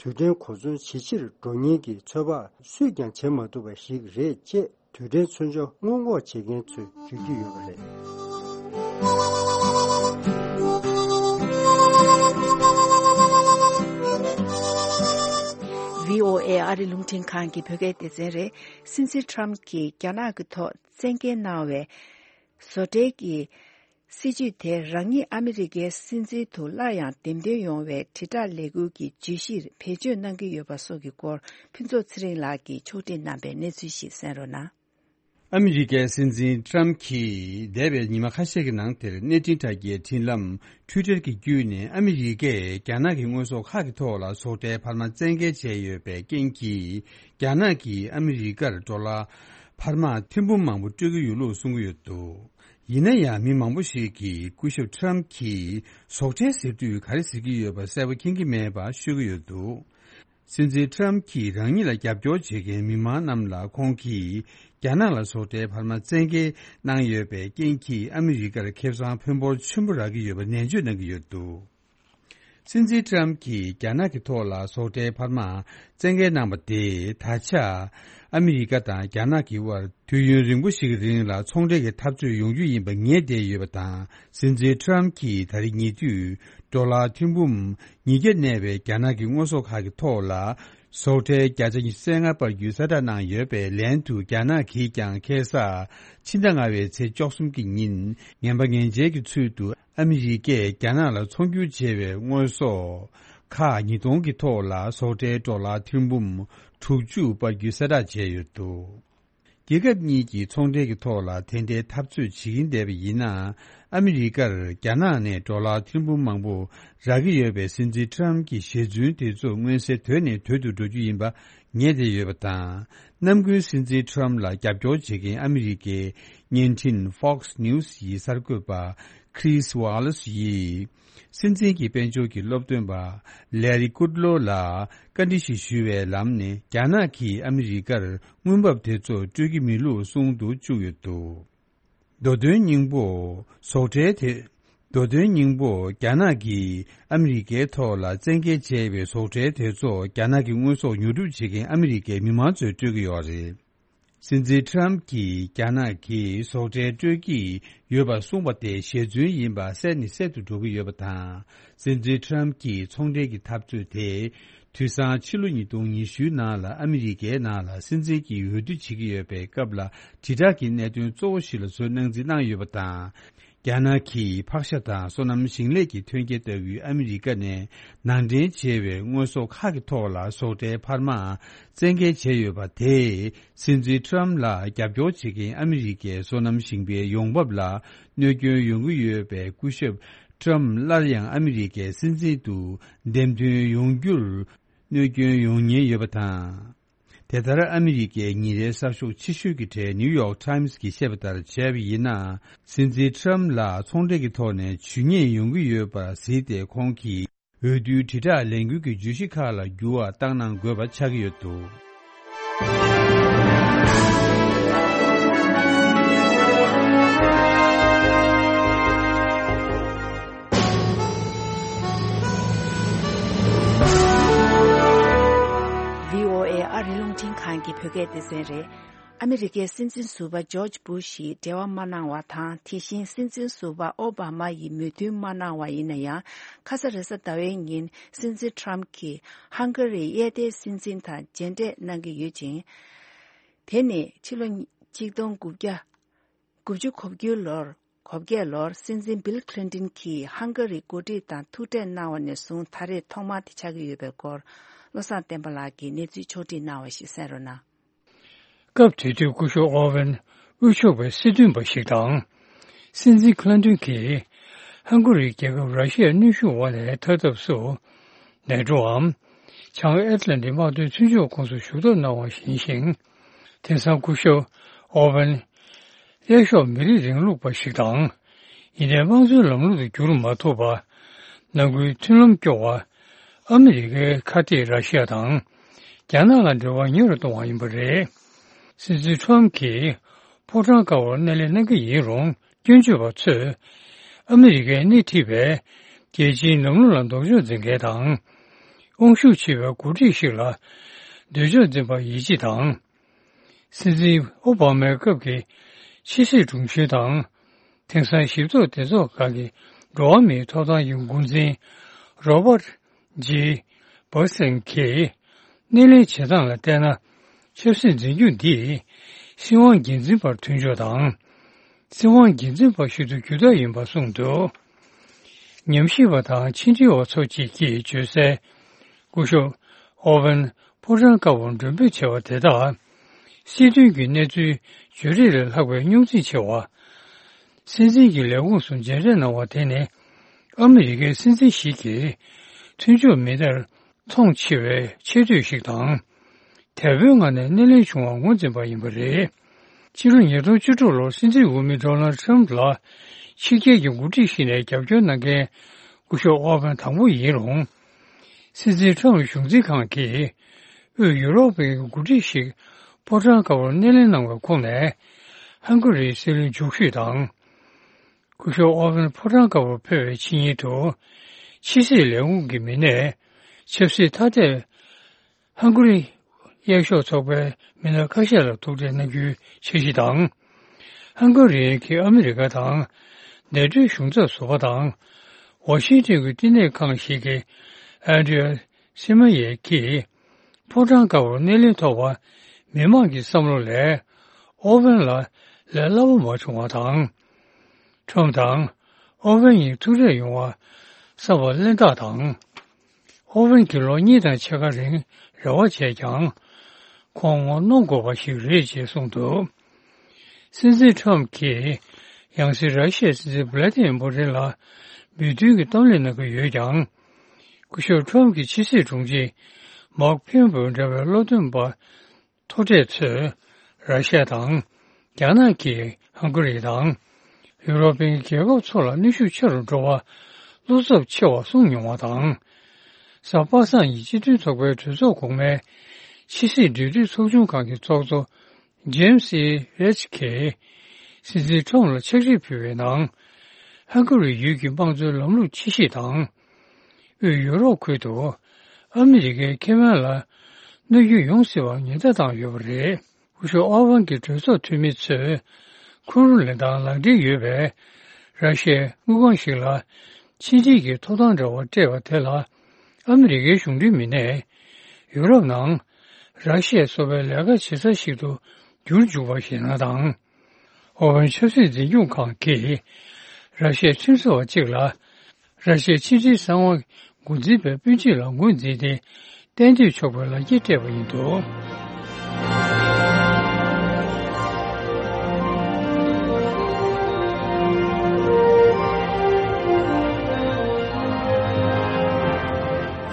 རྡུལ་ཕྲན་གོ་མཚོན་ཇེ་ཆེར་འགྲོ་ཉེན་གྱི་ཚོད་དཔག་སུས་ཀྱང་བྱེད་མ་ཐུབ་པ་ཞིག་རེད་ཅེས། རྡུལ་ཕྲན་མཚོན་ཆ་སྔོན་འགོག་བྱེད་མཁན་ཚོས་བརྗོད་ཀྱི་ཡོད་པ་རེད། བྷི་ཨོ་ཨེ་ཨ་རི་རླུང་འཕྲིན་ཁང་གི་བོད་སྐད་སྡེ་ཚན་རེད། སྲིད་འཛིན་ཁྲམ་གྱིས་རྒྱ་ནག་གི་ཐོག་བཙན་འགེལ་གནང་བའི་བཟོ་གྲྭའི་གི་སྲིད་ཇུས་དེ་རང་ཉིད་ཨ་མི་རི་ཀའི་སྲིད་འཛིན་དུ་སླར་ཡང་འདེམས་ཐོན་ཡོང་བའི་དྲིལ་བསྒྲགས་ལས་འགུལ་གྱི་བརྗོད་གཞིར་བེད་སྤྱོད་གནང་གི་ཡོད་པ་སོགས་ཀྱི་སྐོར། ཕུན་ཚོགས་ཚེ་རིང་ལགས་ཀྱིས་ཕྱོགས་སྒྲིག་གནང་པའི་གནས་ཚུལ་ཞིག་གསན་རོགས་གནང་། ཨ་མི་རི་ཀའི་སྲིད་འཛིན་ཏྲམ་གྱིས་འདས་པའི་ཉི་མ་ཁ་ཤས་ཀྱི་ནང་དེར་གནས་འཕྲིན་དྲ་རྒྱའི་འཕྲིན་ལམ་Twitter གྱི་བརྒྱུད་ནས། ཨ་མི་རི་ཀས་རྒྱ་ནག་གི་དངོས་ཟོག་ཁག་གི་ཐོག་ལ་ཟོག་ཁྲལ་འཕར་མ་བཙན་འགེལ་བྱས་ཡོད་པའི་རྐྱེན་གྱིས། རྒྱ་ནག་གིས་ཨ་མི་རི་ཀར་ཌོ་ལར་འཕར་མ་ཐེར་འབུམ་མང་པོ་སྤྲོད་ཀྱི་ཡོད་ལུགས་གསུང་གི་ཡོད་འདུག་ཡིན་ན་ཡང་། མི་མང་པོ་ཞིག་གིས་སྐུ་ཞབས་ཏྲམ་གྱིས་ཟོག་ཁྲལ་ཟེར་དུས་ག་རེ་ཟེར་གྱི་ཡོད་པ་གསལ་པོ་མཁྱེན་གྱི་མེད་པ་ཤོད་ཀྱི་ཡོད་འདུག་སྲིད་འཛིན་ཏྲམ་གྱིས་རང་ཉིད་ལ་རྒྱབ་སྐྱོར་བྱེད་མཁན་མི་མང་རྣམས་ལ། ཁོང་གིས་རྒྱ་ནག་ལ་ཟོག་ཁྲལ་འཕར་མ་བཙན་འགེལ་གནང་ཡོད་པའི་རྐྱེན་གྱིས། ཨ་མི་རི་ཀར་ཁེ་བཟང་ཕོན་པོ་ཆེན་པོ་རག་གི་ཡོད་པ་ནན་བརྗོད་གནང་གི་ཡོད་འདུག་སྲིད་འཛིན་ཏྲམ་གྱིས་རྒྱ་ནག་གི་ཐོག་ལ་ཟོག་ཁྲལ་འཕར་མ་བཙན་འགེལ་གནང་པ་དེས། ད་ཆ་ཨ་མི་རི་ཀ་དང་རྒྱ་ནག་གི་དབར་དུས་ཡུན་རིང་པོ་ཞིག་གི་རིང་ལ་ཚོང་འབྲེལ་གྱི་འཐབ་རྩོད་ཡོང་རྒྱུ་ཡིན་པ་ངེས་བསྡད་ཡོད་པ་དང་། སྲིད་འཛིན་ཏྲམ་གྱིས་ད་རེས་ཉེ་དུས་ཌོ་ལར་ཐེར་འབུམ་ཉིས་བརྒྱ་གནས་པའི་རྒྱ་ནག་གི་དངོས་ཟོག་ཁག་གི་ཐོག་ལ་ཟོག་ཁྲལ་བརྒྱ་ཆ་ཉི་ཤུ་རྩ་ལྔ་སྤར་རྒྱུའི་གསལ་བསྒྲགས་གནང་ཡོད་པའི་ལན་དུ། རྒྱ་ནག་གིས་ཀྱང་ཁ་སང་ཕྱི་ཟླ་ལྔ་པའི་ཚེས་བཅུ་གསུམ་གྱི་ཉིན་ངན་པ་ངན་འཇལ་གྱི་ཚུལ་དུ། ཨ་མི་རི་ཀས་རྒྱ་ནག་ལ་ཚོང་སྒྱུར་བྱས་པའི་དངོས་ཟོག་ཁག་ཉིས་སྟོང་གི་ཐོག་ལ་ཟོག་ཁྲལ་ཌོ་ལར་ཐེར་འབུམ་དྲུག་ཅུ་སྤར་རྒྱུའི་གསལ་བསྒྲགས་བྱས་ཡོད་འདུག་རྒྱལ་ཁབ་གཉིས་ཀྱི་ཚོང་འབྲེལ་གྱི་ཐོག་ལ་དེ་འདྲའི་འཐབ་རྩོད་བྱེད་ཀྱིན་བསྡད་པ་ཡིན་ན། ཨ་མི་རི་ཀར་རྒྱ་ནག་ནས་ཌོ་ལར་ཐེར་འབུམ་མང་པོ་རག་གི་ཡོད་པའི་སྲིད་འཛིན་ཏྲམ་གྱི་ཞལ་རྫུན་དེ་ཚོ་མངོན་གསལ་དོད་ནས་དོད་དུ་འགྲོ་རྒྱུ་ཡིན་པ་ངེས་བསྡད་ཡོད་པ་དང་། གནམ་སྒོའི་སྲིད་འཛིན་ཏྲམ་ལ་རྒྱབ་སྐྱོར་བྱེད་མཁན་ཨ་མི་རི་ཀའི་བརྙན་འཕྲིན་Fox News ཡི་གསར་འགོད་པ་Chris Wallace ཡིས། སྲིད་འཛིན་གྱི་དཔལ་འབྱོར་གྱི་སློབ་སྟོན་པ་Larry Kudlow ལ་བཀའ་འདྲི་ཞིག་ཞུ་བའི་ལམ་ནས། རྒྱ་ནག་གིས་ཨ་མི་རི་ཀར་དངུལ་འབབ་དེ་ཚོ་སྤྲོད་ཀྱི་མེད་ལུགས་གསུང་དུ་བཅུག་ཡོད་འདུག་མདོ་དོན་སྙིང་པོ། ཟོག་ཁྲལ་དེ། མདོ་དོན་སྙིང་པོ། རྒྱ་ནག་གིས་ཨ་མི་རི་ཀའི་ཐོག་ལ་བཙན་འགེལ་བྱས་པའི་ཟོག་ཁྲལ་དེ་ཚོ་རྒྱ་ནག་གི་དངོས་ཟོག་ཉོ་སྒྲུབ་བྱེད་མཁན་ཨ་མི་རི་ཀའི་མི་མང་ཚོས་སྤྲོད་ཀྱི་ཡོད་རེད། སྲིད་འཛིན་ཏྲམ་གྱིས་རྒྱ་ནག་གིས་ཟོག་ཁྲལ་སྤྲོད་ཀྱི་ཡོད་པ་གསུངས་པ་དེ་ཞལ་རྫུན་ཡིན་པ་གསལ་ནས་གསལ་དུ་འགྲོ་གི་ཡོད་པ་དང་། སྲིད་འཛིན་ཏྲམ་གྱི་ཚོང་འབྲེལ་གྱི་འཐབ་རྩོད་དེ། དུས་སང་ཕྱི་ལོ་ཉིས་སྟོང་ཉི་ཤུའི་ནང་ལ་ཨ་མི་རི་ཀའི་ནང་ལ་སྲིད་འཛིན་གྱི་འོས་བསྡུ་བྱེད་ཀྱི་ཡོད་པའི་སྐབས་ལ། དྲིལ་བསྒྲགས་ཀྱི་གནད་དོན་གཙོ་བོ་ཞིག་ལ་བཟོ་གནང་འཛིན་གནང་ཡོད་པ་དང་། རྒྱ་ནག་གིས་ཕག་ཤ་དང་སོ་ནམ་ཞིང་ལས་ཀྱི་ཐོན་སྐྱེད་ལྟ་བུའི་ཨ་མི་རི་ཀ་ནས་ནང་འདྲེན་བྱས་པའི་དངོས་ཟོག་ཁག་གི་ཐོག་ལ་ཟོག་ཁྲལ་འཕར་མ་བཙན་འགེལ་བྱས་ཡོད་པ་དེས། སྲིད་འཛིན་ཏྲམ་ལ་རྒྱབ་སྐྱོར་བྱེད་མཁན་ཨ་མི་རི་ཀའི་སོ་ནམ་ཞིང་པའི་ཡོང་འབབ་ལ་གནོད་སྐྱོན་ཡོང་གི་ཡོད་པས། སྐུ་ཞབས་ཏྲམ་སླར་ཡང་ཨ་མི་རི་ཀའི་སྲིད་འཛིན་དུ་འདེམས་ཐོན་ཡོང་རྒྱུར་གནོད་སྐྱོན་ཡོང་ཉེན་ཡོད་པ་དང་། དེ་ལྟར་ཨ་མི་རི་ཀའི་ཉིན་རེའི་གསར་ཤོག་ཆེ་ཤོས་ཀྱི་གྲས་New York Times གྱིས་བཤད་པ་ལྟར་བྱས་པ་ཡིན་ན། སྲིད་འཛིན་ཏྲམ་ལ་ཚོང་འབྲེལ་གྱི་ཐོག་ནས་ཇུས་ཉེས་ཡོང་གི་ཡོད་པར་གཟིགས་ཏེ། ཁོང་གིས་འོས་བསྡུའི་དྲིལ་བསྒྲགས་ལས་འགུལ་གྱི་བརྗོད་གཞི་ཁག་ལ་འགྱུར་བ་བཏང་གནང་དགོས་པ་ཆགས་ཀྱི་ཡོད་འདུག་བྷི་ཨོ་ཨེ་ཨ་རི་རླུང་འཕྲིན་ཁང་གི་བོད་སྐད་སྡེ་ཚན་རེད། ཨ་མི་རི་ཀའི་སྲིད་འཛིན་ཟུར་པ་ཇོརྗ་བུ་ཤ་ཡིས་འབྲེལ་བ་མ་གནང་བ་དང་། དེ་བཞིན་སྲིད་འཛིན་ཟུར་པ་ཨོ་བྷ་མ་ཡིས་མོས་མཐུན་མ་གནང་བ་ཡིན་ན་ཡང་། ཁ་ས་རེས་གཟའ་ཟླ་བའི་ཉིན་སྲིད་འཛིན་ཏྲམ་གྱིས་ཧང་ག་རིའི་གཡས་ལྡན་སྲིད་འཛིན་དང་མཇལ་འཕྲད་གནང་གི་ཡོད་ཅིང་། དེ་ནི་ཕྱི་ལོ་གཅིག་སྟོང་དགུ་བརྒྱ་དགུ་བཅུ་གོ་བརྒྱད་ལོར། གོ་བརྒྱད་ལོར་སྲིད་འཛིན་བིལ་ཁི་ལིན་ཏིན་གྱིས་ཧང་ག་རི་འགོ་ཁྲིད་དང་ཐུག་འཕྲད་གནང་བ་ནས་བཟུང་ད་རེས་ཐོག་མ་དེ་ཆགས་ཀྱི་ཡོད་པའི་སྐོར། བློ་བཟང་བསྟན་པ་ལགས་ཀྱིས་གནས་ཚུལ་ཕྱོགས་སྒྲིག་གནང་བ་ཞིག་གསན་རོགས་གནང་། སྐབས་དེ་དུས་སྐུ་ཞབས་ཨོ་ཝེན་དབུས་ཕྱོགས་པའི་སྲིད་དོན་པ་ཞིག་དང་། སྲིད་འཛིན་ཁི་ལིན་ཏིན་གྱིས་ཧང་ག་རིའི་རྒྱལ་ཁབ་ར་ཤི་ཡའི་གནོན་ཤུགས་འོག་ནས་ཐར་ཐབས་སུ། མེ་ཀྲོའམ། བྱང་ཨེཊ་ལན་ཊིག་དམག་དོན་མཐུན་ཕྱོགས་ཁོངས་སུ་ཞུགས་ཐབས་གནང་བ་ཡིན་ཞིང་། དེང་སང་སྐུ་ཞབས་ཨོ་ཝན། གཡས་ཕྱོགས་མི་རིགས་རིང་ལུགས་པ་ཞིག་དང་། ཡིན་ནའི་དམངས་གཙོའི་ལམ་ལུགས་དུ་འགྱུར་མ་ཐུབ་པ། ནང་ཁུལ་མཐུན་ལམ་སྐྱོ་བ། ཨ་མི་རི་ཀའི་ཁ་གཏད་ར་ཤི་ཡ་དང་། རྒྱ་ནག་ལ་འབྲེལ་བ་ཉེ་རུ་གཏོང་བ་ཡིན་པ་རེད། སྲིད་འཛིན་ཁྲོམ་གྱིས་ཕོ་བྲང་དཀར་པོར་སྣེ་ལེན་གནང་གི་ཡིན་རུང་། སྐྱོན་བརྗོད་པ་ཚོས་ཨ་མི་རི་ཀས་སྣེ་ཁྲིད་པའི་རྒྱལ་སྤྱིའི་ལམ་ལུགས་ལ་ལྡོག་ཕྱོགས་འཛིན་མཁན་དང་། དབང་ཤུགས་ཆེ་བའི་འགོ་ཁྲིད་ཞིག་ལ་འདོད་ཕྱོགས་འཛིན་པར་ཡིད་ཆེས་དང་། སྲིད་འཛིན་ཨོ་བྷ་མའི་སྐབས་ཀྱི་ཕྱི་སྲིད་དྲུང་ཆེ་དང་། དེང་སང་ཞིབ་ཚགས་སྡེ་ཚོགས་ཁག་གི་འགྲོ་བ་མིའི་ཐོབ་ཐང་གི་འགོ་འཛིན་རོ་པར་ཇི་བྷར་སན་གྱིས། སྣེ་ལེན་བྱེད་སྟངས་ལ་བལྟས་ན། ཆབ་སྲིད་འཛིན་སྐྱོང་འདིས་སྲིད་དབང་སྒེར་འཛིན་པར་མཐུན་ཕྱོགས་དང་། སྲིད་དབང་སྒེར་འཛིན་པ་ཞིག་ཏུ་འགྱུར་ཐབས་ཡིན་པ་གསུངས་འདུག། ཉམས་ཞིབ་པ་དང་ཕྱི་འབྲེལ་བ་ཚོ་གཅིག་གིས་བརྗོད་གསལ། སྐུ་ཞབས་ཨོ་ཝན་ཕོ་བྲང་དཀར་པོར་མགྲོན་འབོད་བྱས་པ་དེ་དག་སྲིད་དོན་གྱི་གནས་ཚུལ་བརྗོད་རེས་ལས་ལྷག་པའི་རྙོག་འཛིང་ཆེ་བ། སྲིད་འཛིན་གྱི་ལས་ཁུངས་སུ་མཇལ་འཕྲད་གནང་བ་དེ་ནི། ཨ་མི་རི་ཀའི་སྲིད་འཛིན་ཞིག་གིས་མཐུན་ཕྱོགས་མི་སྣར་མཐོང་ཆེ་བའི་ཆེ་བསྟོད་ཞིག་དང་། དལ་པོའི་ངང་ནས་སྣེ་ལེན་བྱུང་བར་ངོས་འཛིན་པ་ཡིན་པ་རེད། ཕྱི་ལོ་ཉིས་སྟོང་བཅུ་དྲུག་ལོར་སྲིད་འཛིན་འོས་མི་ཌོ་ནལ་ཌི་ཊརམ་ཕི་ལ་ཕྱི་རྒྱལ་གྱི་འགོ་ཁྲིད་ཞིག་ནས་རྒྱབ་སྐྱོར་གནང་མཁན་སྐུ་ཞབས་ཨོ་བྷན་དང་པོ་ཡིན་རུང་། སྲིད་འཛིན་ཊརམ་ཕི་གཞུང་འཛིན་ཁང་གིས་དབུས་ཡུ་རོབ་པའི་འགོ་ཁྲིད་ཞིག་ཕོ་བྲང་དཀར་པོར་སྣེ་ལེན་གནང་བའི་ཁོངས་ནས། ཧང་ག་རིའི་སྲིད་བློན་མཆོག་ཤོས་དང་། སྐུ་ཞབས་ཨོ་ཝན་ཕོ་བྲང་དཀར་པོར་ཕེབས་པའི་ཕྱི་ཉིན་དུ། ཕྱི་སྲིད་ལས་ཁུངས་ཀྱི་མི་སྣས་ཆབ་སྲིད་ཐ་དད་ཧང་ག་རི་གཡས་ཕྱོགས་ཚོགས་པའི་མི་སྣ་ཁ་ཤས་ལ་ཐུག་འཕྲད་གནང་རྒྱུའི་འཆར་གཞི་དང་། ཧང་ག་རི་གྱིས་ཨ་མི་རི་ཀ་དང་ནེ་ཊོའི་གཞུང་ཚབ་ཟུར་པ་དང་། ཝ་ཤིང་ཊོན་གྱི་བསྟི་གནས་ཁང་ཞིག་གི་ཨན་ཌི་རི་ཡ་སི་མ་ཡེ་གིས་ཕོ་བྲང་དཀར་པོར་སྣེ་ལེན་ཐོབ་པ། མི་མང་གི་བསམ་བློ་ལས་ཨོ་ཝན་ལ་ལས་སླ་པོ་མ་བྱུང་བ་དང་། ཊརམ་ཕི་དང་ཨོ་ཝན་གཉིས་ཐུག་འཕྲད་ཡོང་བར་བསམ་པ་གླེན་རྟགས་དང་། ཨོ་ཝན་གྱིས་ལོ་གཉིས་དང་ཕྱེད་ཀ་རིང་རེ་བ་བྱས་ཀྱང་། ཁོང་ངོ་གནོང་དགོས་པ་ཞིག་རེད་ཅེས་གསུངས་འདུག། སྲིད་འཛིན་ཊརམ་ཕི་གྱིས་ཡང་སྲིད་ར་ཤི་ཡའི་སྲིད་འཛིན་ཝི་ལ་ཏི་མིར་པུ་ཏིན་ལ་མོས་མཐུན་གྱི་གཏམ་གླེང་གནང་གི་ཡོད་ཀྱང་། སྐུ་ཞབས་ཊརམ་ཕི་གྱི་ཕྱི་སྲིད་དྲུང་ཆེ་མཱག་ཕེམ་པོ་འདྲ་བའི་བློ་འདོན་པ་མཐོ་གྲས་ཚོས་ར་ཤི་ཡ་དང་། རྒྱ་ནག་གིས་ཧང་ག་རི་དང་། ཡུ་རོབ་པའི་རྒྱལ་ཁབ་ཚོ་ལ་གནོན་ཤུགས་ཆེ་རུ་འགྲོ་བར་བློ་འཚབ་ཆེ་བ་གསུངས་མྱོང་བ་དང་། གཟའ་པ་སངས་ཀྱི་སྤྱི་མཐུན་ཚོགས་པའི་གྲོས་ཚོགས་གོང་མའི་ཕྱི་སྲིད་འབྲེལ་མཐུད་ཚོགས་ཆུང་ཁང་གི་ཚོགས་གཙོ་ཇེམ་སི་ཨེ་རེ་ཆི་གིས་སྲིད་འཛིན་ཊརམ་ཕི་ལ་ཕྱག་བྲིས་ཕུལ་བའི་ནང་། ཧང་ག་རི་ཡུལ་གྱི་དམངས་གཙོའི་ལམ་ལུགས་ཕྱི་བཤིག་དང་། དབུས་ཡུ་རོབ་ཁུལ་དུ་ཨ་མི་རི་ཀའི་ཁེ་ཕན་ལ་གནོད་སྐྱོན་ཡོང་སྲིད་པར་ཉེན་བརྡ་བཏང་ཡོད་པ་རེད། སྐུ་ཞབས་ཨོ་ཝང་གིས་གྲོས་ཚོགས་འཐུས་མི་ཚོས་ཁུ་རུ་ལེན་སྟངས་ལག་འབྲེལ་ཡོད་པའི་ར་ཤི་ཡའི་དངུལ་ཁང་ཞིག་ལ་ཕྱི་འབྲེལ་གྱི་ཐོབ་ཐང་འདྲ་བ་སྤྲད་པ་དེ་ལ། ཨ་མི་རི་ཀའི་གཞུང་འབྲེལ་མི་སྣས་ཡུ་རོབ་ནང་ར་ཤི་ཡ་སོགས་པའི་ལས་ཀ་བྱེད་ས་ཞིག་ཏུ་འགྱུར་འཇུག་པ་ཞེད་སྣང་དང་། ཨོ་ཝན་ཆབ་སྲིད་འཛིན་སྐྱོང་ཁང་གིས་ར་ཤི་ཡའི་ཁྲིམས་བཟོ་བ་གཅིག་ལ། ར་ཤི་ཡའི་ཕྱི་འབྲེལ་གསང་བ་འགོ་འཛིན་པའི་སྤུན་མཆེད་ལ་ངོས་འཛིན་ཏེ་གཏན་སྡོད་ཆོག་པའི་ལག་འཁྱེར་སྤྲད་པ་ཡིན་འདུག།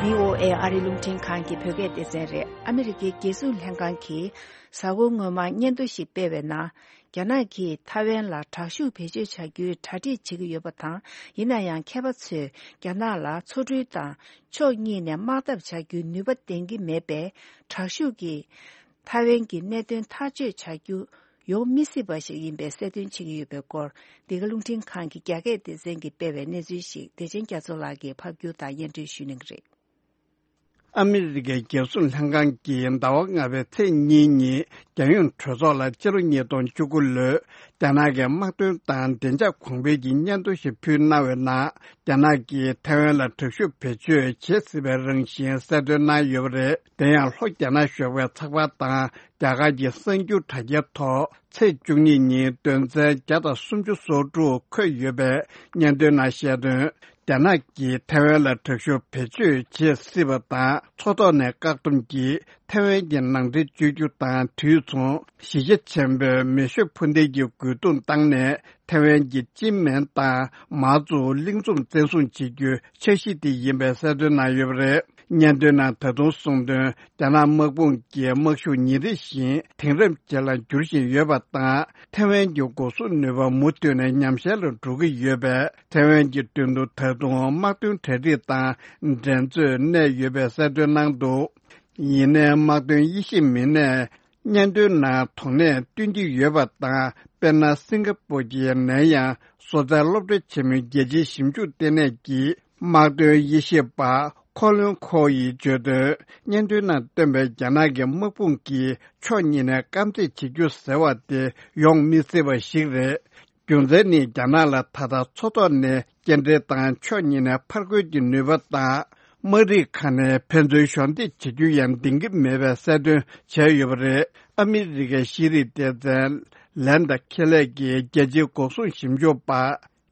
བྷི་ཨོ་ཨེ་ཨ་རི་རླུང་འཕྲིན་ཁང་གི་བོད་སྐད་སྡེ་ཚན་རེད། ཨ་མི་རི་ཀའི་རྒྱལ་སྲུང་ལྷན་ཁང་གིས་གཟའ་འཁོར་སྔོན་མ་སྙན་ཐོ་ཞིག་སྤེལ་བའི་ནང་། རྒྱ་ནག་གིས་ཐའེ་ཝན་ལ་དྲག་ཤུགས་བེད་སྤྱོད་བྱ་རྒྱུའི་གྲ་སྒྲིག་བྱེད་ཀྱི་ཡོད་པ་དང་། ཡིན་ན་ཡང་། མཁས་པ་ཚོས་རྒྱ་ནག་ལ་མཚོ་གྲུའི་དང་ཕྱོགས་གཉིས་ནས་དམག་འཐབ་བྱ་རྒྱུའི་ནུས་པ་ལྡན་གྱི་མེད་པས། དྲག་ཤུགས་ཀྱིས་ཐའེ་ཝན་གྱི་གནད་དོན་ཐག་གཅོད་བྱ་རྒྱུ་ཡོང་མི་སྲིད་པ་ཞིག་ཡིན་པའི་གསལ་སྟོན་བྱེད་ཀྱི་ཡོད་པའི་སྐོར། འདི་ག་རླུང་འཕྲིན་ཁང་གི་རྒྱ་སྐད་སྡེ་ཚན་གྱིས་སྤེལ་བའི་གནས་ཚུལ་ཞིག་བདེ་ཆེན་རྒྱ་མཚོ་ལགས་ཀྱིས་ཕབ་སྒྱུར་དང་སྙན་སྒྲོན་ཞུ་གནང་གི་རེད། ཨ་མི་རི་ཀའི་རྒྱལ་སྲུང་ལྷན་ཁང་གིས་ཟླ་བ་ལྔ་པའི་ཚེས་གཉིས་ཉིན། རྒྱལ་ཡོངས་གྲོས་ཚོགས་ལ་ཕྱི་ལོ་ཉིས་སྟོང་བཅུ་དགུ་ལོའི་རྒྱ་ནག་གི་དམག་དོན་དང་བདེ་འཇགས་གོང་འཕེལ་གྱི་སྙན་ཐོ་ཞིག་ཕུལ་གནང་བའི་ནང་། རྒྱ་ནག་གིས་ཐའེ་ཝན་ལ་དྲག་ཤུགས་བེད་སྤྱོད་བྱེད་སྲིད་པའི་རང་བཞིན་གསལ་སྟོན་གནང་ཡོད་པ་རེད། དེ་ཡང་། ལྷོ་རྒྱ་ནག་གཞུང་གི་ཚགས་པར་དང་རྒྱ་གར་གྱི་གསར་འགྱུར་དྲ་རྒྱའི་ཐོག་ཚེས་བཅུ་གཉིས་ཉིན་དོན་ཚན་བརྒྱ་དང་སུམ་ཅུ་སོ་དྲུག་འཁོད་ཡོད་པའི་སྙན་ཐོའི་ནང་བཤད་དོན། རྒྱ་ནག་གིས་ཐའེ་ཝན་ལ་དྲག་ཤུགས་བེད་སྤྱོད་བྱེད་སྲིད་པ་དང་། མཚོ་ཐོག་ནས་བཀག་སྡོམ་གྱིས་ཐའེ་ཝན་གྱི་ནང་འདྲེན་བྱེད་རྒྱུ་དང་། དུས་མཚུངས་གཞིས་ཆགས་ཆེན་པོའི་མེ་ཤུགས་འཕུར་མདེལ་གྱི་རྒོལ་རྡུང་བཏང་ནས། ཐའེ་ཝན་གྱི་ཅིན་མེན་དང་མའོ་ཙུའུ་གླིང་ཚོམ་བཙན་བཟུང་བྱེད་རྒྱུའི་འཆར་གཞི་དེ་ཡིན་པའི་གསལ་སྟོན་གནང་ཡོད་པ་རེད། སྙན་ཐོའི་ནང་ད་དུང་གསུངས་དོན། རྒྱ་ནག་དམག་དཔུང་གིས་དམག་ཤུགས་ཉིན་རེ་བཞིན་དེང་རབས་ཅན་ལ་འགྱུར་བཞིན་ཡོད་པ་དང་། ཐའེ་ཝན་གྱི་འགོག་སྲུང་ནུས་པ་མུ་མཐུད་ནས་ཉམས་ཞན་ལ་འགྲོ་གི་ཡོད་པས། ཐའེ་ཝན་གྱི་མདུན་དུ་ད་དུང་དམག་དོན་གྲ་སྒྲིག་དང་འགྲན་རྩོད་གནས་ཡོད་པའི་གསལ་སྟོན་གནང་འདུག་ཡིན་ནའི་དམག་དོན་དབྱེ་ཞིབ་མི་སྣས། སྙན་ཐོའི་ནང་དོ་ནས་སྟོན་གྱི་ཡོད་པ་དང་། དཔེར་ན། སིང་ག་པུར་གྱི་ནན་ཡང་བཟོ་རྩལ་སློབ་གྲྭ་ཆེན་མོའི་རྒྱལ་སྤྱིའི་ཞིབ་འཇུག་ལྟེ་གནས་ཀྱི་དམག་དོན་དབྱེ་ཞིབ་པ་ཁོ་ལོན་ཁོ་ཡིས་བརྗོད་དོན། སྙན་ཐོའི་ནང་བཏོན་པའི་རྒྱ་ནག་གི་དམག་དཔུང་གིས་ཕྱོགས་གཉིས་ནས་དཀའ་འཛེགས་བྱེད་རྒྱུ་ཟེར་བ་དེ་ཡོང་མི་སྲིད་པ་ཞིག་རེད། རྒྱུ་མཚན་ནི། རྒྱ་ནག་ལ་ད་ལྟ་མཚོ་ཐོག་ནས་སྐྱེལ་འདྲེན་དང་ཕྱོགས་གཉིས་ནས་ཕར་རྒོལ་གྱི་ནུས་པ་དང་། དམག་རིགས་ཁག་ནས་ཕན་ཚུན་གཞོགས་འདེགས་བྱེད་རྒྱུ་ཡང་འདང་གི་མེད་པའི་གསལ་སྟོན་བྱས་ཡོད་པ་རེད། ཨ་མི་རི་ཀའི་ཤེས་རིག་སྡེ་ཚན་ལན་ད་ཁེ་ལེ་གི་རྒྱལ་སྤྱིའི་འགོག་སྲུང་ཞིབ་འཇུག་པ་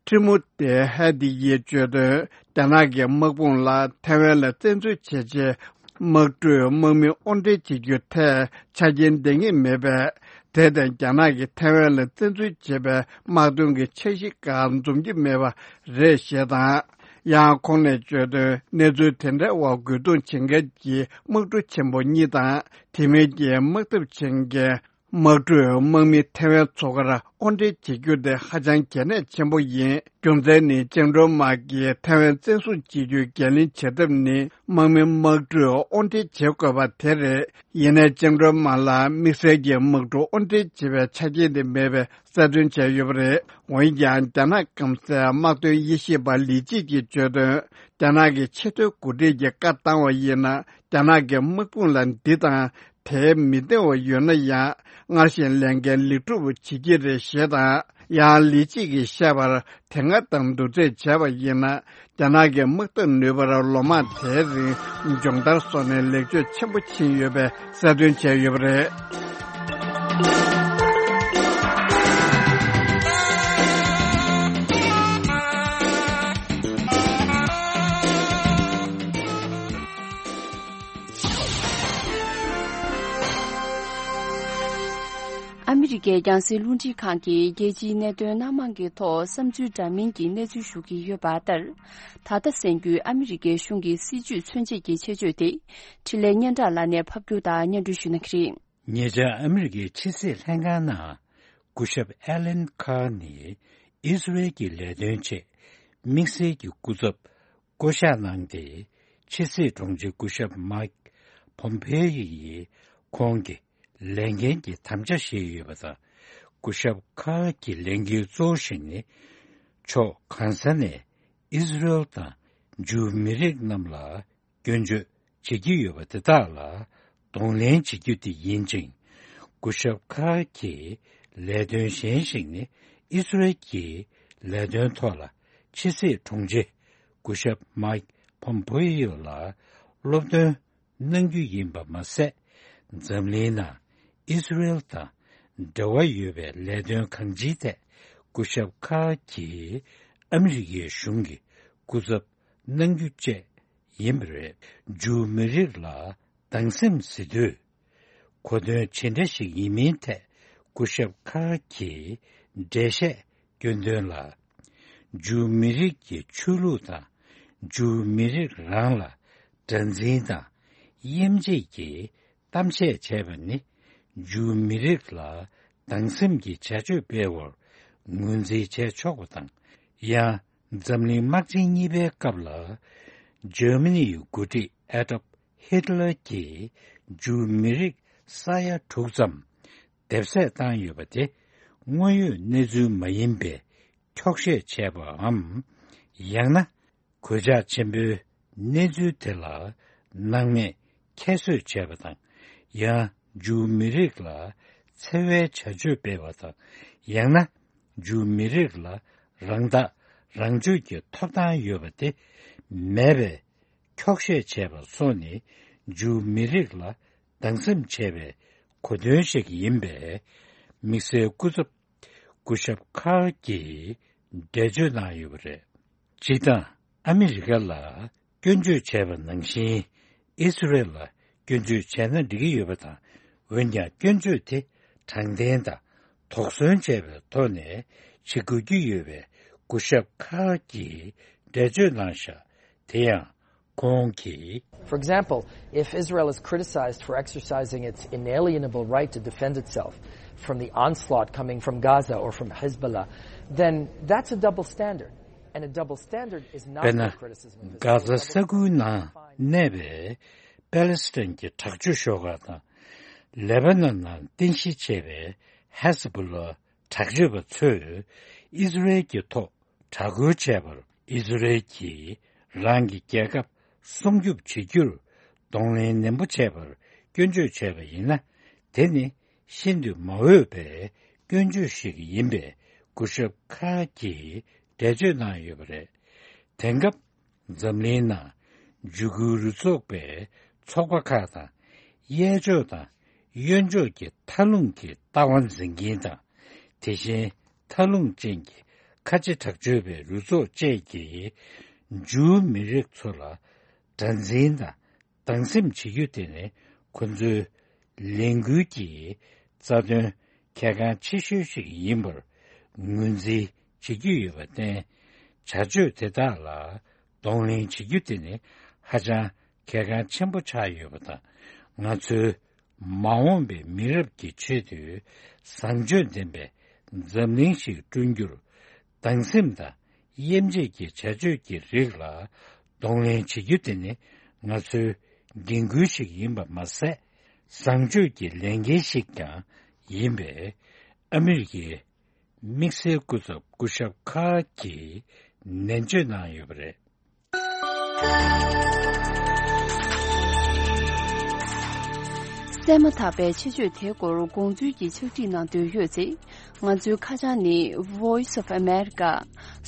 ཁྲི་མུ་ཏེ་ཧེ་ཏི་ཡིས་བརྗོད་དོན། རྒྱ་ནག་གི་དམག་དཔུང་ལ་ཐའེ་ཝན་ལ་བཙན་འཛུལ་བྱས་རྗེས། དམག་གྲུས་དམག་མི་དབོར་འདྲེན་བྱེད་རྒྱུ་ཐད་ཆ་རྐྱེན་ལྡན་གྱི་མེད་པས། དེར་བརྟེན། རྒྱ་ནག་གིས་ཐའེ་ཝན་ལ་བཙན་འཛུལ་བྱས་པའི་དམག་དོན་གྱི་འཆར་གཞི་ཁག་འཛོམས་ཀྱི་མེད་པ་རེད་ཞེས་དང་། ཡང་ཁོང་ནས་བརྗོད་དོན། གནས་ཚུལ་དེ་འདྲའི་འོག་རྒོལ་རྡུང་བྱེད་མཁན་གྱི་དམག་གྲུ་ཆེན་པོ་གཉིས་དང་། དེ་མིན་གྱི་དམག་འཐབ་བྱེད་མཁན་དམག་གྲུས་དམག་མི་ཐའེ་ཝན་མཚོ་ཁར་དབོར་འདྲེན་བྱེད་རྒྱུ་དེ་ཧ་ཅང་གལ་གནད་ཆེན་པོ་ཡིན། རྒྱུ་མཚན་ནི། བཅིངས་འགྲོལ་དམག་གིས་ཐའེ་ཝན་བཙན་བཟུང་བྱེད་རྒྱུའི་འགན་ལེན་བྱེད་ཐབས་ནི། དམག་མི་དམག་གྲུས་དབོར་འདྲེན་བྱེད་དགོས་པ་དེ་རེད། ཡིན་ནའི། བཅིངས་འགྲོལ་དམག་ལ་དམིགས་བསལ་གྱི་དམག་གྲུ་དབོར་འདྲེན་བྱེད་པའི་ཆ་རྐྱེན་དེ་མེད་པའི་གསལ་སྟོན་བྱས་ཡོད་པ་རེད། འོན་ཀྱང་། རྒྱ་ནག་སྐམ་སའི་དམག་དོན་དབྱེ་ཞིབ་པ་ལི་ཅི་གིས་བརྗོད་དོན། རྒྱ་ནག་གི་ཆེས་མཐོའི་འགོ་ཁྲིད་ཀྱིས་བཀའ་བཏང་བ་ཡིན་ན། རྒྱ་ནག་གི་དམག་དཔུང་ལ་འདི་དང་དེ་མི་བདེ་བ་ཡོད་ན་ཡང་། སྔར་བཞིན་ལས་འགན་ལེགས་གྲུབ་བྱེད་ཀྱི་རེད་ཞེས་དང་། ཡང་ལི་ཅི་གིས་བཤད་པར་དེ་སྔ་དང་བསྡུར་ཚོད་བྱས་པ་ཡིན་ན། རྒྱ་ནག་གི་དམག་འཐབ་ནུས་པར་ལོ་མང་དེའི་རིང་སྦྱོང་བརྡར་སོགས་ནས་ལེགས་བཅོས་ཆེན་པོ་ཕྱིན་ཡོད་པའི་གསལ་སྟོན་བྱས་ཡོད་པ་རེད། ཨ་མི་རི་ཀའི་རྒྱང་སྲིང་རླུང་འཕྲིན་ཁང་གིས་རྒྱལ་སྤྱིའི་གནད་དོན་སྣ་མང་གི་ཐོག་བསམ་ཚུལ་འདྲ་མིན་གྱི་གནས་ཚུལ་ཞུ་གི་ཡོད་པ་ལྟར། ད་ལྟ་གསན་རྒྱུའི་ཨ་མི་རི་ཀའི་གཞུང་གི་སྲིད་བྱུས་མཚོན་བྱེད་ཀྱི་ཆེད་བརྗོད་དེ། འཕྲིན་ལས་སྙན་གྲགས་ལགས་ནས་ཕབ་སྒྱུར་དང་སྙན་སྒྲོན་ཞུ་གནང་གི་རེད། ཉེ་ཆར་ཨ་མི་རི་ཀའི་ཕྱི་སྲིད་ལྷན་ཁང་ནང་སྐུ་ཞབས་ཨེ་ལན་ཁཱར་ནི་ཨི་སི་རེལ་གྱི་ལས་དོན་ཆེད་དམིགས་བསལ་གྱི་སྐུ་ཚབ་བསྐོ་གཞག་གནང་སྟེ། ཕྱི་སྲིད་དྲུང་ཆེ་སྐུ་ཞབས་མཱིག་ཕོམ་ཕེ་ཡི་ཡིས་ཁོང་གི་ལས་འགན་གྱི་དམ་བཅའ་བཞེས་ཡོད་པ་དང་། སྐུ་ཞབས་ཁཱར་གྱི་ལས་འགན་གཙོ་བོ་ཞིག་ནི། ཕྱོགས་གང་ས་ནས་ཨི་སི་རེལ་དང་ཇུའུ་མི་རིགས་རྣམས་ལ་སྐྱོན་བརྗོད་བྱེད་ཀྱི་ཡོད་པ་དེ་དག་ལ་གདོང་ལེན་བྱེད་རྒྱུ་དེ་ཡིན་ཅིང་། སྐུ་ཞབས་ཁཱར་གྱི་ལས་དོན་གཞན་ཞིག་ནི། ཨི་སི་རེལ་གྱི་ལས་དོན་ཐོག་ལ་ཕྱི་སྲིད་དྲུང་ཆེ་སྐུ་ཞབས་མཱིག་ཕོམ་ཕེ་ཡོ་ལ་སློབ་སྟོན་གནང་རྒྱུ་ཡིན་པ་མ་ཟད། འཛམ་གླིང་ནང་ཨི་སི་རེལ་དང་འབྲེལ་བ་ཡོད་པའི་ལས་དོན་གང་ཅིའི་ཐད་སྐུ་ཞབས་ཁཱར་གྱིས་ཨ་མི་རི་ཀའི་གཞུང་གི་སྐུ་ཚབ་གནང་རྒྱུ་བཅས་ཡིན་པ་རེད། ཇུའུ་མི་རིགས་ལ་སྡང་སེམས་ཟེར་དུས་གོ་དོན་ཇི་འདྲ་ཞིག་ཡིན་མིན་ཐད་སྐུ་ཞབས་ཁཱར་གྱིས་འགྲེལ་བཤད་སྐྱོན་དོན་ལ། ཇུའུ་མི་རིགས་ཀྱི་ཆོས་ལུགས་དང་ཇུའུ་མི་རིགས་རང་ལ་དགྲར་འཛིན་དང་དབྱེ་འབྱེད་ཀྱི་གཏམ་བཤད་བྱས་པ་ནི་ཇུའུ་མི་རིགས་ལ་སྡང་སེམས་ཀྱི་བྱ་སྤྱོད་སྤེལ་བར་ངོས་འཛིན་བྱས་ཆོག་པ་དང་། ཡང་འཛམ་གླིང་དམག་ཆེན་གཉིས་པའི་སྐབས་ལ་ཇར་མ་ནི་ཡི་འགོ་ཁྲིད་ཨེ་ཌོལཕ་ཧིཊ་ལར་གྱིས་ཇུའུ་མི་རིགས་ས་ཡ་དྲུག་ཙམ་དེབ་གསོད་བཏང་ཡོད་པ་དེ་དངོས་ཡོད་གནས་ཚུལ་མ་ཡིན་པའི་འཁྱོག་བཤད་བྱས་པའམ། ཡང་ན་གོད་ཆག་ཆེན་པོའི་གནས་ཚུལ་དེ་ལ་སྣང་མེད་ཁྱད་གསོད་བྱས་པ་དང་། ཡང་ཇུའུ་མི་རིགས་ལ་འཚེ་བའི་བྱ་སྤྱོད་སྤེལ་བ་དང་། ཡང་ན་ཇུའུ་མི་རིགས་ལ་རང་ཐག་རང་གཅོད་ཀྱི་ཐོབ་ཐང་ཡོད་པ་དེ་མེད་པའི་འཁྱོག་བཤད་བྱས་པ་སོགས་ནི་ཇུའུ་མི་རིགས་ལ་སྡང་སེམས་བྱས་པའི་གོ་དོན་ཞིག་ཡིན་པས། དམིགས་བསལ་སྐུ་ཚབ་སྐུ་ཞབས་ཁཱར་གྱིས་འགྲེལ་བརྗོད་གནང་ཡོད་པ་རེད། སྤྱིར་བཏང་ཨ་མི་རི་ཀ་ལ་སྐྱོན་བརྗོད་བྱས་པ་ནང་བཞིན་ཨི་སི་རེལ་ལ་སྐྱོན་བརྗོད་བྱས་ན་འགྲིག་གི་ཡོད་པ་དང་། འོན་ཀྱང་སྐྱོན་བརྗོད་དེ་དྲང་བདེན་དང་དོགས་ཟོན་བྱས་པའི་ཐོག་ནས་བྱེད་དགོས་ཀྱི་ཡོད་པའི་སྐུ་ཞབས་ཁཱར་གྱིས་འགྲེལ་བརྗོད་གནང་བཞག་དེ་ཡང་ ཁོང་གིས། For example, if Israel is criticized for exercising its inalienable right to defend itself from the onslaught coming from Gaza or from Hezbollah, then that's a double standard. And a double standard is not the criticism of Hezbollah. དཔེར་ན། གྷ་ཟ་ས་ཁུལ་ནང་གནས་པའི་པེ་ལེ་སི་ཐན་གྱི་དྲག་སྤྱོད་ཤོག་ཁག་དང་། ལེ་པ་ནན་ནང་རྟེན་གཞི་བྱས་པའི་ཧེ་ཟ་བུ་ལ་དྲག་སྤྱོད་པ་ཚོས་ཨི་ཟི་རེལ་གྱི་ཐོག་དྲག་རྒོལ་བྱས་པར། ཨི་ཟི་རེལ་གྱིས་རང་གི་རྒྱལ་ཁབ་སྲུང་སྐྱོབ་བྱེད་རྒྱུར་གདོང་ལེན་ནན་པོ་བྱས་པར་སྐྱོན་བརྗོད་བྱས་པ་ཡིན་ན། དེ་ནི་ཤིན་ཏུ་མ་འོས་པའི་སྐྱོན་བརྗོད་ཞིག་ཡིན་པས། སྐུ་ཞབས་ཁ་གིས་འགྲེལ་བརྗོད་གནང་ཡོད་པ་རེད། དེང་སྐབས་འཛམ་གླིང་ནང་འཇིགས་སྐུལ་རུ་ཚོགས་པའི་ཚོགས་པ་ཁག་དང་། གཡས་ཕྱོགས་དང་གཡོན་ཕྱོགས་ཀྱི་མཐའ་ལྷུང་གི་ལྟ་བ་འཛིན་མཁན་དང་། དེ་བཞིན་མཐའ་ལྷུང་ཅན་གྱི་ཁ་ཆེ་དྲག་སྤྱོད་པའི་རུ་ཚོགས་བཅས་ཀྱིས་ཇུའུ་མི་རིགས་ཚོ་ལ་དགྲར་འཛིན་དང་སྡང་སེམས་བྱེད་རྒྱུ་དེ་ནི་ཁོ་ཚོའི་ལས་འགུལ་གྱི་རྩ་དོན་གལ་འགངས་ཆེ་ཤོས་ཤིག་ཡིན་པར་ངོས་འཛིན་བྱེད་ཀྱི་ཡོད་པར་བརྟེན། བྱ་སྤྱོད་དེ་དག་ལ་གདོང་ལེན་བྱེད་རྒྱུ་དེ་ནི་ཧ་ཅང་གལ་འགངས་ཆེན་པོ་ཆགས་ཡོད་པ་དང་། ང་ཚོའི་མ་འོངས་པའི་མི་རབས་ཀྱི་ཆེད་དུ་བཟང་སྤྱོད་ལྡན་པའི་འཛམ་གླིང་ཞིག་བསྐྲུན་རྒྱུར། སྡང་སེམས་དང་དབྱེ་འབྱེད་ཀྱི་བྱ་སྤྱོད་ཀྱི་རིགས་ལ་གདོང་ལེན་བྱེད་རྒྱུ་དེ་ནི་ང་ཚོའི་འགན་ཁུར་ཞིག་ཡིན་པ་མ་ཟད། བཟང་སྤྱོད་ཀྱི་ལས་འགན་ཞིག་ཀྱང་ཡིན་པས། ཨ་མི་རི་ཀའི་དམིགས་བསལ་སྐུ་ཚབ་སྐུ་ཞབས་ཁ་གིས་ནན་བརྗོད་གནང་ཡོད་པ་རེད། གསན་མ་ཐག་པའི་ཆེད་བརྗོད་དེའི་སྐོར་དགོངས་ཚུལ་གྱི་ཕྱག་བྲིས་གནང་འདོད་ཡོད་ཚེ། ང་ཚོའི་ཁ་བྱང་ནི། Voice of America,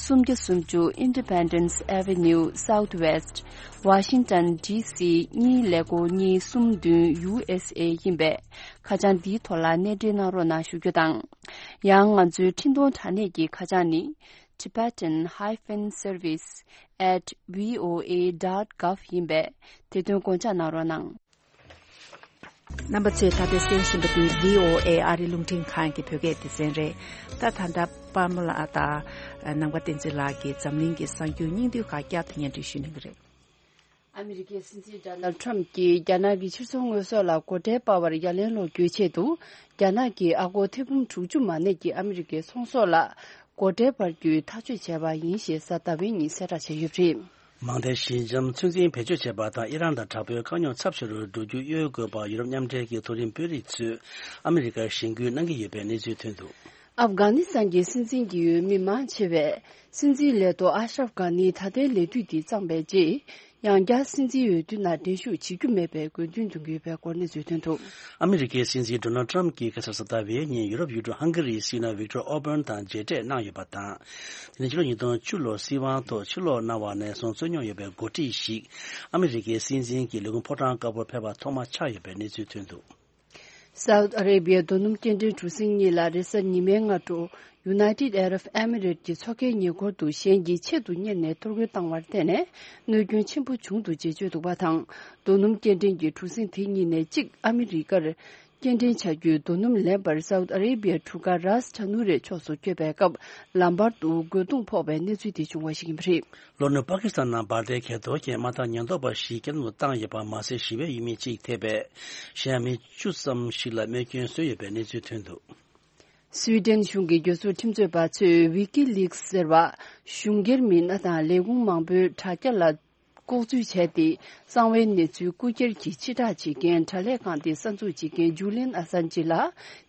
སུམ་བརྒྱ་སུམ་ཅུ་Independence Avenue Southwest, Washington D C གཉིས་ཀླད་ཀོར་གཉིས་གསུམ་བདུན་U S A ཡིན་པས། ཁ་བྱང་འདིའི་ཐོག་ལ་གནས་འབྲེལ་གནང་རོགས་གནང་ཞུ་རྒྱུ་དང་། ཡང་ང་ཚོའི་འཕྲིན་གཏོང་དྲ་གནས་ཀྱི་ཁ་བྱང་ནི། Tibetan hyphen service at V O A dot gov ཡིན་པས། དེ་དོན་དགོངས་འཇགས་གནང་རོགས་གནང་། རྣམ་པ་ཚོས་ད་ལྟ་གསན་བཞིན་པ་འདི་V O A ཨ་རི་རླུང་འཕྲིན་ཁང་གི་བོད་སྐད་སྡེ་ཚན་རེད། ད་ད་ལྟ་པར་མོ་ལགས་དང་ནམ་མཁའ་བསྟན་འཛིན་ལགས་ཀྱིས་འཛམ་གླིང་གི་གསར་འགྱུར་སྙིང་བསྡུས་ཁག་བསྐྱར་དུ་སྙན་སྒྲོན་ཞུ་གནང་གི་རེད། ཨ་མི་རི་ཀའི་སྲིད་འཛིན་ཌོ་ནལ་ཌི་ཊརམ་ཕ་གྱིས་རྒྱ་ནག་གི་ཕྱིར་ཚོང་དངོས་ཟོག་ལ་སྒོ་ཁྲལ་སྤར་བར་ཡ་ལན་སློག་རྒྱུའི་ཆེད་དུ། རྒྱ་ནག་གིས་ཨ་སྒོར་ཐེར་འབུམ་དྲུག་ཅུ་མ་གནས་ཀྱི་ཨ་མི་རི་ཀའི་ཚོང་ཟོག་ལ་སྒོ་ཁྲལ་སྤར་རྒྱུའི་ཐག་གཅོད་བྱས་པ་ཡིན་ཞེས་གཟའ་ཟླ་བའི་ཉིན་གསལ་བསྒྲགས་བྱས་ཡོད་པ་རེད། མང་མཐའི་ཞི་འཇམ་ཚོད་འཛིན་བེད་སྤྱོད་བྱས་པ་དང་ཨི་རན་དང་དྲག་པོའི་དཀའ་རྙོག་ཚབས་ཆེ་རུ་འགྲོ་རྒྱུ་གཡོལ་དགོས་པར་ཡུ་རོབ་མཉམ་འབྲེལ་གྱི་མཐོ་རིམ་དཔོན་རིགས་ཚོས་ཨ་མི་རི་ཀར་གཞེན་སྐུལ་གནང་གི་ཡོད་པའི་གནས་ཚུལ་ཐོན་འདུག། ཨབ་གྷ་ནི་སི་ཐན་གྱི་སྲིད་འཛིན་གྱི་འོས་མི་མང་ཆེ་བས། སྲིད་འཛིན་ལས་ཐོག་ཨ་ཤ་རབ་གྷ་ནིའི་ད་ལྟའི་ལས་དུས་འདི་གཙང་པའི་རྗེས། ཡང་བསྐྱར་སྲིད་འཛིན་འོས་བསྡུ་ནང་འགྲན་ཞུགས་བྱེད་རྒྱུ་མེད་པའི་དགོས་འདུན་འདོན་གྱི་ཡོད་པའི་སྐོར་གནས་ཚུལ་ཐོན་འདུག། ཨ་མི་རི་ཀའི་སྲིད་འཛིན་ཌོ་ནལ་ཌི་ཊརམ་ཕ་གྱིས་ཁ་སང་གཟའ་ཟླ་བའི་ཉིན་ཡུ་རོབ་ཡུལ་གྲུ་ཧང་ག་རིའི་སྲིད་བློན་ཝིག་ཏོར་ཨོར་བན་དང་མཇལ་འཕྲད་གནང་ཡོད་པ་དང་། དེ་ནི་ཕྱི་ལོ་ཉིས་སྟོང་བཅུ་ལོར་སྲིད་དབང་ཐོག་ཕྱིར་ལོག་གནང་བ་ནས་བཟུང་རྩོད་རྙོག་ཡོད་པའི་འགོ་ཁྲིད་ཞིག་ཨ་མི་རི་ཀའི་སྲིད་འཛིན་གྱི་ལས་ཁུངས་ཕོ་བྲང་དཀར་པོར་ཕེབས་པ་ཐོག་མ་ཆགས་ཡོད་པའི་གནས་ཚུལ་ཐོན་འདུག། སའུ་ཨ་རེ་བྷི་ཡའི་རྡོ་སྣུམ་སྐྱེལ་འདྲེན་གྲུ་གཟིངས་གཉིས་ལ་རེས་གཟའ་ཉི་མའི་སྔ་དྲོ། United Arab Emirates གྱི་མཚོ་ཁའི་ཉེ་འཁོར་དུ་གཞན་གྱིས་ཆེད་དུ་གཉེར་ནས་གཏོར་རྒོལ་བཏང་བར་བརྟེན་ནས་གནོད་སྐྱོན་ཆེན་པོ་བྱུང་འདུག་ཅེས་བརྗོད་འདུག་པ་དང་། རྡོ་སྣུམ་སྐྱེལ་འདྲེན་གྱི་གྲུ་གཟིངས་དེ་གཉིས་ནས་གཅིག་ཨ་མི་རི་ཀར་སྐྱེལ་འདྲེན་བྱ་རྒྱུའི་རྡོ་སྣུམ་ལེན་པར་སའུ་ཨ་རེ་བྷི་ཡའི་གྲུ་ཁ་རཱས་ཁྲ་ནུ་རའི་ཕྱོགས་སུ་བསྐྱོད་པའི་སྐབས། ལམ་བར་དུ་རྒོལ་རྡུང་ཕོག་པའི་གནས་ཚུལ་དེ་བྱུང་བ་ཞིག་ཡིན་པ་རེད། ལྷོ་ནུབ་པ་ཀི་སི་ཐན་ནང་འབར་མདེལ་གྱེན་ལོག་གི་དམག་འཐབ་ཉེན་རྟོག་པ་ཞིག་སྐྱེལ་འདྲེན་དུ་བཏང་ཡོད་པ་མ་ཟད་ཞི་བའི་ཡུལ་མི་གཅིག་ཐེ་བའི་གཞན་ཡང་མི་བཅུ་ཙམ་ཞིག་ལ་རྨས་སྐྱོན་བཟོས་ཡོད་པའི་གནས་ཚུལ་ཐོན་འདུག། སུའི་ཌེན་གཞུང་གི་རྒྱལ་སྲུང་ཁྲིམས་རྩོད་པ་ཚོས་ཝི་ཀི་ལིག་སི་ཟེར་བ་གཞུང་སྒེར་མི་སྣ་དང་ལས་ཁུངས་མང་པོའི་དྲ་རྒྱ་ལ་ལྐོག་འཛུལ་བྱས་ཏེ། གསང་བའི་གནས་ཚུལ་རྐུ་འཁྱེར་གྱིས་ཕྱིར་བསྒྲགས་བྱེད་མཁན་དྲ་ལས་ཁང་དེ་གསར་འཛུགས་བྱེད་མཁན་ཇུ་ལིན་ཨ་སན་ཇི་ལ་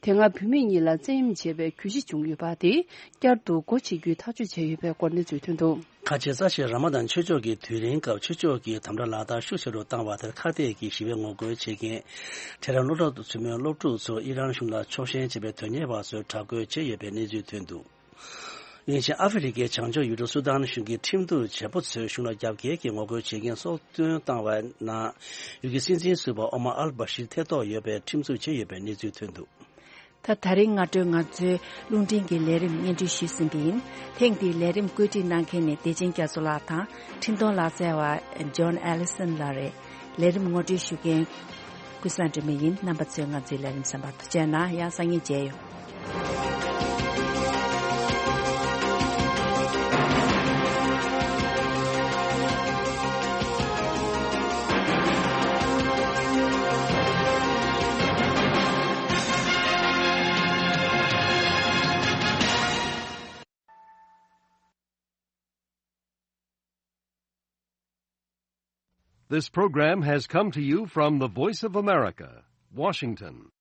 དེ་སྔ་བུད་མེད་གཉིས་ལ་བཙན་གཡེམ་བྱས་པའི་གྱོད་གཞི་བྱུང་ཡོད་པ་དེ་བསྐྱར་དུ་སྒོ་ཕྱེ་རྒྱུའི་ཐག་གཅོད་བྱས་ཡོད་པའི་སྐོར་གནས་ཚུལ་ཐོན་འདུག། ཁ་ཆེ་རྩ་ཆེའི་ར་མ་དཱན་ཆོས་ཕྱོགས་ཀྱི་དུས་རིང་སྐབས་ཆོས་ཕྱོགས་ཀྱི་དམ་དྲག་ལག་བསྟར་ཤུགས་ཆེ་རུ་བཏང་བ་དེར་ཁ་གཏད་ཀྱིས་ཞི་བའི་ངོ་རྒོལ་བྱེད་མཁན་ཐེ་རན་སློབ་གྲྭ་ཚུད་མའི་སློབ་ཕྲུག་ཚོ་ཨི་རན་གཞུང་ལ་ཕྱོགས་ཞེན་བྱེད་པའི་དོན་གཉེར་བ་ཚོས་དྲག་རྒོལ་བྱས་ཡོད་པའི་གནས་ཚུལ་ཐོན་འདུག། དབྱིན་ཇིའི་ཨ་ཧྥེ་རི་ཁའི་བྱང་ཕྱོགས་ཡུལ་གྲུ་སུ་དཱན་གཞུང་གི་ཁྲིམས་གཏུག་བྱེད་པོ་ཚོས་གཞུང་ལ་རྒྱབ་འགལ་གྱིས་ངོ་རྒོལ་བྱེད་མཁན་སྲོག་ཐོན་བཏང་བའི་ནང་ཡུལ་གྱི་སྲིད་འཛིན་ཟུར་པ་ཨོ་མར་ཨལ་བྷ་ཤིར་ཐེ་གཏོགས་ཡོད་པའི་ཁྲིམས་གཏུག་བྱས་ཡོད་པའི་གནས་ཚུལ་ཐོན་འདུག། ད་ད་རིང་སྔ་དྲོའི་ང་ཚོའི་རླུང་འཕྲིན་གྱི་ལས་རིམ་སྙན་སྒྲོན་ཞུས་ཟིན་པ་ཡིན། ཐེངས་འདིའི་ལས་རིམ་བཀོད་སྒྲིག་གནང་མཁན་ནི་བདེ་ཆེན་རྒྱ་མཚོ་ལགས་དང་འཕྲིན་གཏོང་ལག་རྩལ་བ་ཇོན་ཨེ་ལི་སན་ལགས་རེད། ལས་རིམ་ངོ་སྤྲོད་ཞུ་མཁན་ཀུན་བཟང་སྒྲོལ་མ་ཡིན། རྣམ་པ་ཚོས་ང་ཚོའི་ལས་རིམ་གསན་པར་ཐུགས་རྗེ་གནང་། ཡང་སང་ཉིན་མཇལ་ཡོང་། This program has come to you from the Voice of America, Washington.